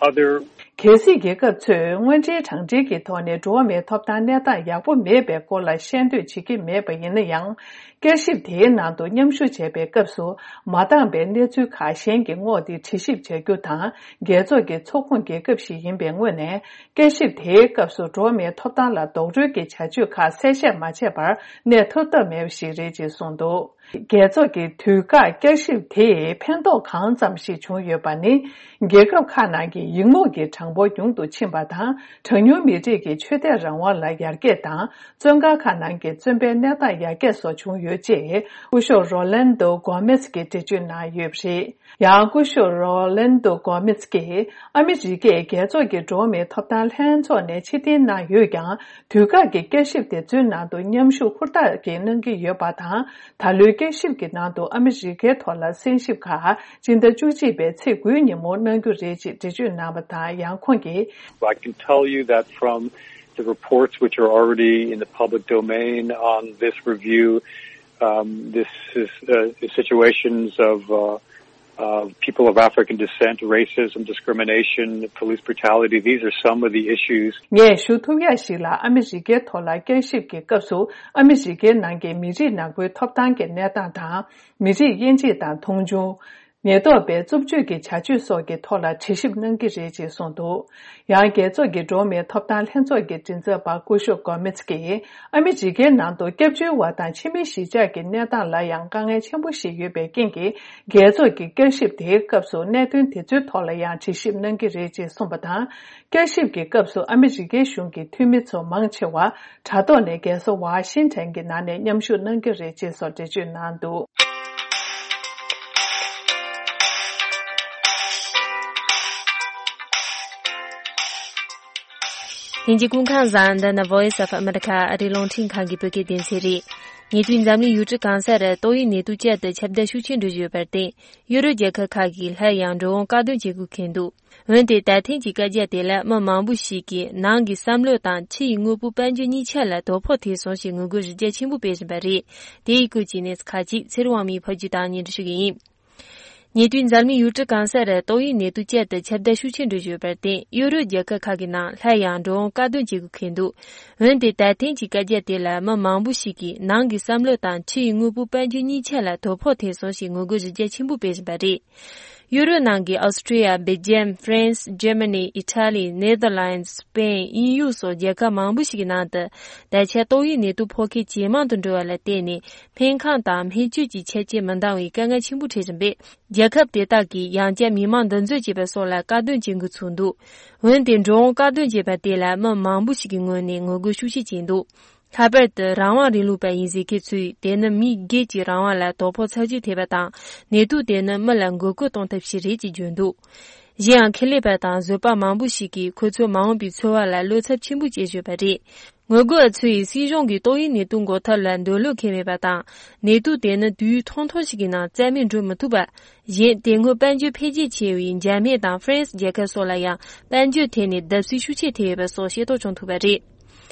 other གལ་སྲིད་རྒྱལ་ཁབ་ཚོས་དངོས་འབྲེལ་དྲང་འབྲེལ་གྱི་ཐོག་ནས་འགྲོ་བ་མིའི་ཐོབ་ཐང་གནས་སྟངས་ཡག་པོ་མེད་པའི་སྐོར་ལ་ཤེས་འདོད་བྱེད་ཀྱི་མེད་པ་ཡིན་ན་ཡང་། བསྐྱར་ཞིབ་དེའི་ནང་དུ་མཉམ་ཞུགས་བྱས་པའི་སྐབས་སུ་མ་འདང་པའི་གནས་ཚུལ་ཁག་གཞན་གྱི་ངོས་དེ་དྲི་ཞིབ་བྱ་རྒྱུ་དང་། རྒྱལ་ཚོགས་ཀྱི་ཚོགས་ཁོངས་རྒྱལ་ཁབ་ཞིག་ཡིན་པའི་ངོས་ནས། བསྐྱར་ཞིབ་དེའི་སྐབས་སུ་འགྲོ་བ་མིའི་ཐོབ་ཐང་ལ་རྡོག་རོལ་གྱི་བྱ་སྤྱོད་ཁག་གསལ་བཤད་མ་བྱས་པར་གནས་ཐུབ་ཐབས་མེད་པ་ཞིག་རེད་ཅེས་གསུངས་འདུག་རྒྱལ་ཚོགས་ཀྱི་དུས་བཀག་བསྐྱར་ཞིབ་དེས་ཕན་ཐོགས་གང་ཙམ་ཞིག་བྱུང་ཡོད་པ་ནི། རྒྱལ་ཁབ་ཁག་ནང་གི་ཡིག་ངོས་ཀྱི་གྲངས་འབོར་ཉུང་དུ་ཕྱིན་པ་དང་། གྲངས་ཉུང་མི་རིགས་ཀྱི་ཆོས་དད་རང་དབང་ལ་ཡར་རྒྱས་དང་། བཙོན་ཁང་ཁག་ནང་གི་བཙོན་པའི་གནས་སྟངས་ཡར་རྒྱས་སོགས་བྱུང་ཡོད་ཅེས་སྐུ་ཞབས་རོ་ལན་དོ་གོ་མེས་ཀྱིས་འགྲེལ་བརྗོད་གནང་ཡོད་པ་རེད། ཡང་སྐུ་ཞབས་རོ་ལན་དོ་གོ་མེས་ཀྱིས། ཨ་མི་རི་ཀས་རྒྱལ་ཚོགས་ཀྱི་འགྲོ་བ་མིའི་ཐོབ་ཐང་ལྷན་ཚོགས་ནས་ཕྱིར་འཐེན་གནང་ཡོད་ཀྱང་། དུས་བཀག་གི་བསྐྱར་ཞིབ་དེ་ཚོའི་ནང་དུ་མཉམ་ཞུགས་ཧུར་ཐག་གིས་གནང་གི་ཡོད་པ་དང་། ད་ལོའི་བསྐྱར་ཞིབ་ཀྱི་ནང་དུ་ཨ་མི་རི་ཀའི་ཐོག་ལ་གསན་ཞིབ་ཁག་སྤྱི་ཟླ་བཅུ་གཅིག་པའི་ཚེས་དགུའི་ཉིན་མོ་གནང་རྒྱུ་རེད་ཅེས་འགྲེལ་བརྗོད་གནང་བ་དང་། ཡང་ཁོང་གིས། I can tell you that from the reports which are already in the public domain on this review, um, this is, uh, the situations of, uh, uh, people of African descent, racism, discrimination, police brutality, these are some of the issues. ངས་ཞུ་ཐུབ་ཡག་ཞིག་ལ། ཨ་མི་རི་ཀའི་ཐོག་ལ་བསྐྱར་ཞིབ་ཀྱི་སྐབས་སུ། ཨ་མི་རི་ཀའི་ནང་གི་མི་རིགས་ནག་པོའི་ཐོབ་ཐང་གི་གནས་སྟངས་དང་། མི་རིགས་དབྱེ་འབྱེད་དང་མཐོང་ཆུང་། ཉེན་རྟོག་པའི་རྩུབ་སྤྱོད་ཀྱི་བྱ་སྤྱོད་སོགས་ཀྱི་ཐོག་ལ་དྲི་ཞིབ་གནང་གི་རེད་ཅེས་གསུངས་འདུག་ཡང་རྒྱལ་ཚོགས་ཀྱི་འགྲོ་བ་མིའི་ཐོབ་ཐང་ལྷན་ཚོགས་ཀྱི་མགྲིན་ཚབ་པ་སྐུ་ཞབས་གོ་མེས་ཀྱིས། ཨ་མི་རི་ཀའི་ནང་དུ་སྐྱབས་བཅོལ་བ་དང་ཕྱི་མི་གཞིས་ཆགས་ཀྱི་གནས་སྟངས་ལ་ཡང་དཀའ་ངལ་ཆེན་པོ་ཞིག་ཡོད་པའི་རྐྱེན་གྱིས། རྒྱལ་ཚོགས་ཀྱི་བསྐྱར་ཞིབ་དེའི་སྐབས་སུ་གནད་དོན་དེ་ཚོའི་ཐོག་ལ་ཡང་དྲི་ཞིབ་གནང་གི་རེད་ཅེས་གསུངས་པ་དང་། བསྐྱར་ཞིབ་ཀྱི་སྐབས་སུ་ཨ་མི་རི་ཀའི་གཞུང་གི་འཐུས་མི་ཚོ་མང་ཆེ་བ་དྲ་ཐོག་ནས་རྒྱལ་ས་ཝ་ཤིང་ཊོན་གྱི་ནང་ནས་མཉམ་ཞུགས་གནང་གི་རེད་ཅེས་སོགས་འགྲེལ་བརྗོད་གནང་འདུག་དེང་གི་སྐུ་ཁམས་བཟང་། འདི་ནི་Voice of America ཨ་རིའི་རླུང་འཕྲིན་ཁང་གི་བོད་སྐད་སྡེ་ཚན་རེད། ཉེ་དུས་འཛམ་གླིང་ཡུལ་གྲུ་གང་སར་ཏོག་དབྱིབས་ནད་དུག་བཅས་ཏེ་ཁྱབ་གདལ་ཤུགས་ཆེན་འགྲོ་བཞིན་ཡོད་པར་བརྟེན། ཡུ་རོབ་རྒྱལ་ཁབ་ཁག་གིས་སླར་ཡང་འགྲོ་འོང་བཀག་སྡོམ་བྱེད་དགོས་འཁེལ་འདུག་འོན་ཏེ་ད་ཐེངས་ཀྱི་བཀའ་རྒྱ་དེ་ལ་མི་མང་པོ་ཞིག་གིས་ནང་གི་བསམ་བློ་དང་ཕྱི་ཡི་དངོས་པོའི་དཔལ་འབྱོར་གཉིས་ཆ་ལ་དོ་ཕོག་ཐེབས་སོང་ཞེས་ངོ་རྒོལ་གཞི་རྒྱ་ཆེན་པོ་སྤེལ་བཞིན་པ་རེད། དེ་ཡི་སྐོར་གྱི་གནས་ཚུལ་ཁག་ཅིག་ཚེ་རིང་དབང་མོས་ཕབ་སྒྱུར་དང་སྙན་སྒྲོན་ཞུ་གི་ཡིན། ཉེ་དུས་འཛམ་གླིང་ཡུལ་གྲུ་གང་སར་ཏོག་དབྱིབས་ནད་དུག་བཅས་ཏེ་ཁྱབ་གདལ་ཤུགས་ཆེན་འགྲོ་བཞིན་ཡོད་པར་བརྟེན། ཡུ་རོབ་རྒྱལ་ཁབ་ཁག་གི་ནང་སླར་ཡང་འགྲོ་འོང་བཀག་སྡོམ་བྱེད་དགོས་འཁེལ་འདུག་འོན་ཏེ་ད་ཐེངས་ཀྱི་བཀའ་རྒྱ་དེ་ལ་མི་མང་པོ་ཞིག་གིས་ནང་གི་བསམ་བློ་དང་ཕྱི་ཡི་དངོས་པོའི་དཔལ་འབྱོར་གཉིས་ཆ་ལ་དོ་ཕོག་ཐེབས་སོང་ཞེས་ངོ་རྒོལ་གཞི་རྒྱ་ཆེན་པོ་སྤེལ་བཞིན་པ་རེད། ཡུ་རོབ་ནང་གི་ཨོ་སི་ཀྲི་ཡ། སྦེལ་ཇམ། ཧྥ་རན་སི། ཇར་མ་ནི། ཨི་ཊ་ལི། ནེ་དར་ལན་སི། སི་པེན། དབྱིན་ཡུལ་སོགས་རྒྱལ་ཁབ་མང་པོ་ཞིག་གི་ནང་དུ་ད་ཆ་ཏོག་དབྱིབས་ནད་དུག་ཕོག་མཁན་ཇེ་མང་དུ་འགྲོ་བ་ལ་བརྟེན་ནས་སྨན་ཁང་དང་སྨན་བཅོས་ཀྱི་ཆ་རྐྱེན་མི་འདང་བའི་དཀའ་ངལ་ཆེན་པོ་འཕྲད་བཞིན་པས། རྒྱལ་ཁབ་དེ་དག་གིས་ཡང་བསྐྱར་མི་མང་འདུ་འཛོམས་བྱེད་པ་སོགས་ལ་བཀག་སྡོམ་བྱེད་འགོ་ཚུགས་འདུག་འོན་ཏེ་འགྲོ་འོང་བཀག་སྡོམ་བྱས་པ་དེ་ལ་མི་མང་པོ་ཞིག་གི་ངོས་ནས་ངོ་རྒོལ་ཤུགས་ཆེ་བྱས་འདུག་ལྷག་པར་དུ་རང་དབང་རིང་ལུགས་པ་ཡིན་ཟེར་མཁན་ཚོས་དེ་ནི་མི་སྒེར་གྱི་རང་དབང་ལ་དོ་ཕོག་ཚབས་ཆེན་ཐེབས་པ་དང་། ནད་དུག་དེ་ནི་མི་ལ་འགོས་མཁོ་གཏོང་ཐབས་ཤིག་རེད་ཅེས་བརྗོད་འདུག་གཞན་ཡང་ཁེ་ལས་པ་དང་བཟོད་པ་མང་པོ་ཞིག་གིས་ཁོ་ཚོའི་མ་འོངས་པའི་འཚོ་བ་ལ་བློ་འཚབ་ཆེན་པོ་སྐྱེ་བཞིན་པ་རེད། ངོ་རྒོལ་བ་ཚོས་སྲིད་གཞུང་གིས་ཏོག་དབྱིབས་ནད་དུག་འགོག་ཐབས་ལ་འདོད་བློ་འཁེལ་མེད་པ་དང་། ནད་དུག་དེ་ནི་དུས་ཡུན་ཐུང་ཐུང་ཞིག་གི་ནང་རྩ་མེད་འགྲོ་མི་ཐུབ་པ། གཞན་དེ་སྔོན་དཔལ་འབྱོར་འཕེལ་རྒྱས་ཆེ་བའི་འཇར་མན་དང་ཧྥ་རན་སི་རྒྱལ་ཁབ་སོགས་ལ་ཡང་དཔལ་འབྱོར་ཐད་ནས་བརྡབ་གསིག་ཤུགས་ཆེ་ཐེབས་ཡོད་པ་སོགས་ཤེས་རྟོགས་བྱུང་ཐུབ་པ་རེད།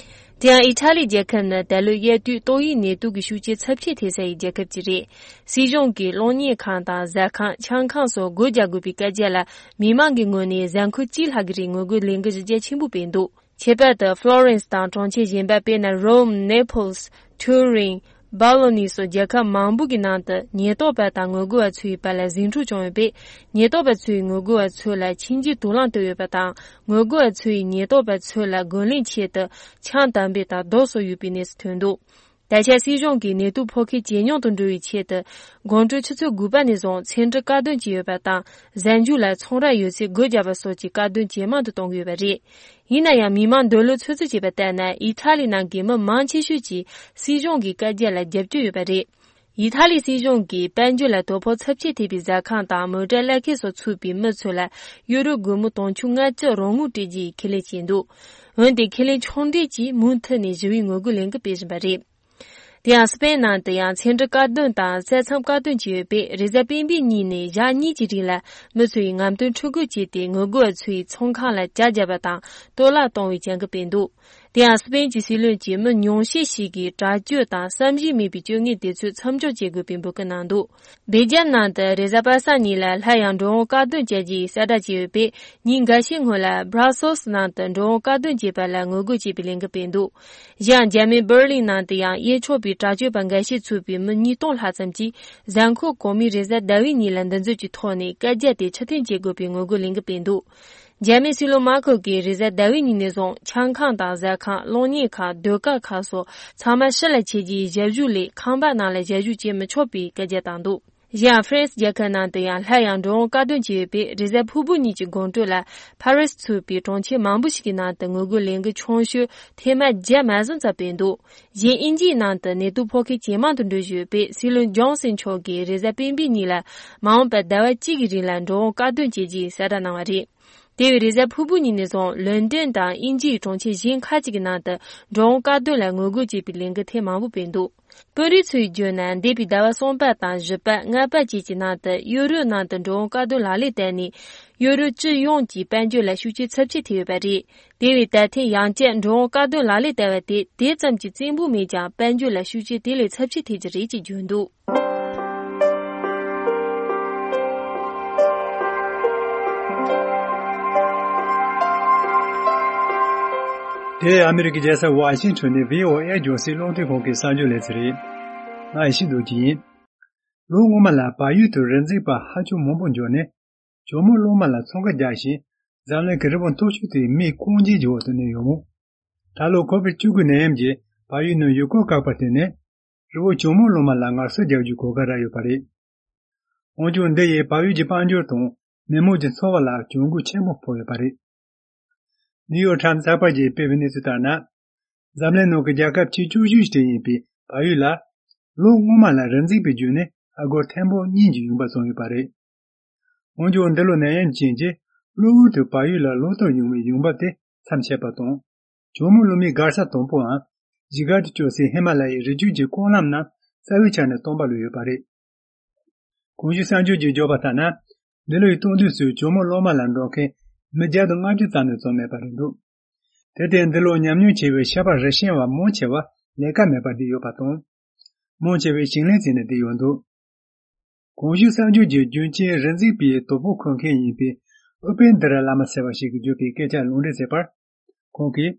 དེ་ཡང་ཨི་ཊ་ལི་རྒྱལ་ཁབ་ནི་ད་ལོའི་དབྱར་དུས་ཏོག་དབྱིབས་ནད་དུག་གི་ཤུགས་རྐྱེན་ཚབས་ཆེ་ཐེབས་ས་ཡི་རྒྱལ་ཁབ་ཅིག་རེད། སྲིད་གཞུང་གིས་གློག་བརྙན་ཁང་དང་ཟ་ཁང་། ཆང་ཁང་སོགས་སྒོ་རྒྱག་དགོས་པའི་བཀའ་རྒྱ་ལ་མི་མང་གི་ངོས་ནས་གཟའ་འཁོར་གཅིག་ལྷག་གི་རིང་ངོ་རྒོལ་ལས་འགུལ་གཞི་རྒྱ་ཆེན་པོ་སྤེལ་འདུག་ཁྱད་པར་དུ་ཧྥ་ལོ་རེན་སི་དང་གྲོང་ཁྱེར་གཞན་པ། དཔེར་ན་རོམ། ནེ་པལ་སི། ཐུ་རིན། སྦ་ལོ་ནི་སོགས་རྒྱལ་ཁབ་མང་པོ་གི་ནང་དུ་ཉེན་རྟོག་པ་དང་ངོ་རྒོལ་བ་ཚོའི་བར་ལ་ཟིང་འཁྲུག་བྱུང་ཡོད་པས། ཉེན་རྟོག་པ་ཚོས་ངོ་རྒོལ་བ་ཚོ་ལ་མཆིན་ལྕིབས་དུག་རླངས་བཏབ་ཡོད་པ་དང་། ངོ་རྒོལ་བ་ཚོས་ཉེན་རྟོག་པ་ཚོ་ལ་རྒོལ་ལན་ཆེད་དུ་ཆང་དམ་བེ་དང་རྡོ་སོགས་ཡོད་པའི་གནས་སུ་ཐོན་འདུག་ད་ཆ་སྲིད་གཞུང་གིས་ནད་དུག་ཕོག་མཁན་ཇེ་ཉུང་དུ་འགྲོ་བའི་ཆེད་དུ། དགོང་དྲོ་ཆུ་ཚོད་དགུ་པ་ནས་བཟུང་ཚན་རིག་བཀག་སྡོམ་བྱས་ཡོད་པ་དང་། གཟའ་མཇུག་ལ་ཚོང་ར་ཡོད་ཚད་སྒོ་རྒྱག་པ་སོགས་ཀྱི་བཀག་སྡོམ་ཇེ་མང་དུ་གཏོང་གི་ཡོད་པ་རེད། ཡིན་ན་ཡང་མི་མང་འདོད་བློ་ཚོད་ཚོད་བྱས་པ་ལྟར་ན། ཨི་ཐ་ལི་ནང་གི་མི་མང་ཆེ་ཤོས་ཀྱིས་སྲིད་གཞུང་གི་བཀའ་རྒྱ་ལ་རྒྱབ་སྐྱོར་ཡོད་པ་རེད། ཨི་ཐ་ལི་སྲིད་གཞུང་གིས་དཔལ་འབྱོར་ལ་དོ་ཕོག་ཚབས་ཆེ་ཐེབས་པའི་ཟ་ཁང་དང་མོ་ཊ་གླ་མཁན་སོགས་ཚུད་པའི་མི་ཚོ་ལ་ཡུ་རོ་སྒོར་མོ་དུང་ཕྱུར་ལྔ་བཅུ་རོགས་དངུལ་སྤྲད་རྒྱུའི་ཁས་ལེན་བྱས་འདུག་འོན་ཏེ་ཁས་ལེན་ཕྱོགས་འགྲིག་གིས་མུ་མཐུད་ནས་ཞི་བའི་ངོ་རྒོལ་ལས་འགུལ་སྤེལ་བཞིན་པ་རེད། དེ་ཡང་སི་པེན་ནང་དུ་ཡང་ཚན་རིག་བཀག་སྡོམ་དང་ས་མཚམས་བཀག་སྡོམ་བྱས་ཡོད་པས། རེས་གཟའ་སྤེན་པའི་ཉིན་ནས་ཞག་གཉིས་ཀྱི་རིང་ལ་མི་ཚོ་ཡིས་རྔམ་སྟོན་ཕྲུ་གུ་བྱས་ཏེ་ངོ་རྒོལ་བ་ཚོའི་ཚོང་ཁང་ལ་གྱ་བརྒྱབ་པ་དང་གཏོར་བརླག་གཏོང་བའི་བྱ་འགུལ་སྤེལ་འདུག་དེ་ཡང་སི་པེན་གྱི་སྲིད་བློན་གྱིས་མི་ཉུང་ཤས་ཤིག་གིས་དྲག་སྤྱོད་དང་བསམ་གཞིག་མེད་པའི་སྤྱོད་ངན་དེ་ཚོ་མཚམས་འཇོག་བྱེད་དགོས་པའི་འབོད་སྐུལ་གནང་འདུག་སྦེལ་ཇམ་ནང་དུ་རེས་གཟའ་པ་སངས་ཉིན་ལ་སླར་ཡང་འགྲོ་འོང་བཀག་སྡོམ་བྱ་རྒྱུའི་གསལ་བསྒྲགས་བྱས་ཡོད་པས། ཉིན་འགའ་ཤས་སྔོན་ལ་བྷ་ར་སེལ་སི་ནང་དུ་འགྲོ་འོང་བཀག་སྡོམ་བྱས་པ་ལ་ངོ་རྒོལ་བྱེད་པའི་ལས་འགུལ་སྤེལ་འདུག་གཞན་འཇར་མན་པར་ལིན་ནང་དུ་ཡང་གཡས་ཕྱོགས་པའི་དྲག་སྤྱོད་པ་འགའ་ཤས་ཚུད་པའི་མི་ཉིས་སྟོང་ལྷག་ཙམ་གྱིས་གཟའ་འཁོར་གོང་མའི་རེས་གཟའ་ཟླ་བའི་ཉིན་ལ་འདུ་འཛོམས་ཀྱི་ཐོག་ནས་བཀའ་རྒྱ་དེ་ཕྱིར་འཐེན་བྱེད་དགོས་པའི་ངོ་རྒོལ་ལས་འགུལ་སྤེལ་འདུག་འཇར་མན་སྲིད་བློན་མར་ཁེལ་གྱིས་རེས་གཟའ་ཟླ་བའི་ཉིན་ནས་བཟུང་ཆང་ཁང་དང་ཟ་ཁང་། གློག་བརྙན་ཁང་། ཟློས་གར་ཁང་སོགས་ཚང་མ་ཕྱི་ལ་ཆས་རྒྱུའི་ཞབས་ཞུ་ལས་ཁང་པ་ནང་ལ་ཞབས་ཞུ་བྱེད་མི་ཆོག་པའི་བཀའ་རྒྱ་བཏང་འདུག་གཞན་ཡང་ཧྥ་རན་སི་རྒྱལ་ཁབ་ནང་དུ་ཡང་སླར་ཡང་འགྲོ་འོང་བཀག་སྡོམ་བྱས་ཡོད་པས། རེས་གཟའ་ཕུར་བུ་ཉིན་གྱི་དགོང་དྲོ་ལ་ཕ་རི་སི་ཚུད་པའི་གྲོང་ཁྱེར་མང་པོ་ཞིག་གི་ནང་དུ་ངོ་རྒོལ་ལས་འགུལ་ཆུང་ཤོས་ཐེངས་མ་བརྒྱ་མ་ཟིན་ཙམ་སྤེལ་འདུག་གཞན་དབྱིན་ཇིའི་ནང་དུ་ནད་དུག་ཕོག་མཁན་ཇེ་མང་དུ་འགྲོ་བཞིན་ཡོད་པས། སྲིད་བློན་ཇོན་སན་མཆོག་གིས་རེས་གཟའ་སྤེན་པའི་ཉིན་ལ་མ་འོངས་པར་ཟླ་བ་གཅིག་གི་རིང་ལ་འགྲོ་འོང་བཀག་སྡོམ་བྱེད་རྒྱུའི་གསལ་བསྒྲགས་གནང་བ་རེད། དེ་བས་རེས་གཟའ་ཕུར་བུ་ཉིན་ནས་བཟུང་ལོན་ཌོན་དང་དབྱིན་ཇིའི་གྲོང་ཁྱེར་གཞན་ཁག་ཅིག་གི་ནང་དུ་འགྲོ་འོང་བཀག་སྡོམ་ལ་ངོ་རྒོལ་བྱེད་པའི་ལས་འགུལ་ཐེངས་མང་པོ་སྤེལ་འདུག་དཔོན་རིགས་ཚོས་བརྗོད་ན། འདས་པའི་ཟླ་བ་གསུམ་པ་དང་བཞི་པ། ལྔ་པ་བཅས་ཀྱི་ནང་དུ་ཡུ་རོབ་ནང་དུ་འགྲོ་འོང་བཀག་སྡོམ་ལག་ལེན་བསྟར་ནས། ཡུ་རོབ་སྤྱི་ཡོངས་ཀྱི་དཔལ་འབྱོར་ལ་ཤུགས་རྐྱེན་ཚབས་ཆེ་ཐེབས་ཡོད་པ་རེད། དེ་བས་ད་ཐེངས་ཡང་བསྐྱར་འགྲོ་འོང་བཀག་སྡོམ་ལག་ལེན་བསྟར་བ་དེ་དེ་ཙམ་གྱིས་བཙན་པོ་མིན་ཀྱང་། དཔལ་འབྱོར་ལ་ཤུགས་རྐྱེན་དེ་ལས་ཚབས་ཆེ་ཐེབས་ཀྱི་རེད་ཅེས་བརྗོད་འདུག་དེ་ཨ་མི་རི་ཀའི་རྒྱལ་ས་ཝ་ཤིང་ཊོན་ནས་བྷི་ཨོ་ཨེ་རྒྱང་སྲིང་རླུང་འཕྲིན་ཁང་གི་གསར་འགྱུར་ལེ་ཚན་རེད། ང་ཡེ་ཤེས་རྡོ་རྗེ་ཡིན། ལོ་སྔོན་མ་ལ་བལ་ཡུལ་དུ་རི་འཛེག་པ་ཧ་ཅང་མང་པོ་འབྱོར་ནས། ཇོ་མོ་གླང་མ་ལ་འཚང་ཁ་རྒྱག་བཞིན། འཛམ་གླིང་གི་རི་བོ་མཐོ་ཤོས་དེའི་མིའི་རྐང་རྗེས་ཀྱི་འོག་ཏུ་གནས་ཡོད་མོད། ད་ལོ་ཁོ་བིཌ་བཅུ་དགུ་ནད་ཡམས་ཀྱིས་བལ་ཡུལ་ནང་ཡུལ་སྐོར་བཀག་པར་བརྟེན་ནས། རི་བོ་ཇོ་མོ་གླང་མ་ལ་ངལ་གསོ་རྒྱག་རྒྱུའི་གོ་སྐབས་རག་ཡོད་པ་རེད། འོན་ཀྱང་འདི་ཡིས་བལ་ཡུལ་གྱི་དཔལ་འབྱོར་དང་མི་དམངས་ཀྱི་འཚོ་བ་ལ་གྱོང་གུན་ཆེན་པོ་ཕོག་ཡོད་པ་རེད། ནིའུ་ཡོག་ཊའིམ་ཚགས་པར་གྱིས་སྤེལ་བའི་གནས་ཚུལ་ལྟར་ན། འཛམ་གླིང་ནང་གི་རྒྱལ་ཁབ་ཆེས་ཆུང་ཤོས་ཤིག་ཡིན་པའི་བལ་ཡུལ་ལ། ལོ་སྔོན་མ་ལ་རི་འཛེག་པའི་བརྒྱུད་ནས་ཨ་སྒོར་ཐེར་འབུམ་གཉིས་ཀྱི་ཡོང་འབབ་བྱུང་ཡོད་པ་རེད། འོན་ཀྱང་འདི་ལོ་ནད་ཡམས་རྐྱེན་གྱིས་གློ་བུར་དུ་བལ་ཡུལ་ལ་ལོ་ལྟར་ཡོང་བའི་ཡོང་འབབ་དེ་མཚམས་ཆད་པ་དང་། ཇོ་མོ་གླང་མའི་སྒར་ས་དང་པོའང་། གཞིས་སྒར་དུ་བསྐྱོད་སའི་ཧི་མ་ལ་ཡའི་རི་རྒྱུད་ཀྱི་རྐང་ལམ་རྣམས་རྩ་བའི་ཆ་ནས་སྟོངས་པ་ལུས་ཡོད་པ་རེད། གོང་ཞུས་གསར་འགྱུར་གྱིས་བརྗོད་པ་ལྟར་ན། འདི་ལོའི་སྟོན་དུས་སུ་ཇོ་མོ་གླང་མ་ལ་འགྲོ་མཁན་མི་བརྒྱ་དང་ལྔ་བཅུ་ཙམ་ལས་ཙམ་མེད་པ་རེད་འདུག་དེར་བརྟེན་འདི་ལོ་ཉམས་མྱོང་ཆེ་བའི་ཤ་པ་རི་བཤན་བ་མང་ཆེ་བ་ལས་ཀ་མེད་པར་བསྡད་ཡོད་པ་དང་། མང་ཆེ་བས་ཞིང་ལས་བརྩིས་ནས་བསྡད་ཡོད་འདུག་གོང་ཞུས་གསར་འགྱུར་གྱི་རྒྱུན་ཆེན་རི་འཛེག་པའི་དོ་ཕོག་འཁུར་མཁན་ཡིན་པའི་ཨུ་པེན་དི་ར་བླ་མ་ཟེར་བ་ཞིག་གིས་བརྗོད་པའི་སྐད་ཆ་ལུང་འདྲེན་བྱས་པར། ཁོང་གིས།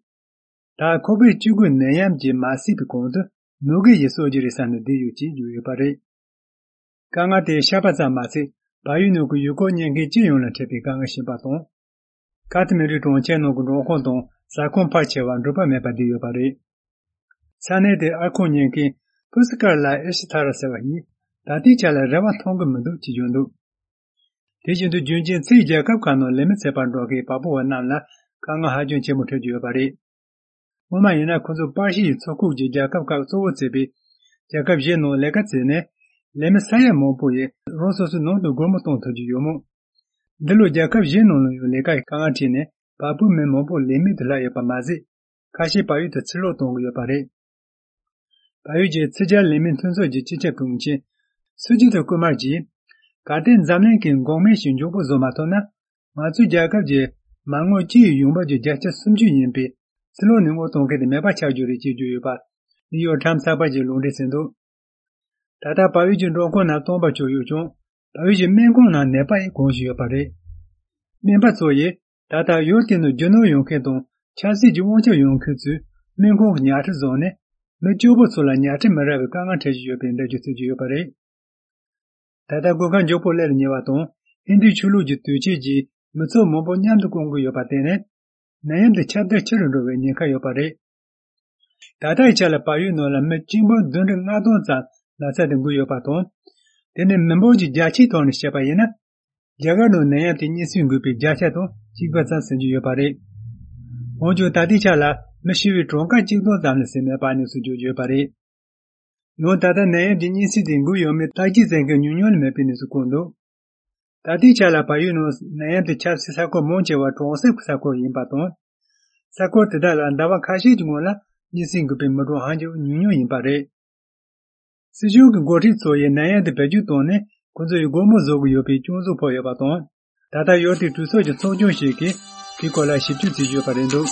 ད་ཁོ་བིཌ་བཅུ་དགུ་ནད་ཡམས་ཀྱིས་མ་བསད་པའི་གོང་དུ་ནུབ་ཀྱི་ཡུལ་སོགས་ཀྱི་རེད་བསམ་ནས་བསྡད་ཡོད་ཅེས་བརྗོད་ཡོད་པ་རེད། དཀའ་ངལ་དེ་ཤ་པ་ཙམ་མ་ཟད། བལ་ཡུལ་ནང་གི་ཡུལ་སྐོར་གཉེར་མཁན་སྤྱི་ཡོངས་ལ་འཕྲད་པའི་དཀའ་ངལ་བྱུང་བ་དང་། ཁ་ཐི་མན་ཌུ་གྲོང་ཁྱེར་ནང་གི་འབྲོག་ཁང་དང་ཟ་ཁང་ཕལ་ཆེ་བ་འགྲུལ་པ་མེད་པར་བསྡད་ཡོད་པ་རེད། ས་གནས་དེའི་ཨར་ཁང་གཉེར་མཁན་ཕུ་སི་ཀར་ལ་ཨེ་ཤི་ཐ་ར་ཟེར་བ་ཡིས། ད་ལྟའི་ཆ་ལ་རེ་བ་མཐོང་གི་མི་འདུག་ཅེས་བརྗོད་འདུག་དེ་བཞིན་དུ་རྒྱུན་གཅིག་ཕྱིའི་རྒྱལ་ཁབ་ཁག་ནང་ལས་མི་བཙལ་བར་འགྲོ་མཁན་བལ་པོ་བ་རྣམས་ལ་དཀའ་ངལ་ཧ་ཅང་ཆེན་པོ་འཕྲད་ཀྱི་ཡོད་པ་རེད། སྔོན་མ་ཡིན་ན་ཁོ་ཚོ་པར་ཤི་ཡི་ཚོ་ཁག་ཅིག་རྒྱལ་ཁབ་ཁག་གཙོ་བོར་བརྩིས་པའི་རྒྱལ་ཁབ་བཞི་ནང་ལས་ཀ་བཙལ་ནས། ལས་མི་ས་ཡ་མང་པོ་ཡིས་རང་སོ་སོའི་ནང་དུ་སྒོ་མོ་གཏོང་ཐུབ་ཀྱི་ཡོད་མོད། འདི་ལོ་རྒྱལ་ཁབ་བཞི་ནང་ལ་ཡང་ལས་ཀ་ཡི་དཀའ་ངལ་འཕྲད་ནས་བལ་པོའི་མི་མང་པོ་ལས་མེད་དུ་ལྷག་ཡོད་པ་མ་ཟད། ཁ་ཤས་བལ་ཡུལ་དུ་ཕྱིར་ལོག་གཏོང་གི་ཡོད་པ་རེད། བལ་ཡུལ་གྱི་ཕྱི་རྒྱལ་ལས་མིའི་མཐུན་ཚོགས་ཀྱི་སྤྱི་ཁྱབ་དྲུང་ཆེ་སུ་ཇི་ཏ་ཀུ་མར་གྱིས། གལ་ཏེ་འཛམ་གླིང་གིས་འགོག་སྨན་ཞིག་མགྱོགས་པོ་བཟོ་མ་ཐུབ་ན། ང་ཚོའི་རྒྱལ་ཁབ་ཀྱི་མ་དངུལ་སྤྱི་ཡི་ཡོང་འབབ་ཀྱི་བརྒྱ་ཆ་སུམ་ཅུ་ཡིན་པའི་ཕྱིར་ལོག་ནས་དངུལ་གཏོང་མཁན་དེ་མེད་པ་ཆགས་རྒྱུ་རེད་ཅེས་བརྗོད་ཡོད་པ། ནིའུ་ཡོག་ཊའིམ་ཚགས་པར་གྱིས་ལུང་འདྲེན་བྱས་འདུག་ད་ལྟ་བལ་ཡུལ་གྱི་འབྲོག་ཁང་རྣམས་སྟོང་པ་ཆགས་ཡོད་ཀྱང་། བལ་ཡུལ་གྱི་སྨན་ཁང་ནང་ནད་པ་ཡང་གང་ཞིག་ཡོད་པ་རེད། སྨན་པ་ཚོ་ཡིས་ད་ལྟ་ཡུལ་དེ་ནང་རྒྱུ་ནོར་ཡོང་མཁན་དང་ཆབ་སྲིད་ཀྱི་དབང་ཆ་ཡོད་མཁན་ཚོས་སྨན་ཁང་གི་ཉལ་ཁྲི་བཟུང་ནས། མི་སྐྱོ་པོ་ཚོ་ལ་ཉལ་ཁྲི་མི་རག་པའི་དཀའ་ངལ་འཕྲད་བཞིན་ཡོད་པའི་འགྲེལ་བརྗོད་བྱེད་ཀྱི་ཡོད་པ་རེད། ད་ལྟ་སྒོ་ཁང་མགྱོགས་པོ་སླེབས་ཉེ་བ་དང་། ཧིན་དུའི་ཆོས་ལུགས་ཀྱི་དུས་ཆེན་གྱིས་མི་ཚོགས་མང་པོ་མཉམ་དུ་བསྐོང་གི་ཡོད་པར་བརྟེན་ནས། ནད་ཡམས་དེ་ཁྱབ་གདལ་ཆེ་རུ་འགྲོ་བའི་ཉེན་ཁ་ཡོད་པ་རེད། ད་ལྟའི་ཆ་ལ་བལ་ཡུལ་ནང་ལ་མི་གཅིག་འབུམ་བདུན་ཁྲི་ལྔ་སྟོང་ཙམ་ན་ཚ་དེ་འགོས་ཡོད་པ་དང་། དེ་ནི་མི་འབོར་གྱི་བརྒྱ་ཆའི་ཐོག་ནས་བཤད་པ་ཡིན་ན། རྒྱ་གར་ནང་ནད་ཡམས་དེ་གཉན་སྲིན་འགོས་པའི་བརྒྱ་ཆ་དང་གཅིག་པ་ཙམ་ཟིན་གྱི་ཡོད་པ་རེད། འོན་ཀྱང་ད་ལྟའི་ཆ་ལ་མི་ཤི་བའི་གྲངས་ཀ་གཅིག་སྟོང་ཙམ་ལས་ཟིན་མེད་པ་གནས་ཚུལ་བརྗོད་ཀྱི་ཡོད་པ་རེད། ཡང་ད་ལྟ་ནད་ཡམས་ཀྱི་གཉན་སྲིན་དེ་འགོས་ཡོད་མེད་བརྟག་དཔྱད་བྱེད་མཁན་ཉུང་ཉུང་ལས་མེད་པའི་གནས་ཚུལ་བཀོད་འདུག་ད་ལྟའི་ཆ་ལ་བལ་ཡུལ་ནང་ནད་ཡམས་དེ་ཁྱབ་སའི་ས་ཁུལ་མང་ཆེ་བ་གྲོང་གསེབ་ཀྱི་ས་ཁུལ་ཡིན་པ་དང་། ས་ཁུལ་དེ་དག་ལ་ཟླ་བ་ཁ་ཤས་ཀྱི་སྔོན་ལ་གཉན་སྲིན་འགོས་པའི་མི་གྲངས་ཧ་ཅང་ཉུང་ཉུང་ཡིན་པ་རེད། སྲིད་གཞུང་གི་འགོ་ཁྲིད་ཚོ་ཡིས་ནད་ཡམས་དེ་བེད་སྤྱོད་བཏང་ནས་ཁོ་ཚོ་ཡི་སྒོ་མོ་བཟོ་གི་ཡོད་པའི་སྐྱོན་བརྗོད་ཕོག་ཡོད་པ་དང་། ད་ལྟ་ཡུལ་དེའི་གྲོས་ཚོགས་ཀྱི་ཚོགས་ཆུང་ཞིག་གིས་དེའི་སྐོར་ལ་ཞིབ་འཇུག་བྱེད་ཀྱི་ཡོད་པ་རེད་འདུག་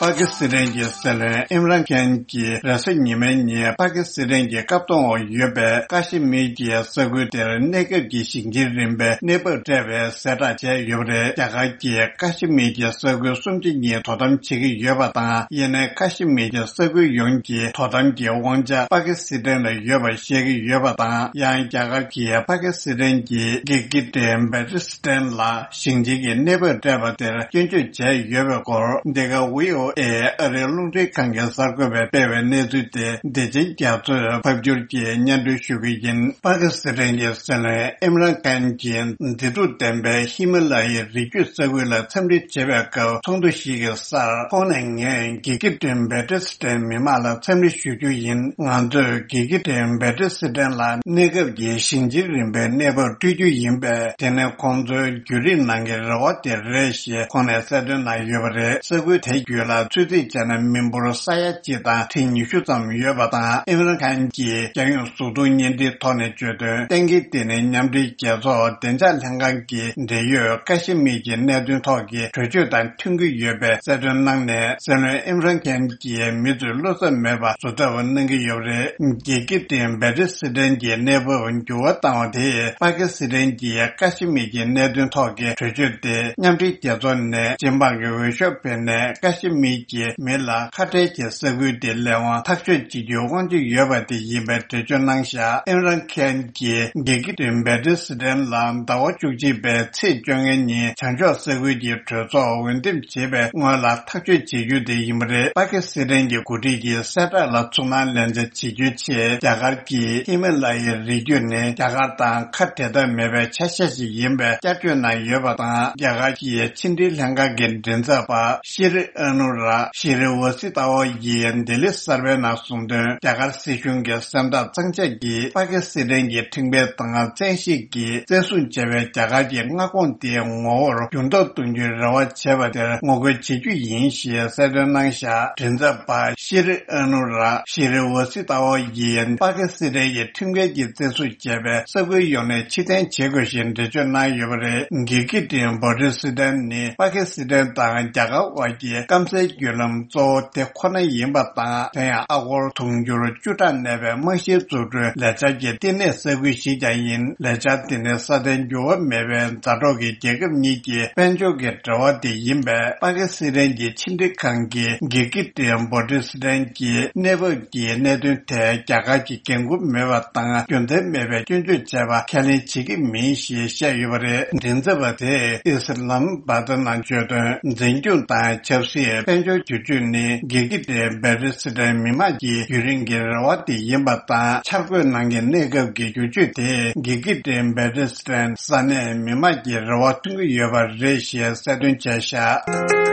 པ་ཀི་སི་ཐན་གྱི་སྲིད་བློན་ཨིམ་རཱན་ཁཱན་གྱིས་རེས་གཟའ་ཉི་མའི་ཉིན་པ་ཀི་སི་ཐན་གྱི་བཀག་སྡོམ་འོག་ཡོད་པའི་ཀ་ཤི་མིར་གྱི་ས་ཁུལ་དེར་གནས་སྐབས་ཀྱི་ཞིང་ཆེན་རིམ་པའི་གནས་བབ་སྤྲད་པའི་གསལ་བསྒྲགས་བྱས་ཡོད་པ་རེད། རྒྱ་གར་གྱིས་ཀ་ཤི་མིར་གྱི་ས་ཁུལ་སུམ་ཆ་གཉིས་དོ་དམ་བྱེད་ཀྱི་ཡོད་པ་དང་། ཡིན་ནའི་ཀ་ཤི་མིར་གྱི་ས་ཁུལ་ཡོངས་ཀྱི་དོ་དམ་གྱི་དབང་ཆ་པ་ཀི་སི་ཐན་ལ་ཡོད་པ་བཤད་ཀྱི་ཡོད་པ་དང་། ཡང་རྒྱ་གར་གྱིས་པ་ཀི་སི་ཐན་གྱི་གྷིལ་གྷིལ་ཊི་བལ་ཏི་སི་ཐན་ལ་ཞིང་ཆེན་གྱི་གནས་བབ་སྤྲད་པ་དེར་སྐྱོན་བརྗོད་བྱས་ཡོད་པའི་སྐོར། འདི་ག་བྷི་ཨོ་ཨེ་ཨ་རིའི་རླུང་འཕྲིན་ཁང་གི་གསར་འགོད་པས་སྤེལ་བའི་གནས་ཚུལ་དེ་བདེ་ཆེན་རྒྱ་མཚོས་ཕབ་སྒྱུར་གྱིས་སྙན་སྒྲོན་ཞུ་གི་ཡིན། པ་ཀི་སི་ཐན་གྱི་སྲིད་བློན་ཨིམ་རཱན་ཁཱན་གྱིས་མཛེས་སྡུག་ལྡན་པའི་ཧི་མ་ལ་ཡའི་རི་རྒྱུད་ས་ཁུལ་ལ་འཚམས་འདྲི་བྱེད་པའི་སྐབས་ཚོགས་འདུ་ཞིག་གི་སར། ཁོང་ནས་ངས་གྷིལ་གྷིལ་ཊི་བལ་ཏི་སི་ཐན་མི་མང་ལ་འཚམས་འདྲི་ཞུ་རྒྱུ་ཡིན། ང་ཚོས་གྷིལ་གྷིལ་ཊི་བལ་ཏི་སི་ཐན་ལ་གནས་སྐབས་ཀྱི་ཞིང་ཆེན་རིམ་པའི་གནས་བབ་སྤྲོད་རྒྱུ་ཡིན་པས། དེ་ནི་ཁོང་ཚོའི་བརྒྱུད་རིམ་ནང་གི་རེ་བ་དེ་རེད་ཞེས་ཁོང་ནས་གསལ་སྟོན་གནང་ཡོད་པ་རེད། ས་ཁུལ་དེ་བརྒྱུད་ལ་ཚོད་རྩིས་བྱས་ན་མི་འབོར་ས་ཡ་གཅིག་དང་ཁྲི་ཉི་ཤུ་ཙམ་ཡོད་པ་དང་། ཨིམ་རཱན་ཁཱན་གྱིས་རྒྱལ་ཡོངས་གཟུགས་མཐོང་བརྙན་འཕྲིན་ཐོག་ནས་བརྗོད་དོན། གཏན་འཁེལ་དེ་ནི་མཉམ་འབྲེལ་རྒྱལ་ཚོགས་བདེ་འཇགས་ལྷན་ཁང་གི་འབྲེལ་ཡོད་ཀ་ཤི་མིར་གྱི་གནད་དོན་ཐོག་གི་གྲོས་ཆོད་དང་མཐུན་གྱི་ཡོད་པའི་གསལ་སྟོན་གནང་ནས། སྲིད་བློན་ཨིམ་རཱན་ཁཱན་གྱིས་མི་ཚོས་བློ་འཚབ་མེད་པར་བཟོ་ཐབས་གནང་གི་ཡོད་པ་རེད། གྷིལ་གྷིལ་ཊི་བལ་ཏི་སི་ཐན་གྱི་གནས་བབ་འགྱུར་བ་བཏང་བ་དེས་པ་ཀི་སི་ཐན་གྱིས་ཀ་ཤི་མིར་གྱི་གནད་དོན་ཐོག་གི་གྲོས་ཆོད་དེ་མཉམ་འབྲེལ་རྒྱལ་ཚོགས་ནས་སྤྱི་འབངས་ཀྱི་འོས་ཤོག་འཕེན་ནས་ཀ་ཤི་མིར་གྱི་མི་ལ་ཁ་བྲལ་གྱི་ས་ཁུལ་དེ་ལས་དབང་ཐག་གཅོད་བྱེད་རྒྱུའི་དབང་ཆ་ཡོད་པ་དེ་ཡིན་པའི་འགྲེལ་བརྗོད་གནང་བཞག་ཨིམ་རཱན་ཁཱན་གྱིས་གྷིལ་གྷིལ་ཊི་བལ་ཏི་སི་ཐན་ལ་ཟླ་བ་བཅུ་གཅིག་པའི་ཚེས་བཅོ་ལྔའི་ཉིན་བྱང་ཕྱོགས་ས་ཁུལ་གྱི་གྲོས་ཚོགས་འོས་འདེམས་བྱེད་པའི་སྔོན་ལ་ཐག་གཅོད་བྱེད་རྒྱུ་དེ་ཡིན་པ་རེད། པ་ཀི་སི་ཐན་གྱི་འགོ་ཁྲིད་ཀྱིས་གསལ་བསྒྲགས་ལ་ཚུར་སྣང་ལན་འདེབས་བྱེད་རྒྱུའི་ཆེད། རྒྱ་གར་གྱིས་ཧི་མ་ལ་ཡའི་རི་རྒྱུད་ནི་རྒྱ་གར་དང་ཁ་བྲལ་ཐབས་མེད་པའི་ཆ་ཤས་ཤིག་ཡིན་པའི་བསྐྱར་བརྗོད་གནང་ཡོད་པ་དང་། རྒྱ་གར་གྱི་ཕྱི་འབྲེལ་ལྷན་ཁང་གི་མགྲིན་ཚབ་པ་ཤི་རི་ཨ་ནུ་ར་ཤི་རི་ཝ་སི་ཏ་ཝ་ཡིས་ལྡི་ལི་གསར་པའི་ནང་གསུངས་དོན། རྒྱ་གར་སྲིད་གཞུང་གི་སེམས་ཐག་གཙང་བཅད་ཀྱིས་པ་ཀི་སི་ཐན་གྱི་ཁྲིམས་འགལ་དང་བཙན་ཤེད་ཀྱིས་བཙན་བཟུང་བྱས་པའི་རྒྱ་གར་གྱི་མངའ་ཁོངས་དེའི་ངོ་བོར་འགྱུར་ལྡོག་གཏོང་རྒྱུའི་རེ་བ་བྱས་པ་དེར་ངོ་རྒོལ་བྱེད་རྒྱུ་ཡིན་ཞེས་གསལ་སྟོན་གནང་བཞག་མགྲིན་ཚབ་པ་ཤི་རི་ཨ་ནུ་ར་ཤི་རི་ཝ་སི་ཏ་ཝ་ཡིས་པ་ཀི་སི་ཐན་གྱི་ཁྲིམས་འགལ་གྱིས་བཙན་བཟུང་བྱས་པའི་ས་ཁུལ་ཡོངས་ནས་ཕྱིར་འཐེན་བྱེད་དགོས་ཞེས་འགྲེལ་བརྗོད་གནང་ཡོད་པ་རེད། གྷིལ་གྷིལ་ཊི་བོ་ཊི་སི་ཐན་ནི་པ་ཀི་སི་ཐན་དང་རྒྱ་གར་དབར་གྱི་སྐམ་སའི་ བརྒྱུད་ལམ་གཙོ་བོ་དེ་ཁོ་ན་ཡིན་པ་དང་། དེ་ཡང་ཨ་སྒོར་དུང་ཕྱུར་བཅུ་ཕྲག་གནས་པའི་རྨང་གཞིའི་འཛུགས་སྐྲུན་ལས་འཆར་གྱི་བསྟི་གནས་ས་ཁུལ་ཞིག་ཀྱང་ཡིན། ལས་འཆར་དེ་ནི་ས་མཐོའི་འགྱུར་བ་མེད་པའི་མཛའ་གྲོགས་ཀྱི་རྒྱལ་ཁབ་གཉིས་ཀྱི་དཔལ་འབྱོར་གྱི་འབྲེལ་བ་དེ་ཡིན་པས། པ་ཀི་སི་ཐན་གྱི་ཕྱི་འབྲེལ་ཁང་གིས་གྷི་ཀི་ཏི་བྷོ་ཊི་སི་ཐན་གྱི་གནས་བབ་ཀྱི་གནད་དོན་ཐད་རྒྱ་གར་གྱི་འགན་འཁུར་མེད་པ་དང་། རྒྱུ་མཚན་མེད་པའི་སྐྱོན་བརྗོད་བྱས་པ་ཁས་ལེན་བྱེད་ཀྱི་མིན་ཞེས་བཤད་ཡོད་པ་རེད། མགྲིན་ཚབ་པ་དེས་ཨི་སི་ལམ་བྷ་དར་ནང་བརྗོད་དོན། འཛིན་སྐྱོང་དང་ཆབ་སྲིད། དཔལ་འབྱོར་བསྒྱུར་བཅོས་ནི་གྷི་ཀི་ཏི་བྷོ་ཊི་སི་ཐན་མི་དམངས་ཀྱི་ཡུན་རིང་གི་རེ་བ་དེ་ཡིན་པ་དང་། འཆར་འགོད་ནང་གི་གནས་སྐབས་ཀྱི་བསྒྱུར་བཅོས་དེས་གྷི་ཀི་ཏི་བྷོ་ཊི་སི་ཐན་ས་གནས་མི་དམངས་ཀྱི་རེ་བ་མཚོན་གྱི་ཡོད་པ་རེད་ཞེས་གསལ་སྟོན་བྱས་བཞག་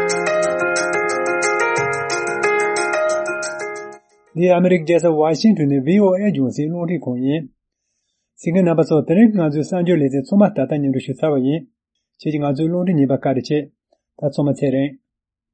འདི་ཨ་མི་རི་ཀའི་རྒྱལ་ས་ཝ་ཤིང་ཊོན་ནས་བྷི་ཨོ་ཨེ་རྒྱང་སྲིང་རླུང་འཕྲིན་ཁང་ཡིན། གསན་མཁན་རྣམ་པ་ཚོ། དེ་རིང་གི་ང་ཚོའི་གསར་འགྱུར་ལེ་ཚན་ཚང་མ་ད་ལྟ་སྙན་སྒྲོན་ཞུས་ཚར་བ་ཡིན། ཁྱེད་ཀྱིས་ང་ཚོའི་རླུང་འཕྲིན་ཉན་པར་བཀའ་དྲིན་ཆེ། ད་ཚང་མ་ཚེ་རིང་།